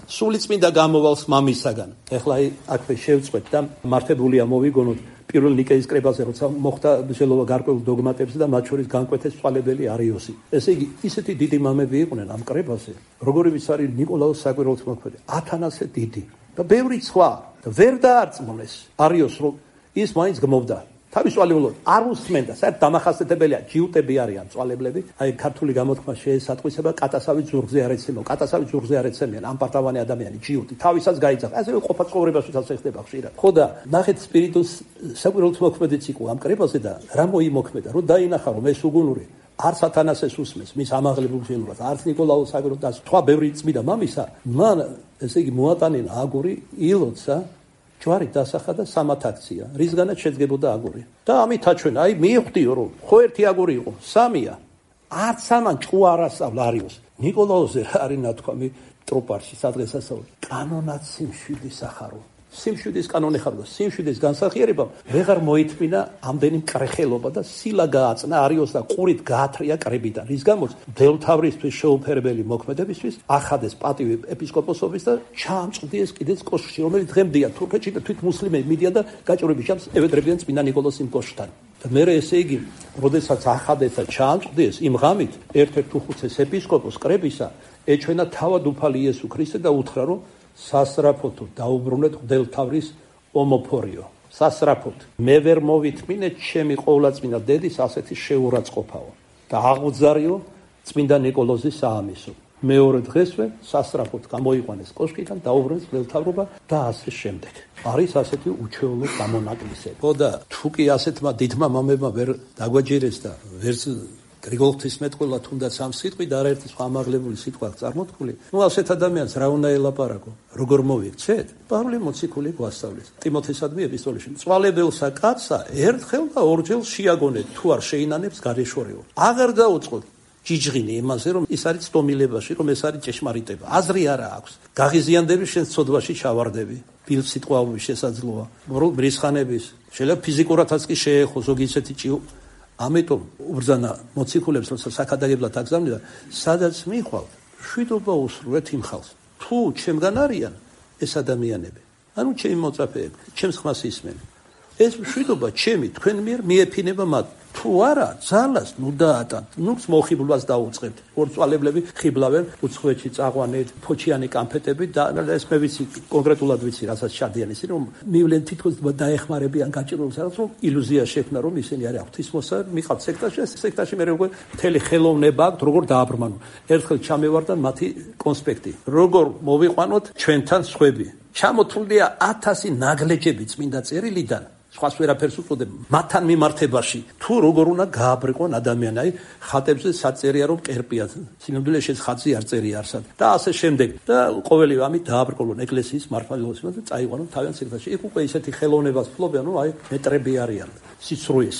სულიწმინდა გამოვალს მამისაგან. ეხლა აქვე შევწყვეთ და მართებულია მოვიგონოთ პირველ ნიკეის კრებაზე, როცა მოხდა მშელობა გარკვეულ დოგმატებს და მათ შორის განკვეთეს წყალებელი არიოსი. ესე იგი, ისეთი დიდი მამები იყვნენ ამ კრებაზე, როგორიც არის ნიკოლაოს საკვირველთმოქმედი, ათანასე დიდი და ბევრი სხვა. და ვერ დაარწმუნეს არიოს, რომ ის მაინც გმობდა. თავის წვალებულად არ უსმენდა, საერთოდ დამახასიათებელია, ჯიუტები არიან წვალებლები, აი ქართული გამოთქმა შეესატყვისება კატასავით ზურგზე არ ეცემო, კატასავით ზურგზე არ ეცემიან, ამ პარტავანი ადამიანი ჯიუტი, თავისაც გაიძახა, ასე ყოფა ცხოვრებაშიც ხდება ხშირად. ხო და ნახეთ სპირიტუს საკვირველთმოქმედიც იყო ამ კრებაზე და რა მოიმოქმედა, რომ დაინახა რომ ეს უგუნური არც ათანასეს უსმენს, მის ამაღლებულ შენობას, არც ნიკოლაოს საკვირველთმოქმედს, სხვა ბევრი წმიდა მამისა, მან ესე იგი მოატანინა აგური ილოცა ჯვარი დასახა და სამათ აქცია, რისგანაც შედგებოდა აგური. და ამით აჩვენა, აი მივხვდიო რომ ხო ერთი აგური იყო, სამია. არც ამან ჭკუ არ ასწავლა არიოს. ნიკოლაოზე რა არის ნათქვამი ტროპარში სადღესასწაულში. კანონად სიმშვიდის ახარო. სიმშვიდის კანონი ხარდა, სიმშვიდის განსახიერებამ ვეღარ მოითმინა ამდენი მკრეხელობა და სილა გააწნა არიოს და ყურით გაათრია კრებიდან. რის გამოც მდელმთავრისთვის შეუფერებელი მოქმედებისთვის ახადეს პატივი ეპისკოპოსობის და ჩაამწყდეს კიდეც კოშკში, რომელიც დღემდეა თურქეთში და თვით მუსლიმები მიდიან და გაჭირვების ჯამს ევედრებიან წმინდა ნიკოლოზ იმ კოშკთან. და მერე ესე იგი, როდესაც ახადეს და ჩაამწყდეს იმ ღამით ერთ-ერთ უხუცეს ეპისკოპოს კრებისა ეჩვენა თავად უფალი იესო ქრისტე და უთხრა რომ სასრაფოთო დაუბრუნეთ მდელმთავრის ომოფორიო. სასრაფოთ მე ვერ მოვითმინე ჩემი ყოვლადწმინდა დედის ასეთი შეურაცხყოფაო და აღუძარიო წმინდა ნიკოლოზის საამისო. მეორე დღესვე სასრაფოთ გამოიყვანეს კოშკიდან, დაუბრუნეს მდელმთავრობა და ასე შემდეგ. არის ასეთი უჩვეულო გამონაკლისები. ხო და თუ კი ასეთმა დიდმა მამებმა ვერ დაგვაჯერეს და ვერც გრიგოლ ღვთისმეტყველა თუნდაც ამ სიტყვით და არაერთი სხვა ამაღლებული სიტყვა წარმოთქმული. ნუ ასეთ ადამიანს რა უნდა ელაპარაკო? როგორ მოვიქცეთ? პავლე მოციქული გვასწავლის. ტიმოთესადმი ეპისტოლეში. წვალებელსა კაცსა ერთხელ და ორჯერ შეაგონეთ, თუ არ შეინანებს გარეშორეო. აღარ დაუწყოთ ჯიჯღინი იმაზე, რომ ის არის სტომილებაში, რომ ეს არის ჭეშმარიტება. აზრი არა აქვს. გაღიზიანდები შენ ცოდვაში ჩავარდები. ფილ სიტყვაობის შესაძლოა. რომ მრისხანების, შეიძლება ფიზიკურადაც კი შეეხო ზოგი ისეთი ჭიო. ამიტომ უბრძანა მოციქულებს, როცა საქადაგებლად აგზავნიდა, სადაც მიხვალ, შვიდობა უსურვეთ იმ ხალხს. თუ ჩემგან არიან ეს ადამიანები, ანუ ჩემი მოწაფეები, ჩემს ხმას ისმენენ. ეს შვიდობა ჩემი თქვენ მიერ მიეფინება მათ. თუ არა, ძალას ნუ დაატანთ, ნუ მოხიბლვას დაუწყებთ. ორწვალებლები ხიბლავენ უცხოეთში წაყვანეთ, ფოჩიანი კამფეტები და ეს მე ვიცი, კონკრეტულად ვიცი, რასაც ჩადიან ისინი, რომ მივლენ თითქოს დაეხმარებიან გაჭირვებას, რაღაც რომ ილუზია შექმნა, რომ ისინი არის ღვთისმოსა, მიყავთ სექტაში, ეს სექტაში მე როგორ მთელი ხელოვნება აქვს, როგორ დააბრმანო. ერთხელ ჩამევარდა მათი კონსპექტი. როგორ მოვიყვანოთ ჩვენთან სხვები. ჩამოთვლილია ათასი ნაგლეჯები წმინდა წერილიდან. სხვას ვერაფერს უწოდებ მათთან მიმართებაში თუ როგორ უნდა გააბრიყვონ ადამიანი, აი ხატებზე საწერია რომ კერპია, სინამდვილეში ხატზე არ წერია არსად და ასე შემდეგ და ყოველი ამით დააბრკოლონ ეკლესიის მართლმადიდებლობას და წაიყვანონ თავიანთ სექტაში. იქ უკვე ისეთი ხელოვნებას ფლობენ, რომ აი მეტრები არიან სიცრუეს.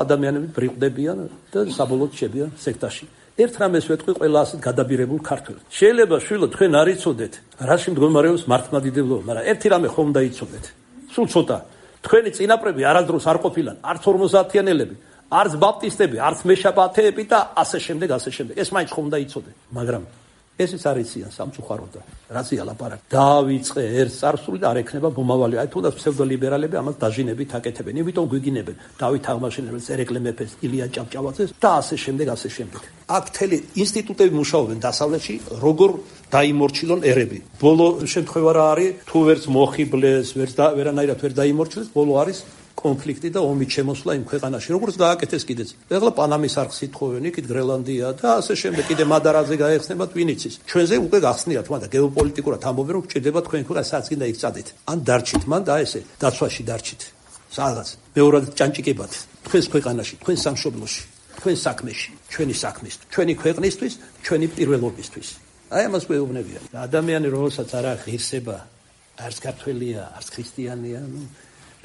ადამიანები ბრიყვდებიან და საბოლოოდ შებიან სექტაში. ერთ რამეს ვეთქვი ყველა ასეთ გადაბირებულ ქართველს. შეიძლება შვილო თქვენ არ იცოდეთ, რაში მდგომარეობს მართლმადიდებლობა, მაგრამ ერთი რამე ხომ უნდა იცოდეთ. სულ ცოტა თქვენი წინაპრები არასდროს არ ყოფილან, არც ორმოცდაათიანელები, არც ბაპტისტები, არც მეშაბათეები და ასე შემდეგ, ასე შემდეგ. ეს მაინც ხომ უნდა იცოდე, მაგრამ ესეც არ იციან სამწუხაროდ. რაზეა ლაპარაკი? დაავიწყე ერთ წარსული და არ ექნება მომავალი. აი თუნდაც ფსევდოლიბერალები ამას დაჟინებით აკეთებენ. იმიტომ გვიგინებენ დავით აღმაშენებელს, ერეკლე მეფეს, ილია ჭავჭავაძეს და ასე შემდეგ, ასე შემდეგ. აქ მთელი ინსტიტუტები მუშაობენ დასავლეთში, როგორ დაიმორჩილონ ერები. ბოლო შემთხვევა რა არის? თუ ვერც მოხიბლეს, ვერც და ვერანაირად ვერ დაიმორჩილეს, ბოლო არის კონფლიქტი და ომი შემოსვლა იმ ქვეყანაში. როგორც გააკეთეს კიდეც. ეხლა პანამის არხს ითხოვენ, იქით გრენლანდია და ასე შემდეგ. კიდე მადარაძე გაეხსნება ტვინიცის. ჩვენზე უკვე გახსნიათ, მაგრამ გეოპოლიტიკურად ამბობენ, რომ გჭირდება თქვენ ქვეყანას სადაც გინდა იქ წადეთ. ან დარჩით, მან და ესე დაცვაში დარჩით. სადაც მეორად ჭანჭიკებად თქვენს ქვეყანაში, თქვენ სამშობლოში, თქვენ საქმეში, ჩვენი საქმის, ჩვენი ქვეყნისთვის, ჩვენი პირველობისთვის. აი ამას გვეუბნებიან. ადამიანი რომელსაც არ აქვს ღირსება, არც ქართველია, არც ქრისტიანია, ნუ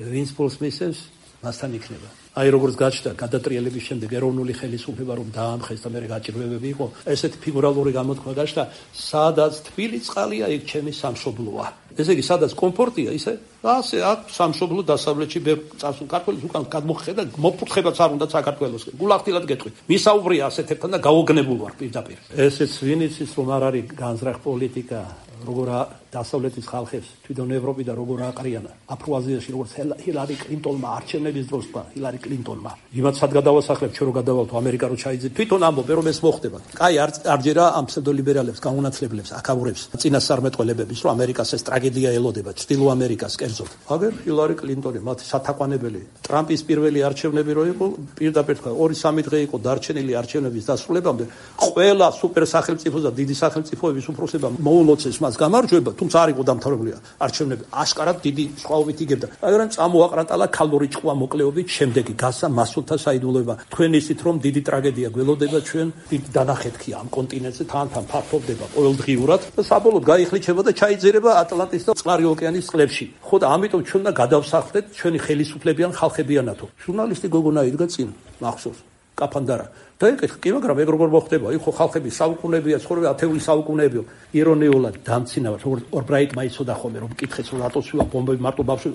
ვინც ფულს მისცემს, მასთან იქნება. აი როგორც გაჩნდა გადატრიალების შემდეგ ეროვნული ხელისუფლება რომ დაამხეს და მე გაჭირვებები იყო, ესეთი ფიგურალური გამოთქმა გაჩნდა, სადაც თბილი წყალია, იქ ჩემი სამშობლოა. ესე იგი, სადაც კომფორტია, ისე ასე აქ სამშობლო დასავლეთში ბევრ წარსულ ქართველს უკან გადმოხედა, მოფურთხებაც არ უნდა საქართველოსკენ. გულახდილად გეტყვი. მისაუბრია ასეთებთან და გაოგნებულ ვარ პირდაპირ. ესეც ვინიც ის რომ არ არის განზრახ პოლიტიკა, როგორ დასავლეთის ხალხებს თვითონ ევროპი და როგორ აყრიანა აფრო-აზიაში როგორც ჰილარი კლინტონმა არჩევნების დროს თქვა ჰილარი კლინტონმა იმათ სად გადავასახლებ ჩვენ რო გადავალთ ამერიკა რო ჩაიძეთ თვითონ ამბობენ რომ ეს მოხდება კაი არ არჯერა ამ ფსევდოლიბერალებს გაუნაცვლებლებს აკავრებს წინასწარმეტყველებების რომ ამერიკას ეს ტრაგედია ელოდება ჩრდილო ამერიკას კერძოდ აგერ ჰილარი კლინტონი მათი სათაყვანებელი ტრამპის პირველი არჩევნები რო იყო პირდაპირ თქვა ორი სამი დღე იყო დარჩენილი არჩევნების დასრულებამდე ყველა სუპერ სახელმწიფოს და დიდი სახელმწიფოების უფროსება მოულოცეს მას გამარჯვება თუმცა არ იყო დამთავრებული არჩევნები აშკარად დიდი სხვაობით იგებდა მაგრამ წამოაყრატალა ქალური ჭყვა მოკლეობით შემდეგი გასა მასულთა საიდუმლოება თქვენ ისით რომ დიდი ტრაგედია გველოდება ჩვენ დიდი დანახეთქია ამ კონტინენტზე თან-თან ფართოვდება ყოველდღიურად და საბოლოოდ გაიხლიჩება და ჩაიძირება ატლანტის და წყნარი ოკეანის წყლებში ხო და ამიტომ ჩვენ უნდა გადავსახლდეთ ჩვენი ხელისუფლებიან ხალხებიანათო ჟურნალისტი გოგონა იდგა წინ მახსოვს კაფანდარა და ეკითხა კი მაგრამ ეგ როგორ მოხდება იქ ხო ხალხები საუკუნეებია ცხოვრება ათეული საუკუნეებია ირონიულად დამცინავად როგორც ორბრაიტმა იცოდა ხოლმე რომ მკითხეს რომ რატო სულა ბომბები მარტო ბავშვი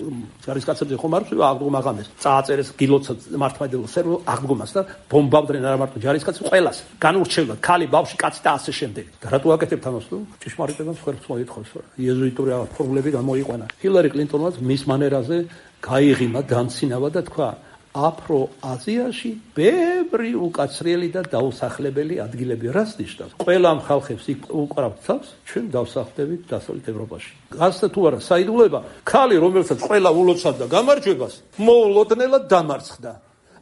ჯარისკაცებზე ხომ არ სულა აღდგომა ღამეს წააწერეს გილოცა მართლმადიდებლო სერვო აღდგომას და ბომბავდნენ არა მარტო ჯარისკაცს ყველას განურჩევდა ქალი ბავშვი კაცი და ასე შემდეგ და რატო აკეთებთ ამას თუ ჭიშმარიტებას ხერხს მოითხოვს იეზუიტური ფორმულები გამოიყვანა ჰილარი კლინტონმა მის მანერაზე გაიღიმა დამცინავა და თქვა აფრო-აზიაში ბევრი უკაცრიელი და დაუსახლებელი ადგილები რას ნიშნავს? ყველა ამ ხალხებს იქ უკრავთ თავს, ჩვენ დავსახლდებით დასავლეთ ევროპაში. გასცა თუ არა საიდუმლოება, ქალი რომელსაც ყველა ულოცავდა გამარჯვებას, მოულოდნელად დამარცხდა.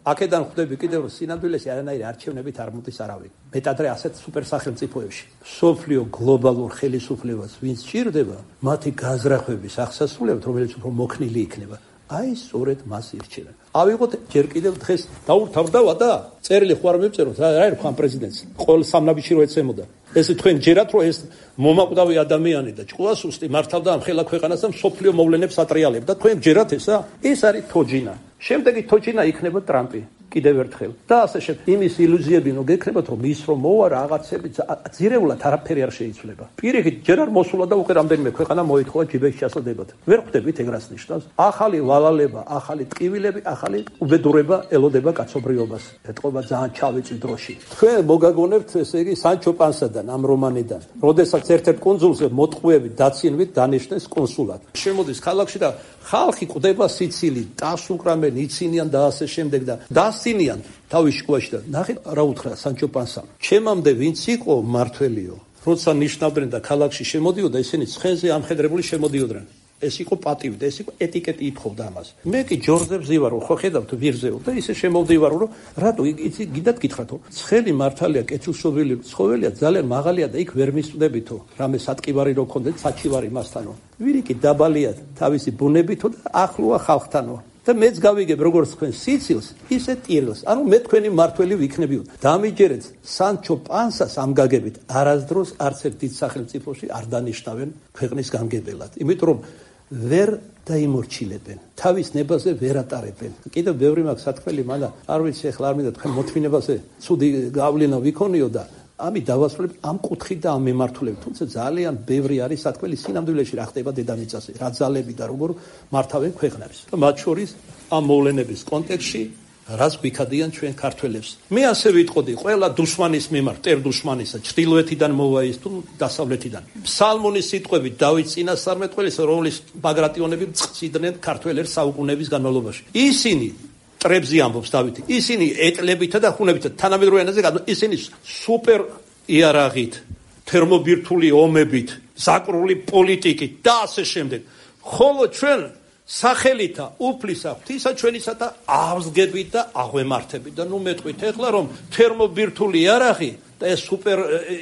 აქედან ხვდები კიდევ რომ სინამდვილეში არანაირი არჩევნებით არ მოდის არავინ. მეტადრე ასეთ სუპერ სახელმწიფოებში. სოფლიო გლობალურ ხელისუფლებას ვინც ჭირდება, მათი გაზრახვების აღსასრულებლად, რომელიც უფრო მოქნილი იქნება. აი სწორედ მას ირჩევენ. ავიღოთ ჯერ კიდევ დღეს დაურთავდა და წერილი ხო არ მივწეროთ რა არის ხან პრეზიდენტს ყოველ სამნაბიჯი რო ეცემოდა ეს თქვენ ჯერათ რომ ეს მომაკვდავი ადამიანი და ჭყუასუსტი მართავდა ამ ხელა ქვეყანას და სოფლიო მოვლენებს ატრიალებდა თქვენ ჯერათ ესა ეს არის თოჯინა შემდეგი თოჯინა იქნება ტრამპი კიდევ ერთხელ და ასე შემდეგ იმის ილუზიები ნუ გექნებათ რომ ის რომ მოვა რაღაცები ძირეულად არაფერი არ შეიცვლება პირიქით ჯერ არ მოსულა და უკვე რამდენიმე ქვეყანა მოითხოვა ჯიბეში ჩასადებად ვერ ხვდებით ეგრას ნიშნავს ახალი ვალალება ახალი ტკივილები ახალი უბედურება ელოდება კაცობრიობას ეთყობა ძალიან ჩავიწი დროში თქვენ მოგაგონებთ ესე იგი სანჩო პანსადან ამ რომანიდან როდესაც ერთ-ერთ კონსულზე მოტყუებით დაცინვით დანიშნეს კონსულად შემოდის ქალაქში და ხალხი ყვდება სიცილით ტას უკრამენ იცინიან და ასე შემდეგ და დასცინიან თავის შუაში და ნახეთ რა უთხრა სანჩო პანსამ ჩემამდე ვინც იყო მართველიო როცა ნიშნავდნენ და ქალაქში შემოდიოდა ისინი ცხენზე ამხედრებული შემოდიოდნენ ეს იყო პატივი და ეს იყო ეტიკეტი ითხოვდა ამას მე კი ჯორზებს ივარო ხო ხედავთ ვირზეო და ისე შემოვდივარო რომ რატო იცი გიდათ გითხრათო ცხელი მართალია კეთილშობილი ცხოველია ძალიან მაღალია და იქ ვერ მისწდებითო რამე სატკივარი რო ქონდეთ საჩივარი მასთანო ვირიკი დაბალია თავისი ბუნებითო და ახლოა ხალხთანო და მეც გავიგებ როგორც თქვენ სიცილს ისე ტილს ანუ მე თქვენი მართველი ვიქნებიო დამიჯერეთ სანჩო პანსას ამ გაგებით არასდროს არც ერთ დიდ სახელმწიფოში არ დანიშნავენ ქვეყნის გამგებელად იმიტომ რომ ვერ დაიმორჩილებენ თავის ნებაზე ვერ ატარებენ კიდევ ბევრი მაქვს სათქმელი მაგრამ არ ვიცი ახლა არ მინდა თქვენ მოთმინებაზე ცუდი გავლენა ვიქონიო და ამით დავასრულებ ამ კუთხით და ამ მიმართულებით თუმცა ძალიან ბევრი არის სათქმელი სინამდვილეში რა ხდება დედამიწაზე რა ძალები და როგორ მართავენ ქვეყნებს და მათ შორის ამ მოვლენების კონტექსტში რას გვიქადიან ჩვენ ქართველებს მე ასე ვიტყოდი ყველა დუშმანის მიმართ ტერ დუშმანისა ჩრდილოეთიდან მოვა ის თუ დასავლეთიდან ფსალმონის სიტყვებით დავით წინასწარმეტყველის რომლის ბაგრატიონები წიდნენ ქართველებს საუკუნეების განმავლობაში ისინი ტრებზე ამბობს დავითი ისინი ეტლებითა და ხუნებითა თანამედროვე ენაზე ისინი სუპერ იარაღით თერმობირთული ომებით ზაკრული პოლიტიკით და ასე შემდეგ ხოლო ჩვენ სახელითა უფლისა ღვთისა ჩვენისა და აღსგებით და აღვემართებით და ნუ მეტყვით ეხლა რომ თერმობირთული იარაღი და ეს სუპერ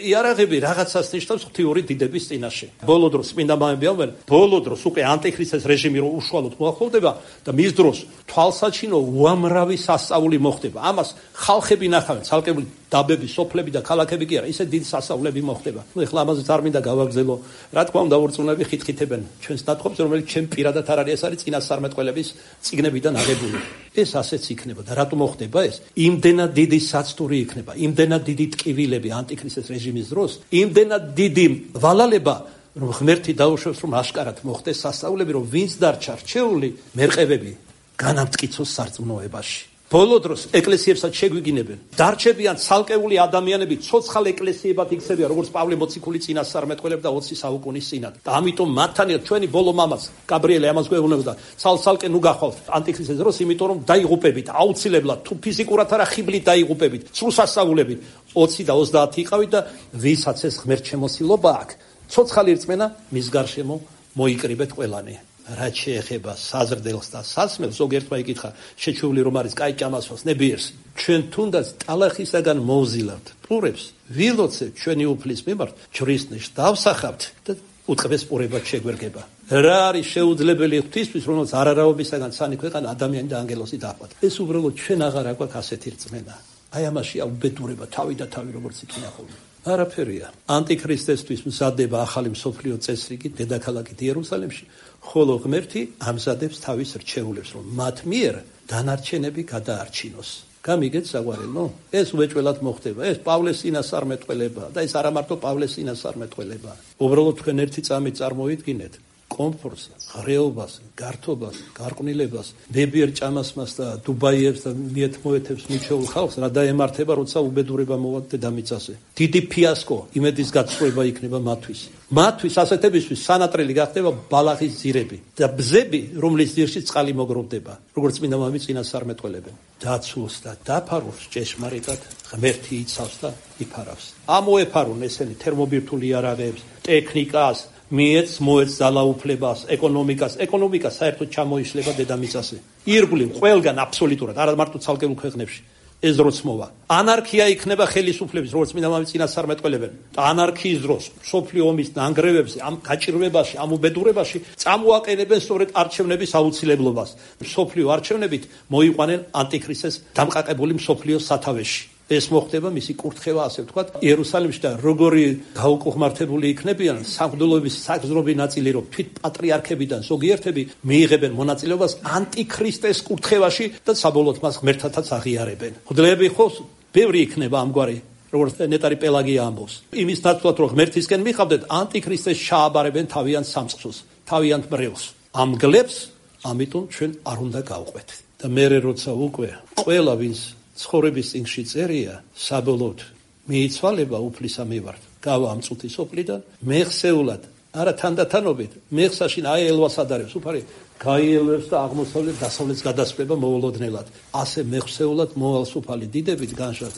იარაღები რაღაცას ნიშნავს ღვთიური დიდების წინაშე. ბოლო დროს წმინდა მამები ამბობენ, ბოლო დროს უკვე ანტიქრისტეს რეჟიმი რო უშუალოდ მოახლოვდება და მის დროს თვალსაჩინო უამრავი სასწაული მოხდება. ამას ხალხები ნახავენ, ცალკეული დაბები, სოფლები და ქალაქები კი არა, ისე დიდი სასწაულები მოხდება. ნუ ეხლა ამაზე არ მინდა გავაგრძელო. რა თქმა უნდა, ორწლუნები ხითხითებენ ჩვენს დათხოვს, რომელიც ჩემ პირადად არ არის, ეს არის წინასწარმეტყველების წიგნებიდან აღებული. ეს ასეც იქნება და რატომ მოხდება ეს? იმდენად დიდი საცდური იქნება, იმდენად დიდი ტკივილები ანტიქრისტეს რეჟიმის დროს, იმდენად დიდი ვალალება, რომ ღმერთი დაუშვებს, რომ აშკარად მოხდეს სასწაულები, რომ ვინც დარჩა რჩეული, მერყევები განამტკიცოს სარწმუნოებაში. ბოლო დროს ეკლესიებსაც შეგვიგინებენ. დარჩებიან ცალკეული ადამიანები, ცოცხალ ეკლესიებად იქცევიან, როგორც პავლე მოციქული წინასწარმეტყველები და ოცი საუკუნის წინათ. და ამიტომ მათთან ერთ ჩვენი ბოლო მამაც, გაბრიელე ამას გვეუბნება, ცალ-ცალკე ნუ გახვალთ ანტიქრისტეს დროს, იმიტომ რომ დაიღუპებით, აუცილებლად, თუ ფიზიკურად არა ხიბლით დაიღუპებით, სრულ სასწაულებით. ოცი და ოცდაათი იყავით და ვისაც ეს ღმერთ შემოსილობა აქვს, ცოცხალი რწმენა მის გარშემო მოიკრიბეთ ყველანი. რაც შეეხება საზრდელს და სასმელს, ზოგიერთმა იკითხა, შეჩეული რომ არის კაი ჭამასვას ნებიერს, ჩვენ თუნდაც ტალახისაგან მოვზილავთ პურებს, ვილოცებთ ჩვენი უფლის მიმართ, ჯვრისნიშს დავსახავთ და უტყბეს პურებად შეგვერგება. რა არის შეუძლებელი ღვთისთვის, რომელსაც არარაობისაგან ცანი ქვეყანა ადამიანი და ანგელოზი დაჰყავთ. ეს უბრალოდ ჩვენ აღარ აგვაქვს ასეთი რწმენა. აი ამაშია უბედურება, თავი და თავი როგორც იქნა ხოლმე. არაფერია. ანტიქრისტესთვის მზადდება ახალი მსოფლიო წესრიგი დედაქალაქით იერუსალიმში, ხოლო ღმერთი ამზადებს თავის რჩეულებს, რომ მათ მიერ დანარჩენები გადაარჩინოს. გამიგეთ საყვარელო? ეს უეჭველად მოხდება. ეს პავლეს წინასწარმეტყველება და ეს არა მარტო პავლეს წინასწარმეტყველება. უბრალოდ თქვენ ერთი წამით წარმოიდგინეთ კომფორტს, ღრეობას, გართობას, გარყვნილებას, ნებიერ ჭამასმას და დუბაიებს და მიეთმოეთებს მიჩეულ ხალხს რა დაემართება, როცა უბედურება მოვა დედამიწაზე. დიდი ფიასკო, იმედის გაცხრება იქნება მათთვის. მათთვის ასეთებისთვის სანატრელი გახდება ბალახის ძირები და ბზები, რომლის ძირში წყალი მოგროვდება, როგორც წმინდა მამები წინასწარმეტყველებენ. დაცულს და დაფარავს ჭეშმარიტად ღმერთი იცავს და იფარავს. ამოეფარონ ესენი თერმობირთული იარაღებს, ტექნიკას, მიეც მოეც ძალაუფლებას, ეკონომიკას, ეკონომიკა საერთოდ ჩამოიშლება დედამიწაზე. ირგვლივ ყველგან აბსოლუტურად, არა მარტო ცალკეულ ქვეყნებში. ეს დროც მოვა. ანარქია იქნება ხელისუფლების, როგორც წმინდა მამები წინასწარმეტყველებენ. და ანარქიის დროს, მსოფლიო ომის ნანგრევებზე, ამ გაჭირვებაში, ამ უბედურებაში წამოაყენებენ სწორედ არჩევნების აუცილებლობას. მსოფლიო არჩევნებით მოიყვანენ ანტიქრისტეს დამყაყებული მსოფლიოს სათავეში. ეს მოხდება მისი კურთხევა, ასე ვთქვათ, იერუსალიმში და როგორი გაუკუღმართებული იქნებიან სამღვდელოების საგზნობი ნაწილი, რომ თვით პატრიარქებიდან ზოგიერთები მიიღებენ მონაწილეობას ანტიქრისტეს კურთხევაში და საბოლოოდ მას ღმერთთაც აღიარებენ. მღვდლები ხო ბევრი იქნება ამგვარი, როგორც ნეტარი პელაგია ამბობს. იმის ნაცვლად, რომ ღმერთისკენ მიხავდეთ, ანტიქრისტეს ჩააბარებენ თავიანთ სამწყსოს, თავიანთ მრევლს. ამ გლებს, ამიტომ ჩვენ არ უნდა გავყვეთ. და მერე როცა უკვე ყველა ვინც ცხოვრების წინში წერია, საბოლოოდ მიიცვალება უფლისა მივართ. გავა ამ წუთის ოფლიდან, მეხსეულად, არა თანდათანობით, მეხსაშინ აი ელვას ადარებს, უფარი გაიელვებს და აღმოსავლეთ დასავლეთს გადასწრება მოულოდნელად. ასე მეხსეულად მოვალს უფალი დიდებით განშად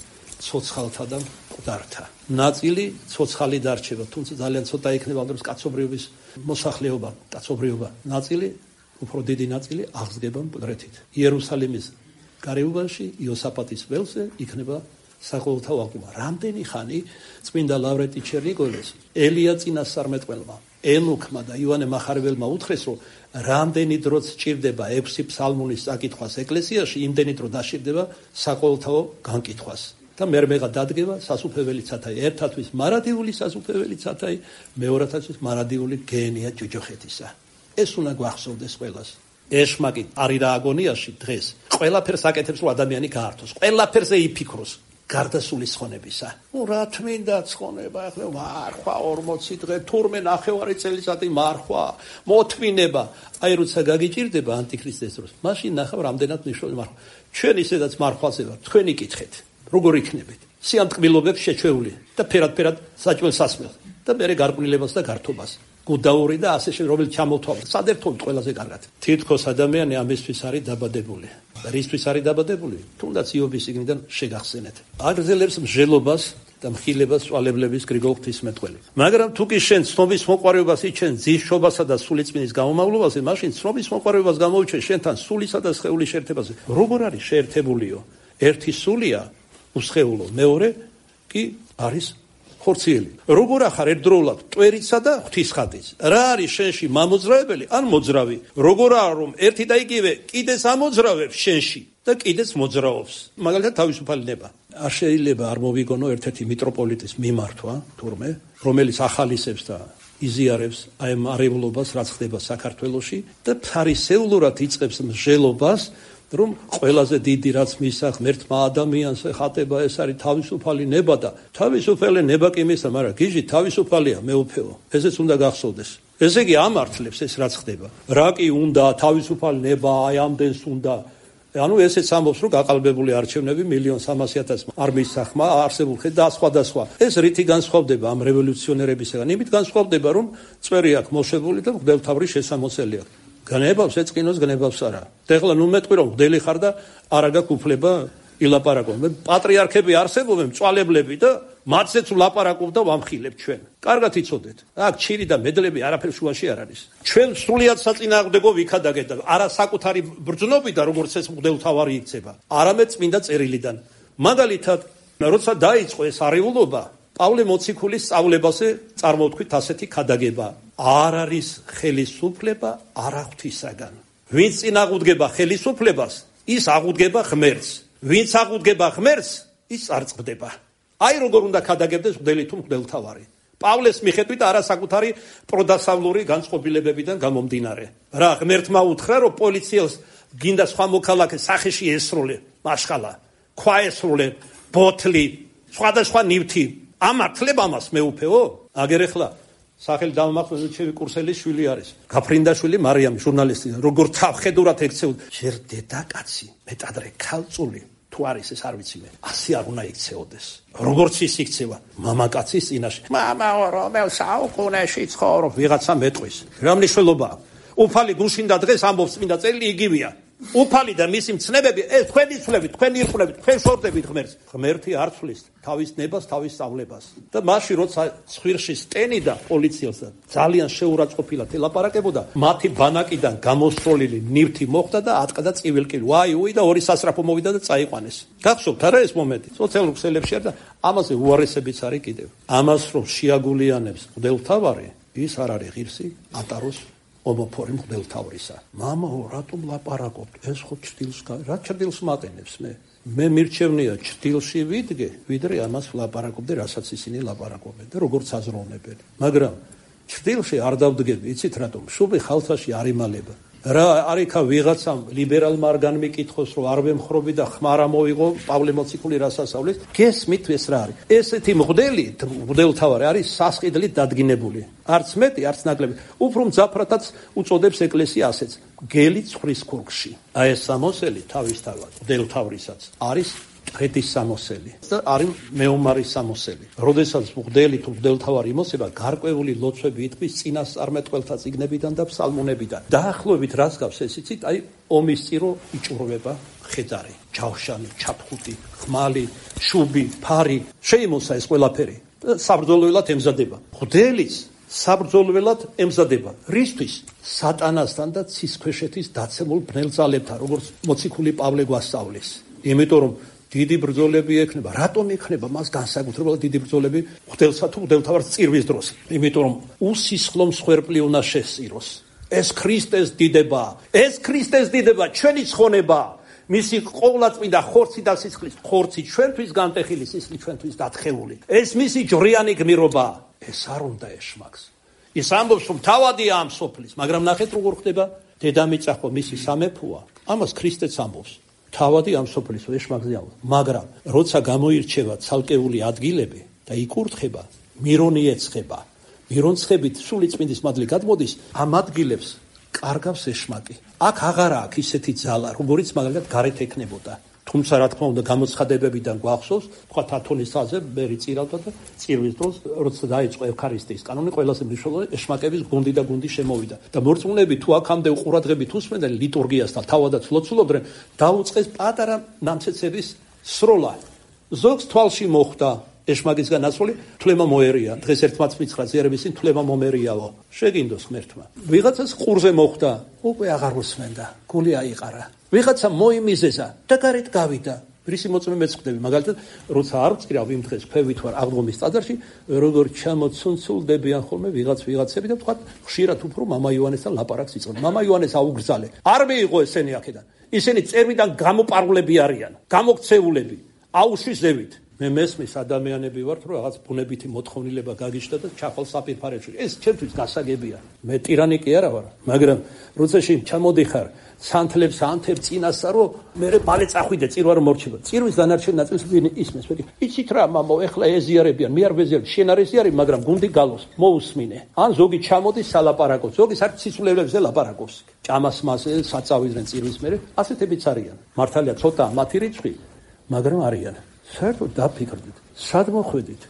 ცოცხალთა და მკვდართა. ნაწილი ცოცხალი დარჩება, თუმცა ძალიან ცოტა იქნება ამ დროს კაცობრიობის მოსახლეობა, კაცობრიობა. ნაწილი, უფრო დიდი ნაწილი აღსგება მკვდრეთით. იერუსალიმის გარეუბანში იოსაფატის ველზე იქნება საყოველთაო აღდგომა. რამდენი ხანი წმინდა ლავრენტი ჩერნიგოველს ელია წინასწარმეტყველმა, ენუქმა და იოანე მახარებელმა უთხრეს, რომ რამდენი დროც სჭირდება ექვსი ფსალმუნის საკითხვას ეკლესიაში, იმდენი დრო დასჭირდება საყოველთაო განკითხვას. და მერმეღა დადგება სასუფეველი ცათაი, ერთათვის მარადიული სასუფეველი ცათაი, მეორათათვის მარადიული გენია ჯუჯოხეთისა. ეს უნდა გვახსოვდეს ყველას. ეშმაკი არის რა აგონიაში დღეს ყველაფერს აკეთებს, რომ ადამიანი გაართოს, ყველაფერზე იფიქროს გარდასული ცხონებისა. ნუ რა თმინდა ცხონება, ახლა მარხვა ორმოცი დღე, თურმე ნახევარი წელიწადი მარხვა, მოთმინება. აი როცა გაგიჭირდება ანტიქრისტეს დროს, მაშინ ნახავ რამდენად ნიშნავს მარხვა. ჩვენ ისედაც მარხვაზე ვართ, თქვენ იკითხეთ, როგორ იქნებით? სიამტკბილობებს შეჩეული და ფერად-ფერად საჭმელ სასმელს და მერე გარყვნილებას და გართობას. გუდაური და ასე შემდეგ, რომელიც ჩამოთვალა. სადერთობით ყველაზე კარგად. თითქოს ადამიანი ამისთვის არის დაბადებული. რისთვის არის დაბადებული? თუნდაც იობის წიგნიდან შეგახსენეთ. აგრძელებს მსჯელობას და მხილებას წვალებლების გრიგოლ ღვთისმეტყველი. მაგრამ თუ კი შენ ცნობის მოყვარეობას იჩენ ძისშობასა და სულიწმინდის გამომავლობაზე, მაშინ ცნობის მოყვარეობას გამოუჩენ შენთან სულისა და სხეულის შეერთებაზე. როგორ არის შეერთებულიო? ერთი სულია უსხეულო, მეორე კი არის ხორციელი. როგორ ახარ ერთდროულად მტვერისა და ღვთისხატის? რა არის შენში მამოძრავებელი ან მოძრავი? როგორ არის რომ ერთი და იგივე კიდეც ამოძრავებს შენში და კიდეც მოძრაობს? მაგალითად თავისუფალი ნება. არ შეიძლება არ მოვიგონო ერთ-ერთი მიტროპოლიტის მიმართვა თურმე, რომელიც ახალისებს და იზიარებს აი ამ არეულობას, რაც ხდება საქართველოში და ფარისეულურად იწყებს მსჯელობას, რომ ყველაზე დიდი რაც მისცა ღმერთმა ადამიანს ეხატება ეს არის თავისუფალი ნება და თავისუფალი ნება კი მისცა, მაგრამ გიჟი თავისუფალია მეუფეო. ესეც უნდა გახსოვდეს. ესე იგი ამართლებს ეს რაც ხდება. რა კი უნდა თავისუფალი ნება, აი ამდენს უნდა. ანუ ესეც ამბობს, რომ გაყალბებული არჩევნები მილიონ სამასი ათასმა არ მისცა ხმა არსებულ ხედ და სხვა და სხვა. ეს რითი განსხვავდება ამ რევოლუციონერებისგან? იმით განსხვავდება, რომ წვერი აქვს მოშებული და მღვდელმთავრის შესამოსელი აქვს. განებავს ეწყინოს, განებავს არა. ეხლა ნუ მეტყვი რომ მღვდელი ხარ და არა გაქვს უფლება ილაპარაკო. მე პატრიარქები არსებობენ, მწვალებლები და მათზეც ვლაპარაკობ და ვამხილებ ჩვენ. კარგად იცოდეთ. აქ ჩირი და მედლები არაფერ შუაში არ არის. ჩვენ სრულიად საწინააღმდეგო ვიქადაგეთ და არა საკუთარი ბრძნობიდან, როგორც ეს მღვდელმთავარი იქცება, არამედ წმინდა წერილიდან. მაგალითად, როცა დაიწყო ეს არეულობა, პავლე მოციქულის სწავლებაზე წარმოვთქვით ასეთი ქადაგება. არ არის ხელისუფლება არა ღვთისაგან. ვინც წინ აღუდგება ხელისუფლებას, ის აღუდგება ღმერთს. ვინც აღუდგება ღმერთს, ის არ წყდება. აი როგორ უნდა ქადაგებდეს მღვდელი თუ მღვდელმთავარი. პავლეს მიხედვით არა საკუთარი პროდასავლური განწყობილებებიდან გამომდინარე. რა ღმერთმა უთხრა, რომ პოლიციელს გინდა სხვა მოქალაქე სახეში ესროლე, მაშხალა, ქვა ესროლე, ბოთლი, სხვადასხვა ნივთი. ამართლებ ამას მეუფეო? აგერ ახლა სახელი დამახსოვრე ჩემი კურსელის შვილი არის. გაფრინდაშვილი მარიამი, ჟურნალისტი, როგორ თავხედურად ექცეოდა. შენ დედაკაცი, მეტადრე ქალწული თუ არის ეს არ ვიცი მე. ასე არ უნდა იქცეოდეს. როგორც ის იქცევა მამაკაცის წინაშე. მამაო, რომელ საუკუნეში ცხოვრობ? ვიღაცა მეტყვის. რა მნიშვნელობა? უფალი გუშინ და დღეს ამბობს წმინდა წერილი იგივეა. უფალი და მისი მცნებები, ეს თქვენი ცვლებით, თქვენი ირყვლებით, თქვენ შორდებით ღმერთს. ღმერთი არ ცვლის თავის ნებას, თავის სწავლებას. და მაშინ როცა ცხვირში სტენიდა პოლიციელს და ძალიან შეურაცხყოფილად ელაპარაკებოდა, მათი ბანაკიდან გამოსროლილი ნივთი მოხდა და ატყდა წივილკილი. ვაი, უი და ორი სასრაფო მოვიდა და წაიყვანეს. გახსოვთ არა ეს მომენტი? სოციალურ ქსელებში არ და ამაზე უარესებიც არის კიდევ. ამას რომ შეაგულიანებს მღვდელმთავარი, ის არ არის ღირსი ატაროს ომოფორი მღვდელმთავრისა. მამაო, რატომ ლაპარაკობთ? ეს ხო ჩრდილს რა ჩრდილს მატენებს მე? მე მირჩევნია ჩრდილში ვიდგე, ვიდრე ამას ლაპარაკობდე, რასაც ისინი ლაპარაკობენ და როგორც აზროვნებენ. მაგრამ ჩრდილში არ დავდგები, იცით რატომ? შუბი ხალხაში არ იმალება. რა არიქა ვიღაცამ ლიბერალმა არ განმიკითხოს, რომ არ ვემხრობი და ხმარა მოიღო პავლე მოციქული რასასწავლის. გესმით ეს რა არის? ესეთი მღვდელი, მღვდელმთავარი არის სასყიდლით დადგინებული. არც მეტი, არც ნაკლები. უფრო მძაფრათაც უწოდებს ეკლესია ასეც. გელი ცხვრის ქურქში. აი ეს სამოსელი თავისთავად მღვდელმთავრისაც არის ღეთის სამოსელი და არის მეომარის სამოსელი. როდესაც მღვდელი თუ მღვდელმთავარი იმოსება, გარკვეული ლოცვები იტყვის წინასწარმეტყველთა წიგნებიდან და ფსალმუნებიდან. დაახლოებით რას გავს ეს იცით? აი ომის წირო იჭურვება ხედარი, ჯავშანი, ჩაფხუტი, ხმალი, შუბი, ფარი. შეიმოსა ეს ყველაფერი. საბრძოლველად ემზადება. მღვდელიც საბრძოლველად ემზადება. რისთვის? სატანასთან და ცისქვეშეთის დაცემულ ბნელძალებთან, როგორც მოციქული პავლე გვასწავლის. იმიტომ რომ დიდი ბრძოლები ექნება. რატომ ექნება მას განსაკუთრებულად დიდი ბრძოლები მღვდელსა თუ მღვდელმთავარს წირვის დროს? იმიტომ რომ უსისხლო მსხვერპლი უნდა შესწიროს. ეს ქრისტეს დიდება, ეს ქრისტეს დიდება, ჩვენი ცხონება, მისი ყოვლადწმინდა ხორცი და სისხლის, ხორცი ჩვენთვის განტეხილი, სისხლი ჩვენთვის დათხეული. ეს მისი ჯვრიანი გმირობა, ეს არ უნდა ეშმაკს. ის ამბობს რომ თავადია ამ სოფლის, მაგრამ ნახეთ როგორ ხდება, დედამიწა ხო მისი სამეფოა. ამას ქრისტეც ამბობს. თავადი ამ სოფლის ეშმაკზე ამბობს. მაგრამ როცა გამოირჩევა ცალკეული ადგილები და იკურთხება, მირონი ეცხება. მირონცხებით სული წმინდის მადლი გადმოდის, ამ ადგილებს კარგავს ეშმაკი. აქ აღარა აქვს ისეთი ძალა, როგორიც მაგალითად გარეთ ექნებოდა. თუმცა რა თქმა უნდა გამოცხადებებიდან გვახსოვს, თქვა ათონის თაზე მერი წირავდა და წირვის დროს როცა დაიწყო ევქარისტიის კანონი, ყველაზე მნიშვნელოვანი ეშმაკების გუნდი და გუნდი შემოვიდა. და მორწმუნეები თუ აქამდე უყურადღებით უსმენდნენ ლიტურგიას და თავადაც ლოცულობდნენ, დაუწყეს პატარა ნამცეცების სროლა. ზოგს თვალში მოხვდა, ეშმაგისგან ნაცვლი თვლემა მოერია. დღეს ერთმაც მიცხრა ზიარების წინ თვლემა მომერიაო. შეგინდოს ღმერთმა. ვიღაცას ყურზე მოხვდა, უკვე აღარ უსმენდა. გული აიყარა. ვიღაცა მოიმიზეზა და გარეთ გავიდა. რისი მოწმე მეცხვდები, მაგალითად, როცა არ ვწირავ იმ დღეს ქვევით ვარ აღდგომის ტაძარში, როგორ ჩამოცუნცულდებიან ხოლმე ვიღაც ვიღაცები და თქვა ხშირად უფრო მამა იოანესთან ლაპარაკს იწყებენ. მამა იოანეს აუგრძალე. არ მიიღო ესენი აქედან. ისინი წერმიდან გამოპარულები არიან, გამოქცეულები, აუშვისდებით. მე მესმის ადამიანები ვართ, რომ რაღაც ბუნებითი მოთხოვნილება გაგიჩნდა და ჩახვალ საფირფარეში. ეს ჩემთვის გასაგებია. მე ტირანი კი არა ვარ, მაგრამ როცა შენ ჩამოდიხარ სანთლებს ანთებ წინასა რომ მე ბალე წახვიდე წირვა რომ მორჩება. წირვის დანარჩენ ნაწილს ვინ ისმის, მე იცით რა მამო, ეხლა ეზიარებიან, მე არ ვეზიარებ, შენ არ ეზიარებ, მაგრამ გუნდი გალოს, მოусმინე. ან ზოგი ჩამოდის სალაპარაკოს, ზოგი საერთოდ სიცულელებზე ლაპარაკობს. ჭამას მასე საწავიდნენ წირვის მერე, ასეთებიც არიან. მართალია ცოტა მათი რიცხვი, მაგრამ არიან. საერთოდ დაფიქრდით, სად მოხვედით,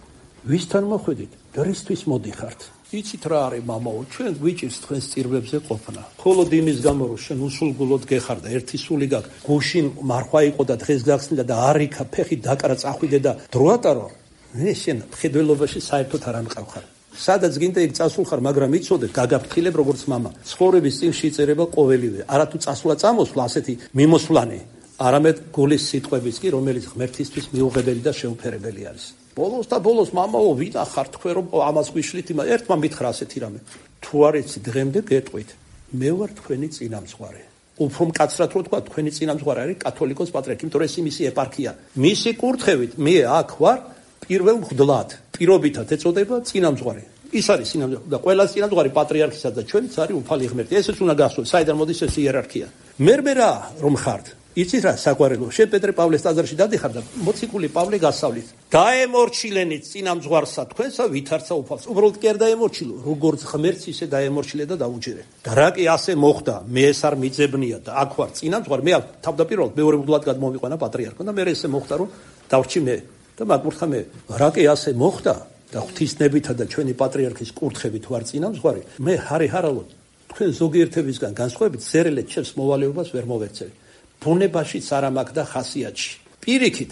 ვისთან მოხვედით და რისთვის მოდიხართ. იცით რა არის მამაო, ჩვენ გვიჭირს თქვენს წირვებზე ყოფნა. მხოლოდ იმის გამო რომ შენ უსულგულოდ გეხარ და ერთი სული გაქვს, გუშინ მარხვა იყო და დღეს გახსნიდა და არ იქა ფეხი დაკრა წახვიდე და დრო ატარო. მე შენ მხედველობაში საერთოდ არ ამყავხარ. სადაც გინდა იქ წასულხარ, მაგრამ იცოდე გაგაფრთხილებ როგორც მამა. ცხოვრების წინში იწერება ყოველივე. არათუ წასვლა წამოსვლა ასეთი მიმოსვლანი, არამედ გულის სიტყვების კი, რომელიც ღმერთისთვის მიუღებელი და შეუფერებელი არის. ბოლოს და ბოლოს მამაო ვინახარ თქვენ რომ ამას გვიშლით იმა ერთმა მითხრა ასეთი რამე. თუ არ იცი დღემდე გეტყვით, მე ვარ თქვენი წინამძღვარი. უფრო მკაცრად რო თქვა თქვენი წინამძღვარი არის კათოლიკოს პატრიარქი, იმიტომ რომ ეს მისი ეპარქია. მისი კურთხევით მე აქ ვარ პირველ მღვდლად. პირობითად ეწოდება წინამძღვარი. ის არის წინამძღვარი და ყველა წინამძღვარი პატრიარქისა და ჩვენც არის უფალი ღმერთი. ესეც უნდა გასწორდეს, საიდან მოდის ეს იერარქია. მე მე რა რომ ხართ იცით რა საგვარეულო, შენ პეტრე პავლეს ტაძარში დადიხარ და მოციქული პავლე გასავლით. დაემორჩილენით წინამძღვარსა თქვენსა ვითარცა უფალს. უბრალოდ კი არ დაემორჩილო, როგორც ღმერთს ისე დაემორჩილე და დაუჯერე. და რა კი ასე მოხდა, მე ეს არ მიძებნია და აქ ვარ წინამძღვარი, მე თავდაპირველად მეორე მღვდლად გადმომიყვანა პატრიარქმა და მე ესე მოხდა რომ დავრჩი მე და მაგურთხა მე. რა კი ასე მოხდა და ღვთისნებითა და ჩვენი პატრიარქის კურთხებით ვარ წინამძღვარი, მე ჰარი ჰარალოდ თქვენ ზოგიერთებისგან განსხვავებით ზერელეთ ჩემს მოვალეობას ვერ მოვეცევი. ბუნებაშიც არ ამაქვს და ხასიათში. პირიქით,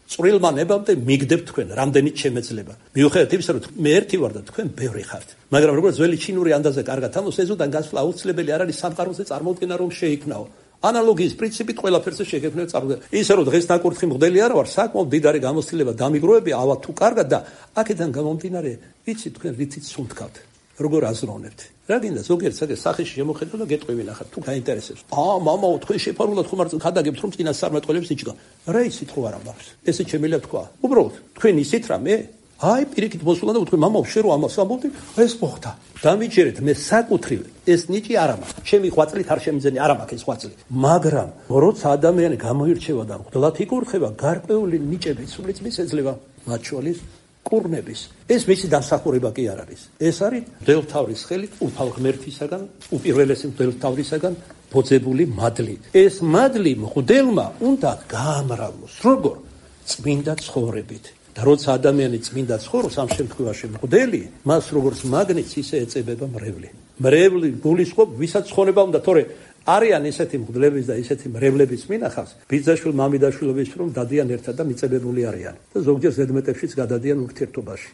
წვრილმა ნებამდე მიგდებთ თქვენ, რამდენიც შემეძლება. მიუხედავად იმისა, რომ მე ერთი ვარ და თქვენ ბევრი ხართ. მაგრამ როგორც ძველი ჩინური ანდაზა კარგად ამოს, ეზოდან გასვლა აუცილებელი არ არის სამყაროზე წარმოდგენა რომ შეიქმნაო. ანალოგიის პრინციპით ყველაფერზე შეგექმნებ წარმოდგენა. ისე რომ დღეს ნაკურთხი მღვდელი არ ვარ, საკმაოდ მდიდარი გამოცდილება დამიგროვები ავა თუ კარგად და აქედან გამომდინარე, ვიცი თქვენ რითიც სუნთქავთ. როგორ აზროვნებთ? რა გინდა ზოგიერთ საკეს სახეში შემოხედო და გეტყვი ნახარ თუ გაინტერესებს. აა მამაო თქვენ შეფარულად ხომ არ ხადაგებთ რომ წინას წარმატყველებს იჭდა. რა იცით ხო არ ამბავს. ესე შემიძლია თქვა. უბრალოდ თქვენ ისეთ რამე აი პირიქით მოსულა და თქვენ მამაო შე რო ამას ამბობდი, ეს მოხდა. დამიჯერეთ მე საკუთრივ ეს ნიჭი არ ამაქვს. ჩემი ღვაწლით არ შემიძენი არ ამაქვს ეს ღვაწლი. მაგრამ როცა ადამიანი გამოირჩევა და მღვდლად იკურთხება, გარკვეული ნიჭები სულიც მის ეძლევა მათ შორის კურნების. ეს მისი დამსახურება კი არ არის. ეს არის მღვდელთავრის ხელით უფალ ღმერთისაგან, უპირველესი მღვდელთავრისაგან ბოძებული მადლი. ეს მადლი მღვდელმა უნდა გაამრავლოს. როგორ? წმინდა ცხოვრებით. და როცა ადამიანი წმინდა ცხოვრობს, ამ შემთხვევაში მღვდელი, მას როგორც მაგნიტს ისე ეწებება მრევლი. მრევლი გულისხმობ, ვისაც ცხოვრება უნდა, თორე არიან ისეთი მღვდლების და ისეთი მრევლების მინახავს, ბიძაშვილ მამიდაშვილობის რომ დადიან ერთად და მიწებებული არიან. და ზოგჯერ ზედმეტებშიც გადადიან ურთიერთობაში.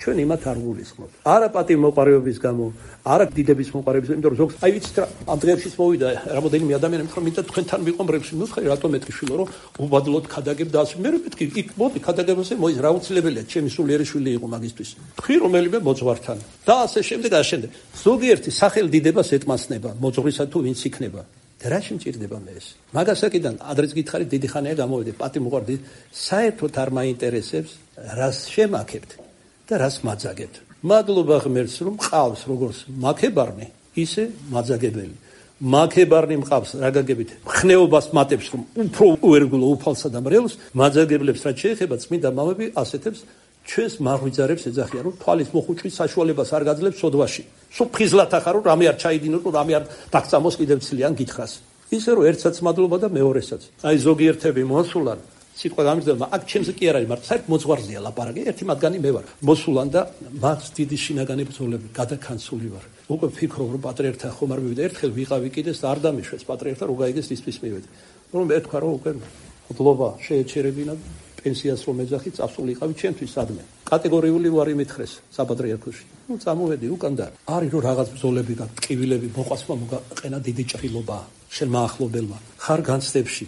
ჩვენ იმათ არ გულისხმობთ. არა პატივმოყარეობის გამო, არა დიდების მოყარეობის, იმიტომ რომ ზოგს აი ვიცით რა, ამ დღეებშიც მოვიდა რამოდენიმე ადამიანი მითხრა, მინდა თქვენთან ვიყო მრევლში. ნუ ხარ რატომ მეთქიშვილო, რომ უბადლოდ ქადაგებ და ასე. მე რო მეთქი, იქ მოდი ქადაგებაზე მოის, რა უცილებელია, ჩემი სულიერი შვილი იყო მაგისტვის. თქვი რომელიმე მოძღვართან. და ასე შემდეგ, ასე შემდეგ. ზოგიერთი სახელდიდებას ეტმასნება, მოძღვრისა თუ ვინც იქნება. და რა შემჭირდება მე ეს? მაგასაკიდან ადრეც გითხარით, დიდი ხანია გამოვიდე, პატიმოყარდი, საერთოდ არ მაინტერესებს, რას შემაქებთ. და რას მაძაგებთ. მადლობა ღმერთს რომ მყავს როგორც მაქებარნი, ისე მაძაგებელი. მაქებარნი მყავს რა გაგებით, ხნეობას მატებს რომ უფრო უერგულო უფალსა და მრევლს, მაძაგებლებს რაც შეეხება წმინდა მამები ასეთებს ჩვენს მაღვიძარებს ეძახიან რომ თვალის მოხუჭვის საშუალებას არ გაძლევს სოდვაში. სულ ფხიზლად ახარო რამე არ ჩაიდინოთ, რამე არ დაგწამოს კიდევ ცლიან გითხრას. ისე რომ ერთსაც მადლობა და მეორესაც. აი ზოგიერთები მოსულან სიტყვა გამიგზავნა, აქ ჩემზე კი არ არის, მაგრამ საერთოდ მოძღვარზეა ლაპარაკი, ერთი მათგანი მე ვარ. მოსულან და მას დიდი შინაგანი ბრძოლები გადაქანცული ვარ. უკვე ვფიქრობ, რომ პატრიარქთან ხომ არ მივიდა, ერთხელ ვიყავი კიდეს და არ დამიშვეს პატრიარქთან, რო გაიგეს ისთვის მივედი. რომ მე თქვა, რომ უკვე მადლობა შეეჩერებინა, პენსიას რომ ეძახი, წასულიყავი ჩემთვის სადმე. კატეგორიული ვარი მითხრეს საპატრიარქოში. ნუ წამოვედი უკან და არის რომ რაღაც ბრძოლები და ტკივილები მოყვასმა მოგაყენა დიდი ჭრილობა შენ მაახლობელმა. ხარ განცდებში.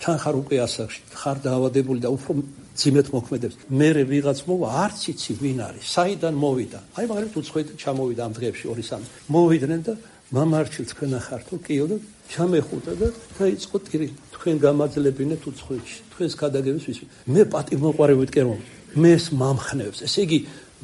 თან ხარ უკვე ასაკში, ხარ დაავადებული და უფრო ძიმეთ მოქმედებს. მე ვიღაც მოვა, არც იცი ვინ არის, საიდან მოვიდა. აი მაგალითად უცხოეთ ჩამოვიდა ამ დღეებში ორი სამი. მოვიდნენ და მამარჩილ თქვენ ახართო, კიო და ჩამეხუტა და დაიწყო ტირი. თქვენ გამაძლებინეთ უცხოეთში. თქვენს გადაგების ვის. მე პატივმოყვარე ვიტკენ რომ მეს მამხნევს. ესე იგი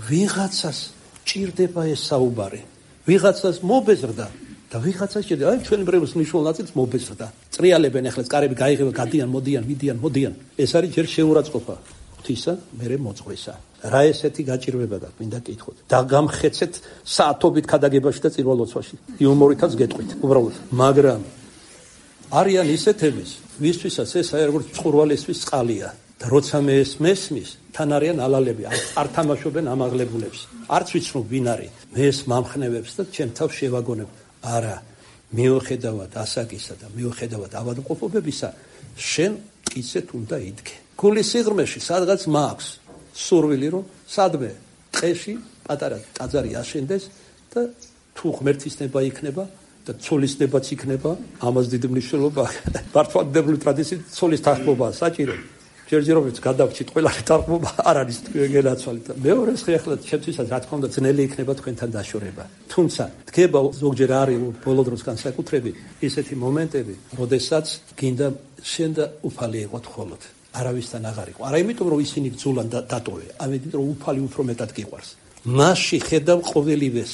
ვიღაცას ჭირდება ეს საუბარი. ვიღაცას მობეზრდა და ვიღაცას ჭირდება. აი ჩვენი ბრევლის მნიშვნელოვანი ნაწილს მობეზრდა. წრიალებენ ახლა კარები გაიღება, გადიან, მოდიან, მიდიან, მოდიან. ეს არის ჯერ შეურაცხყოფა ღვთისა, მერე მოწყვლისა. რა ესეთი გაჭირვება გაქვს, მინდა კითხოთ. და გამხეცეთ საათობით ქადაგებაში და წირვალოცვაში. იუმორითაც გეტყვით, უბრალოდ. მაგრამ არიან ისეთების, ვისთვისაც ეს აი როგორც წყურვალისთვის წყალია. და როცა მე ეს მესმის, თან არიან ალალები, არ თამაშობენ ამაღლებულებს. არც ვიცნობ ვინ არის. მე ეს მამხნევებს და ჩემ თავს შევაგონებ. არა, მიუხედავად ასაკისა და მიუხედავად ავადმყოფობებისა, შენ მტკიცედ უნდა იდგე. გულის სიღრმეში სადღაც მაქვს სურვილი რომ სადმე ტყეში პატარა ტაძარი აშენდეს და თუ ღმერთის ნება იქნება და ცოლის ნებაც იქნება, ამას დიდი მნიშვნელობა მართლმადიდებლური ტრადიციით ცოლის თანხმობაა საჭირო. ჯერჯერობით გადავჭით ყველანი თანხმობა არ არის გენაცვალეთ. მეორეს ხე ახლა ჩემთვისაც რა თქმა უნდა ძნელი იქნება თქვენთან დაშორება. თუმცა დგება ზოგჯერ არის ბოლო დროს განსაკუთრებით ისეთი მომენტები, როდესაც გინდა შენ და უფალი იყოთ ხოლოდ. არავისთან აღარ იყო. არა იმიტომ რომ ისინი ბძულან დატოვე, ამიტომ რომ უფალი უფრო მეტად გიყვარს. მასში ხედავ ყოველივეს,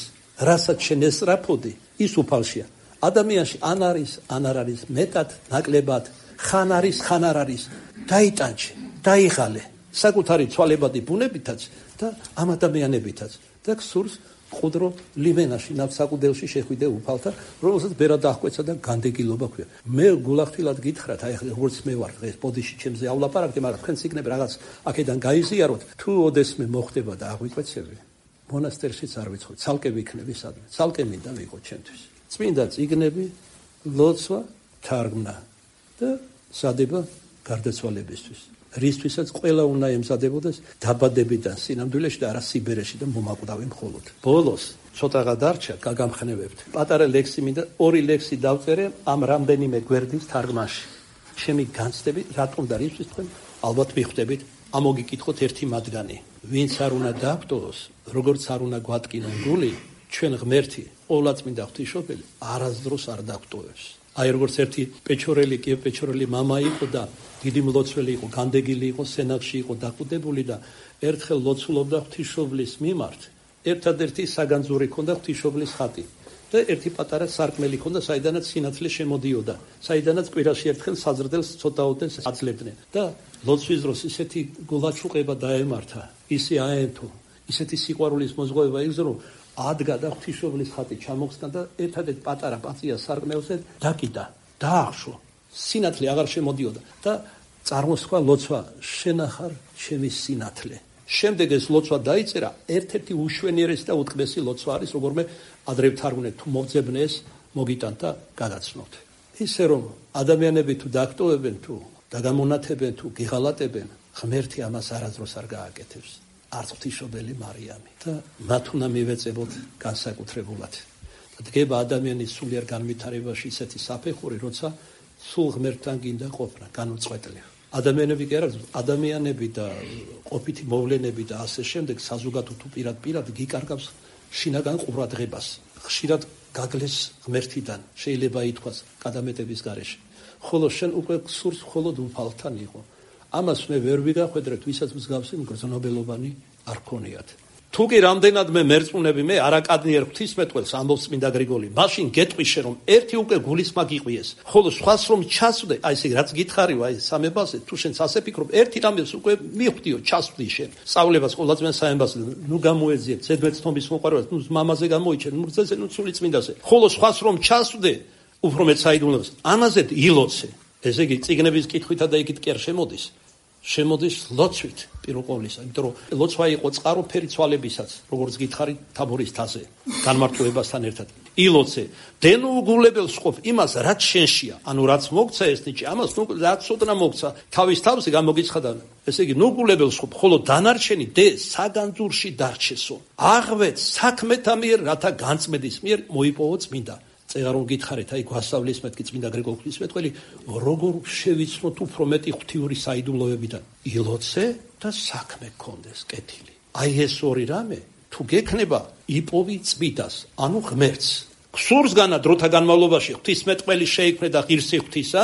რასაც შენ ესწრაფოდი, ის უფალშია. ადამიანში ან არის, ან არ არის მეტად, ნაკლებად, ხან არის, ხან არ არის. დაიტანჩე, დაიღალე საკუთარი ცვალებადი ბუნებითაც და ამ ადამიანებითაც და გსურს ყუდრო ლიმენაში ნავსაყუდელში შეხვიდე უფალთან, რომელსაც ბერად დახვეცა და განდეგილობა ქვია. მე გულახდილად გითხრათ, აი როგორც მე ვარ დღეს ბოდიში ჩემზეავლაპარაკდი, მაგრამ თქვენც იქნებ რაღაც აქედან გაიზიაროთ, თუ ოდესმე მოხდება და აღვიკვეცები, მონასტერშიც არ ვიცხო, ცალკე ვიქნები სადმე, ცალკე მინდა ვიყო ჩემთვის. წმინდა წიგნები, ლოცვა, თარგმნა და სადება გარდაცვალებისთვის. რისთვისაც ყველა უნდა ემზადებოდეს დაბადებიდან სინამდვილეში და არა სიბერეში და მომაკვდავი მხოლოდ. ბოლოს ცოტაღა დარჩა, გაგამხნევებთ. პატარა ლექსი მინდა ორი ლექსი დავწერე ამ რამდენიმე გვერდის თარგმანში. ჩემი განცდები რატომ და რისთვის თქვენ ალბათ მიხვდებით, ამოგიკითხოთ ერთი მათგანი. ვინც არ უნდა დაგვტოვოს, როგორც არ უნდა გვატკინოს გული, ჩვენ ღმერთი, ყოვლადწმინდა ღვთისმშობელი არასდროს არ დაგვტოვებს. აი როგორც ერთი პეჩორელი, კი პეჩორელი მამა იყო და დიდი მლოცველი იყო, განდეგილი იყო, სენაკში იყო დაკვდებული და ერთხელ ლოცულობდა ღვთისმშობლის მიმართ. ერთადერთი საგანძური ჰქონდა ღვთისმშობლის ხატი და ერთი პატარა სარკმელი ჰქონდა, საიდანაც სინათლე შემოდიოდა, საიდანაც კვირაში ერთხელ საზრდელს ცოტაოდენ აძლევდნენ და ლოცვის დროს ისეთი გულაჩუყება დაემართა, ისე აენთო, ისეთი სიყვარულის მოზღვევა იგზო, რომ ადგა და ღვთისმშობლის ხატი ჩამოხსნა და ერთადერთ პატარა პაწია სარკმელზე დაკიდა, დაახშო. სინათლე აღარ შემოდიოდა და წარმოსხვა ლოცვა, შენ ახარ ჩემი სინათლე. შემდეგ ეს ლოცვა დაიწერა, ერთ-ერთი უშვენიერესი და უტყმესი ლოცვა არის, როგორმე ადრე ვთარგმნეთ, თუ მოგძებნე ეს მოგიტანთ და გადაცნობთ. ისე რომ ადამიანები თუ დაგტოვებენ, თუ დაგამონათებენ, თუ გიღალატებენ, ღმერთი ამას არასდროს არ გააკეთებს. არც ღვთისმშობელი მარიამი და მათ უნდა მივეწებოთ განსაკუთრებულად. დგება ადამიანის სულიერ განვითარებაში ისეთი საფეხური, როცა სულ ღმერთთან გინდა ყოფნა, განუწყვეტლივ. ადამიანები კი არა, ადამიანები და ყოფითი მოვლენები და ასე შემდეგ საზოგადო თუ პირად პირად გიკარგავს შინაგან ყურადღებას. ხშირად გაგლეს ღმერთიდან, შეიძლება ითქვას, გადამეტების გარეშე. ხოლო შენ უკვე გსურს მხოლოდ უფალთან იყო. ამას მე ვერ ვიგახვედრეთ, ვისაც მსგავსი მგრძნობელობანი არ ქონიათ. თუ კი რამდენად მე მერწმუნები, მე არაკადნიერ ღვთისმეტყველს ამბობს წმინდა გრიგოლი, მაშინ გეტყვიშე რომ ერთი უკვე გულისმა გიყვიეს, ხოლო სხვას რომ ჩასვდე, აი ესე რაც გითხარივ, აი სამებაზე, თუ შენ ასე ფიქრობ, ერთი რამეს უკვე მივხვდიო, ჩასვდი შენ. სწავლებას ყოველადწმიან საემბაზე, ნუ გამოეძიებ, ზედმეტ-ცნობის მოყვარებას, ნუ მამაზე გამოიჩენ, ნუ გზაზე, ნუ სული წმინდაზე. ხოლო სხვას რომ ჩასვდე, უფრო მეც საიდუმლოებას, ამაზე ილოცე. ესე იგი, წიგნების კითხვითა და იქით კი არ შემოდის. შემოდის ლოცვით პირველ ყოვლისა, იმიტომ რომ ლოცვა იყო წყაროფერი ცვალებისაც, როგორც გითხარით თაბორის თაზე, განმარტოებასთან ერთად. ილოცე, დენუ უგულებელს ყოფ იმას, რაც შენშია, ანუ რაც მოგცა ეს ნიჭი, ამას ნუ რაც ოდნა მოგცა, თავის თავზე გამოგიცხადა. ესე იგი, ნუ უგულებელს ყოფ, ხოლო დანარჩენი დე საგანძურში დარჩესო. აღვეთ საქმეთა მიერ, რათა განწმედის მიერ მოიპოვო წმინდა. წეღარ რომ გითხარით, აი გვასწავლის მეთქი წმინდა გრიგოლ ღვთისმეტყველი, როგორ შევიცნოთ უფრო მეტი ღვთიური საიდუმლოებიდან. ილოცე და საქმე გქონდეს კეთილი. აი ეს ორი რამე თუ გექნება, იპოვი წმიდას, ანუ ღმერთს. გსურსგანა დროთა განმავლობაში ღვთისმეტყველი შეიქმნა და ღირსი ღვთისა,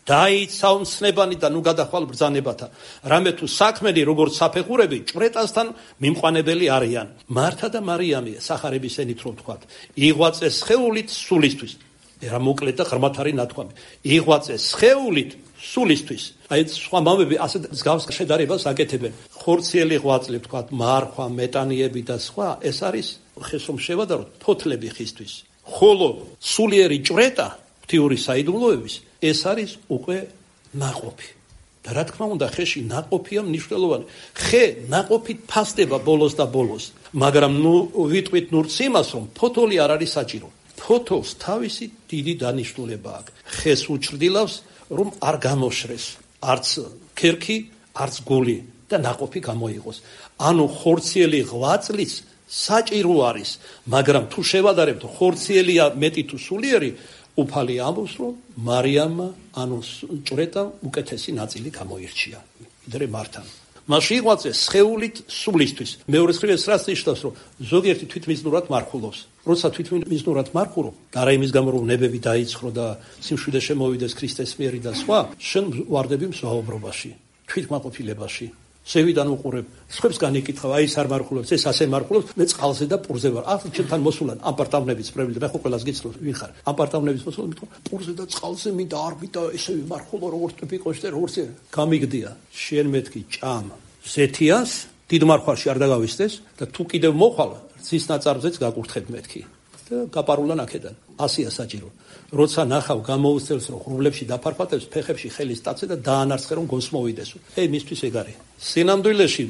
დაიცა უმცნებანი და ნუ გადახვალ ბრძანებათა. რამე თუ საქმენი როგორც საფეხურები ჭვრეტასთან მიმყვანებელი არიან. მართა და მარიამი სახარების ენით რომ ვთქვათ, იღვაწეს სხეულით სულისთვის. რა მოკლედ და ღრმად არის ნათქვამი. იღვაწეს სხეულით სულისთვის. აი სხვა მამები ასე მსგავს შედარებას აკეთებენ. ხორციელი ღვაწლი ვთქვათ, მარხვა, მეტანიები და სხვა, ეს არის ხესომ შევადაროთ ფოთლები ხისთვის. ხოლო სულიერი ჭვრეტა ღვთიური საიდუმლოების ეს არის უკვე ნაყოფი. და რა თქმა უნდა, ხეში ნაყოფია მნიშვნელოვანი. ხე ნაყოფით ფასდება ბოლოს და ბოლოს, მაგრამ ნუ ვიტყვით ნურც იმას, რომ ფოთოლი არ არის საჭირო. ფოთოლს თავისი დიდი დანიშნულება აქვს. ხეს უჩრდილავს, რომ არ გამოშრეს, არც ქერქი, არც გული და ნაყოფი გამოიღოს. ანუ ხორციელი ღვაწლის საჭირო არის, მაგრამ თუ შევადარებთ ხორციელია მეტი თუ სულიერი, უფალი ამბობს, რომ მარიამმა, ანუ ჭვრეტამ უკეთესი ნაწილი გამოირჩია. ვიდრე მართამ. მასში იღვაწეს სხეულით სულისთვის. მეორე მხრივ რას ნიშნავს, რომ ზოგიერთი თვითმიზნურად მარხულობს. როცა თვითმიზნურად მარხულობ, არა იმის გამო, რომ ნებები დაიცხრო და სიმშვიდე შემოვიდეს ქრისტეს მიერი და სხვა, შენ ვარდები მსვაუბრობაში, თვითმაყოფილებაში. შევიდან უყურებ, სხვებს განიკითხავ, აი ეს არ მარხულობს, ეს ასე მარხულობს, მე წყალზე და პურზე ვარ. ახლა ჩემთან მოსულან ამპარტავნების პრობლემა და მე ხო ყველას გიცნობ, ვინ ხარ? ამპარტავნების მოსულან მithom, პურზე და წყალზე მინდა არ მინდა ესე ვიმარხულო, როგორც ტიპიკოში და როგორც გამიგდია. შენ მეთქი ჭამ ზეთიას, დიდ მარხვარში არ დაგავისდეს და თუ კიდევ მოხვალ, ზის ნაწარმზეც გაკურთხებ მეთქი. და გაპარულან აქედან. ასია საჭირო. როცა ნახავ გამოუცელს რომ ღრუბლებში დაფარფატებს, ფეხებში ხელის ტაცე და დაანარცხე რომ გონს მოვიდესო. ეი მისთვის ეგ არის. სინამდვილეში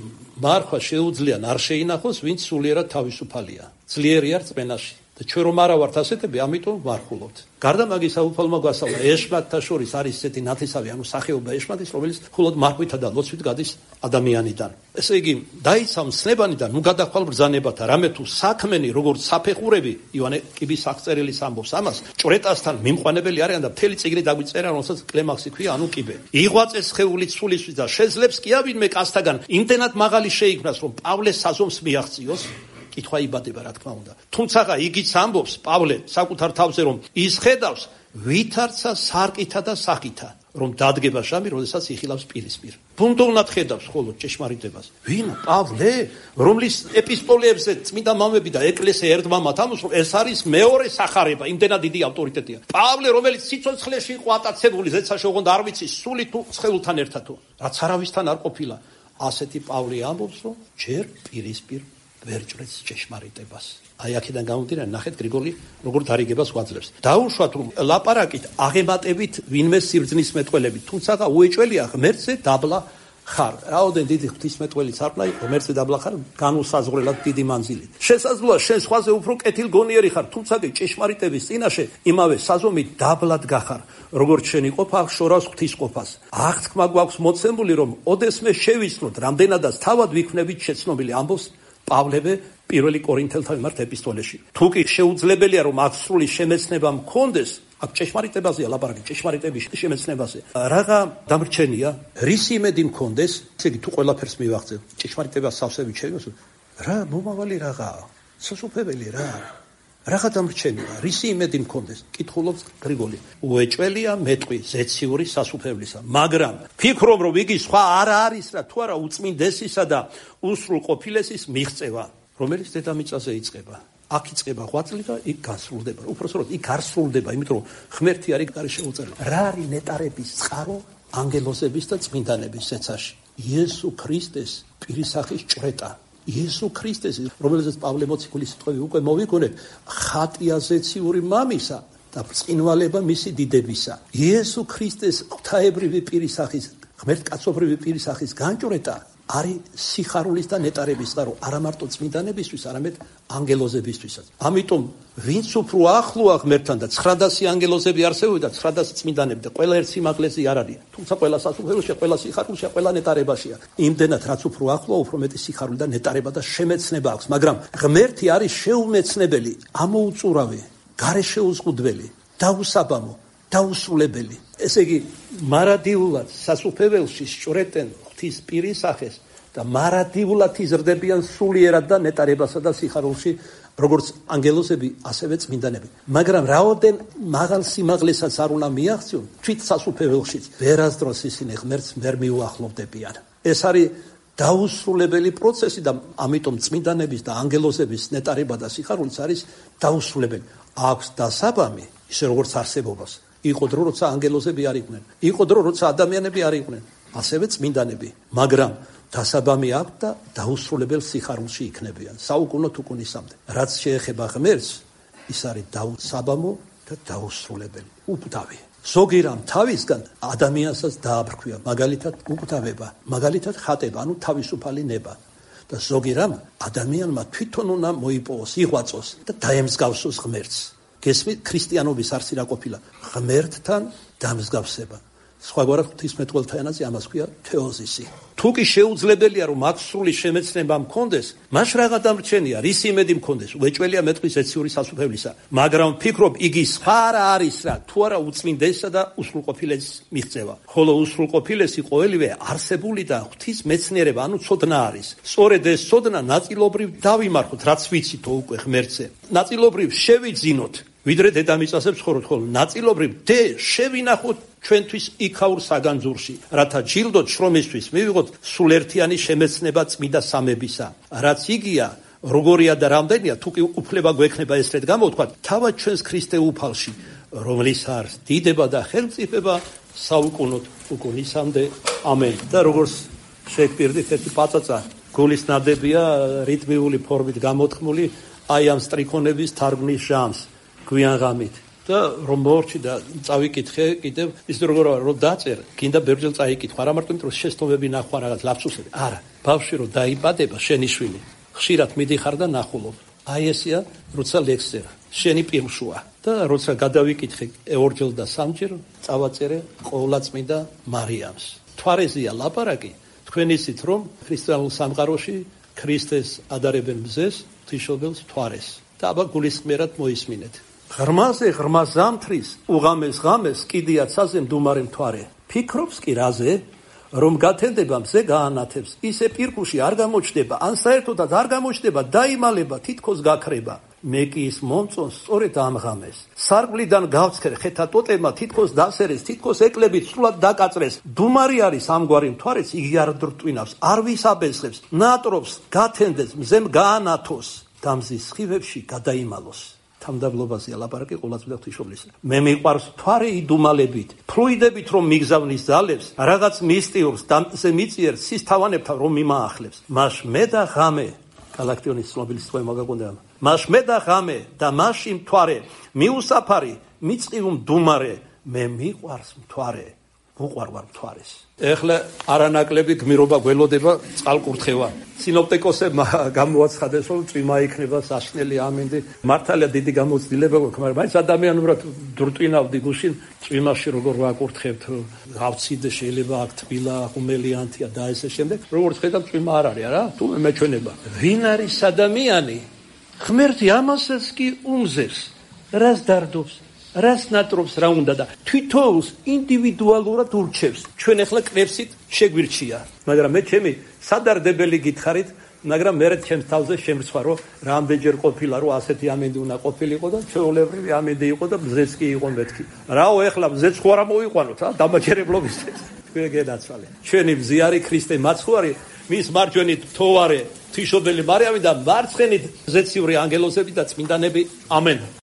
მარხვა შეუძლია არ შეინახოს, ვინც სულიერად თავისუფალია. ძლიერი არ წმენაში. და ჩვენ რომ არა ვართ ასეთები, ამიტომ ვარხულობთ. გარდა მაგისა უფალმა გვასწავლა, ეშმაკთა შორის არის ესეთი ნათესავი, ანუ სახეობა ეშმაკის, რომელიც მხოლოდ მარხვითა და ლოცვით გადის ადამიანიდან. ესე იგი, დაიცა მსნებანი და ნუ გადახვალ ბრძანებათა, რამე თუ საქმენი, როგორც საფეხურები, ივანე კიბის აღწერილის ამბობს ამას, ჭვრეტასთან მიმყვანებელი არიან და მთელი წიგნი დაგვიწერა, რომელსაც კლემაქსი ქვია, ანუ კიბე. იღვაწეს სხეულით სულისთვის და შეძლებს კი ავინმე კაცთაგან იმდენად მაღალი შეიქმნას, რომ პავლეს საზომს მიაღწიოს. კითხვა იბადება, რა თქმა უნდა. თუმცა იგიც ამბობს პავლე საკუთარ თავზე, რომ ის ხედავს ვითარცა სარკითა და სახითა, რომ დადგება შამი, როდესაც იხილავს პირისპირ. ბუნდოვნად ხედავს ხოლო ჭეშმარიტებას. ვინ? პავლე, რომლის ეპისტოლეებზე წმინდა მამები და ეკლესია ერთმამად ამბობს, რომ ეს არის მეორე სახარება, იმდენად დიდი ავტორიტეტია. პავლე, რომელიც სიცოცხლეში იყო ატაცებული, ზეცაში ოღონდ არ ვიცი, სული თუ სხეულთან ერთად თუ, რაც არავისთან არ ყოფილა. ასეთი პავლე ამბობს, რომ ჯერ პირისპირ ვერ ჭრեց ჭეშმარიტებას. აი აქედან გამომდინარე, ნახეთ გრიგოლი როგორ დარიგებას გვაძლევს. დაუშვათ რომ ლაპარაკით აღემატებით ვინმე სიბრძნის მეტყველებით, თუმცა უეჭველია ღმერთზე დაბლა ხარ. რაოდენ დიდი ღვთისმეტყველი სარკმლა იყო, ღმერთზე დაბლა ხარ, განუსაზღვრელად დიდი მანძილით. შესაძლოა შენ სხვაზე უფრო კეთილგონიერი ხარ, თუმცა ჭეშმარიტების წინაშე იმავე საზომით დაბლად გახარ. როგორც შენი ყოფა შორავს ღვთისყოფას. აღთქმა გვაქვს მოცემული, რომ ოდესმე შევიცნოთ, რამდენადაც თავად ვიქმნებით შეცნობილი, ამბობს პავლე პირველი კორინთელთა მიმართ ეპისტოლეში. თუ კი შეუძლებელია რომ აქ სრული შემეცნება მქონდეს, აქ ჭეშმარიტებაზეა ლაპარაკი, ჭეშმარიტების შემეცნებაზე. რაღა დამრჩენია, რისი იმედი მქონდეს, ესე იგი თუ ყველაფერს მივაღწევ, ჭეშმარიტებას სავსებით შევიმოსო, რა მომავალი რაღაცა, სასופველი რა. რაღა დამრჩენია, რისი იმედი მქონდეს, კითხულობს გრიგოლი. უეჭველია მეტყვი ზეციური სასופვლისა, მაგრამ ფიქრობ რომ იგი სხვა არ არის რა, თუ არა უწმინდესისა და უსრულ ყოფილესის მიღწევა, რომელიც დედამიწაზე იწყება. აქ იწყება ღვაწლი და იქ გასრულდება. უпроსროთ იქ არ სრულდება, იმიტომ რომ ღმერთი არის გარე შეუწერელი. რა არის ნეტარების წყარო ანგელოზების და წმინდანების ზეცაში? იესო ქრისტეს პირისახის ჭვრეტა. იესო ქრისტეს, რომელზეც პავლე მოციქულის სიტყვები უკვე მოვიგონებ, ხატია ზეციური მამისა და ბრწყინვალება მისი დიდებისა. იესო ქრისტეს ღვთაებრივი პირისახის ღმერთ კაცობრირი პირის სახის განჭვრეტა არის სიხარულის და ნეტარების წყარო, არა მარტო წმინდანებისთვის, არამედ ანგელოზებისთვისაც. ამიტომ ვინც უფრო ახლოა ღმერთთან და ცხრადასი ანგელოზები არსებობენ და ცხრადასი წმინდანები და ყველა ერთ სიმაღლეზე არ არის. თუმცა ყველა სასუფეველოშია, ყველა სიხარულშია, ყველა ნეტარებაშია. იმდენად რაც უფრო ახლოა, უფრო მეტი სიხარული და ნეტარება და შემეცნება აქვს, მაგრამ ღმერთი არის შეუმეცნებელი, ამოუწურავი, გარეშეუზღუდველი, დაუსაბამო, დაუსრულებელი. ესე იგი, მარადიულად სასუფეველში სჭრეტენ ღვთის პირის სახეს და მარადიულად იზრდებიან სულიერად და ნეტარებასა და სიხარულში, როგორც ანგელოზები, ასევე წმინდანები. მაგრამ რაოდენ მაღალ სიმაღლესაც არ უნდა მიაღწიონ, თვით სასუფეველშიც ვერასდროს ისინი ღმერთს ვერ მიუახლოვდებიან. ეს არის დაუსრულებელი პროცესი და ამიტომ წმინდანების და ანგელოზების ნეტარება და სიხარულიც არის დაუსრულებელი. აქვს დასაბამი, ისე როგორც არსებობას. იყო დრო, როცა ანგელოზები არ იყვნენ. იყო დრო, როცა ადამიანები არ იყვნენ. ასევე წმინდანები. მაგრამ დასაბამი აქვს და დაუსრულებელ სიხარულში იქნებიან. საუკუნო თუკუნისამდე. რაც შეეხება ღმერთს, ის არის დაუსაბამო და დაუსრულებელი. უკვდავი. ზოგი რამ თავისგან ადამიანსაც დააბრქვია, მაგალითად უკვდავება, მაგალითად ხატება, ანუ თავისუფალი ნება. და ზოგი რამ ადამიანმა თვითონ უნდა მოიპოვოს, იღვაწოს და დაემსგავსოს ღმერთს. გესმით, ქრისტიანობის არსი რა ყოფილა? ღმერთთან დამსგავსება. სხვაგვარად ღვთისმეტყველთა ენაზე ამას ქვია თეოზისი. თუ კი შეუძლებელია რომ აქ სრული შემეცნება მქონდეს, მაშ რაღა დამრჩენია, რის იმედი მქონდეს, უეჭველია მეტყვის ეციური სასუფევლისა. მაგრამ ვფიქრობ, იგი სხვა რა არის რა, თუ არა უწმინდესსა და უსრულყოფილეს მიღწევა. ხოლო უსრულყოფილესი ყოველივე არსებული და ღვთის მეცნიერება, ანუ ცოდნა არის. სწორედ ეს ცოდნა ნაწილობრივ დავიმარხოთ, რაც ვიცითო უკვე ღმერთზე. ნაწილობრივ შევიძინოთ, ვიდრე დედამიწაზე ვცხოვრობთ, ხოლო ნაწილობრივ დე შევინახოთ ჩვენთვის იქაურ საგანძურში, რათა ჯილდოთ შრომისთვის მივიღოთ სულერთიანი შემეცნება წმინდა სამებისა. რაც იგია, როგორია და რამდენია, თუ კი უფლება გვექნება ესრეთ გამოვთქვათ, თავად ჩვენს ქრისტე უფალში, რომლის არს დიდება და ხელმწიფება საუკუნოდ უკუნისამდე. ამენ. და როგორც შეგვპირდით, ერთი პაწაწა გულის ნადებია რიტმიული ფორმით გამოთქმული აი ამ სტრიქონების თარგმნის ჟამს გვიან ღამით. და რომ მოვორჩი და წავიკითხე კიდევ ის როგორ რომ დაწერე, გინდა ბერჯელ წაიკითხვა, არა მარტო იმიტომ რომ შეცდომები ნახვა რაღაც ლაფსუსები, არა, ბავშვი რომ დაიბადება შენი შვილი, ხშირად მიდიხარ და ნახულობ. აი ესია, როცა ლექსერა, შენი პირშუა და როცა გადავიკითხე ორჯერ და სამჯერ, წავაწერე ყოვლადწმინდა მარიამს. თვარეზეა ლაპარაკი, თქვენ იცით რომ ქრისტიანულ სამყაროში ქრისტეს ადარებენ მზეს, ღვთისმშობელს თვარეს. და აბა გულისხმიერად მოისმინეთ. ღრმაზე ღრმა ზამთრის, უღამეს ღამეს კიდიაცაზე მდუმარე მთვარე. ფიქრობს კი რაზე, რომ გათენდება მზე გაანათებს, ისე პირქუში არ გამოჩდება, ან საერთოდაც არ გამოჩდება, დაიმალება, თითქოს გაქრება. მე კი ის მომწონს სწორედ ამ ღამეს. სარკვლიდან გავცქერ ხეთა ტოტებმა, თითქოს დასერეს, თითქოს ეკლებით სრულად დაკაწრეს. დუმარი არის ამგვარი მთვარეც, იგი არ დრტვინავს, არ ვისაბესხებს, ნატრობს, გათენდეს, მზემ გაანათოს, და მზის სხივებში გადაიმალოს. თამდაბლობაზეა ლაპარაკი ყოვლადწმინდა ღვთისმშობლის. მე მიყვარს მთვარე იდუმალებით, ფლუიდებით რომ მიგზავნის ძალებს, რაღაც მისტიურს და მზე მიწიერს sis თავანებთან რომ მიმაახლებს. მაშ მე და ღამე, გალაქტიონის ცნობილი სიტყვა მაგაკონდა. მაშ მე და ღამე და მაშინ მთვარე, მიუსაფარი, მიწყივ მდუმარე, მე მიყვარს მთვარე. უყვარ ვარ მთვარეს. ეხლა არანაკლები გმირობა გველოდება წყალკურთხევა. სინოპტიკოსებმა გამოაცხადეს, რომ წვიმა იქნება საშნელი ამინდი. მართალია დიდი გამოცდილება გვაქვს, მაგრამ მაინც ადამიანურად დრტვინავდი გუშინ წვიმაში როგორ ვაკურთხებთ, გავციდე შეიძლება აქ თბილა, ღუმელიანთია და ესე შემდეგ. როგორც ხედავთ, წვიმა არ არის, არა? თუ მეჩვენება. ვინ არის ადამიანი? ღმერთი ამასაც კი უმზეს. რას დარდობს? რას ნატრობს რა უნდა და თვითონს ინდივიდუალურად ურჩევს. ჩვენ ახლა კნევსით შეგვირჩია, მაგრამ მე ჩემი სადარდებელი გითხარით, მაგრამ მე ჩემს თავზე შემრცვა, რომ რამდენჯერ ყოფილა, რომ ასეთი ამინდი უნდა ყოფილიყო და ჩვეულებრივი ამინდი იყო და მზეც კი იყო მეთქი. რაო ახლა მზეც ხო არ მოიყვანოთ, ა დამაჯერებლობისთვის. თქვენ გენაცვალე. ჩვენი მზე არის ქრისტე მაცხვარი, მის მარჯვენით თოვარე, ღვთისმშობელი მარიამი და მარცხენით ზეციური ანგელოზები და წმინდანები. ამენ.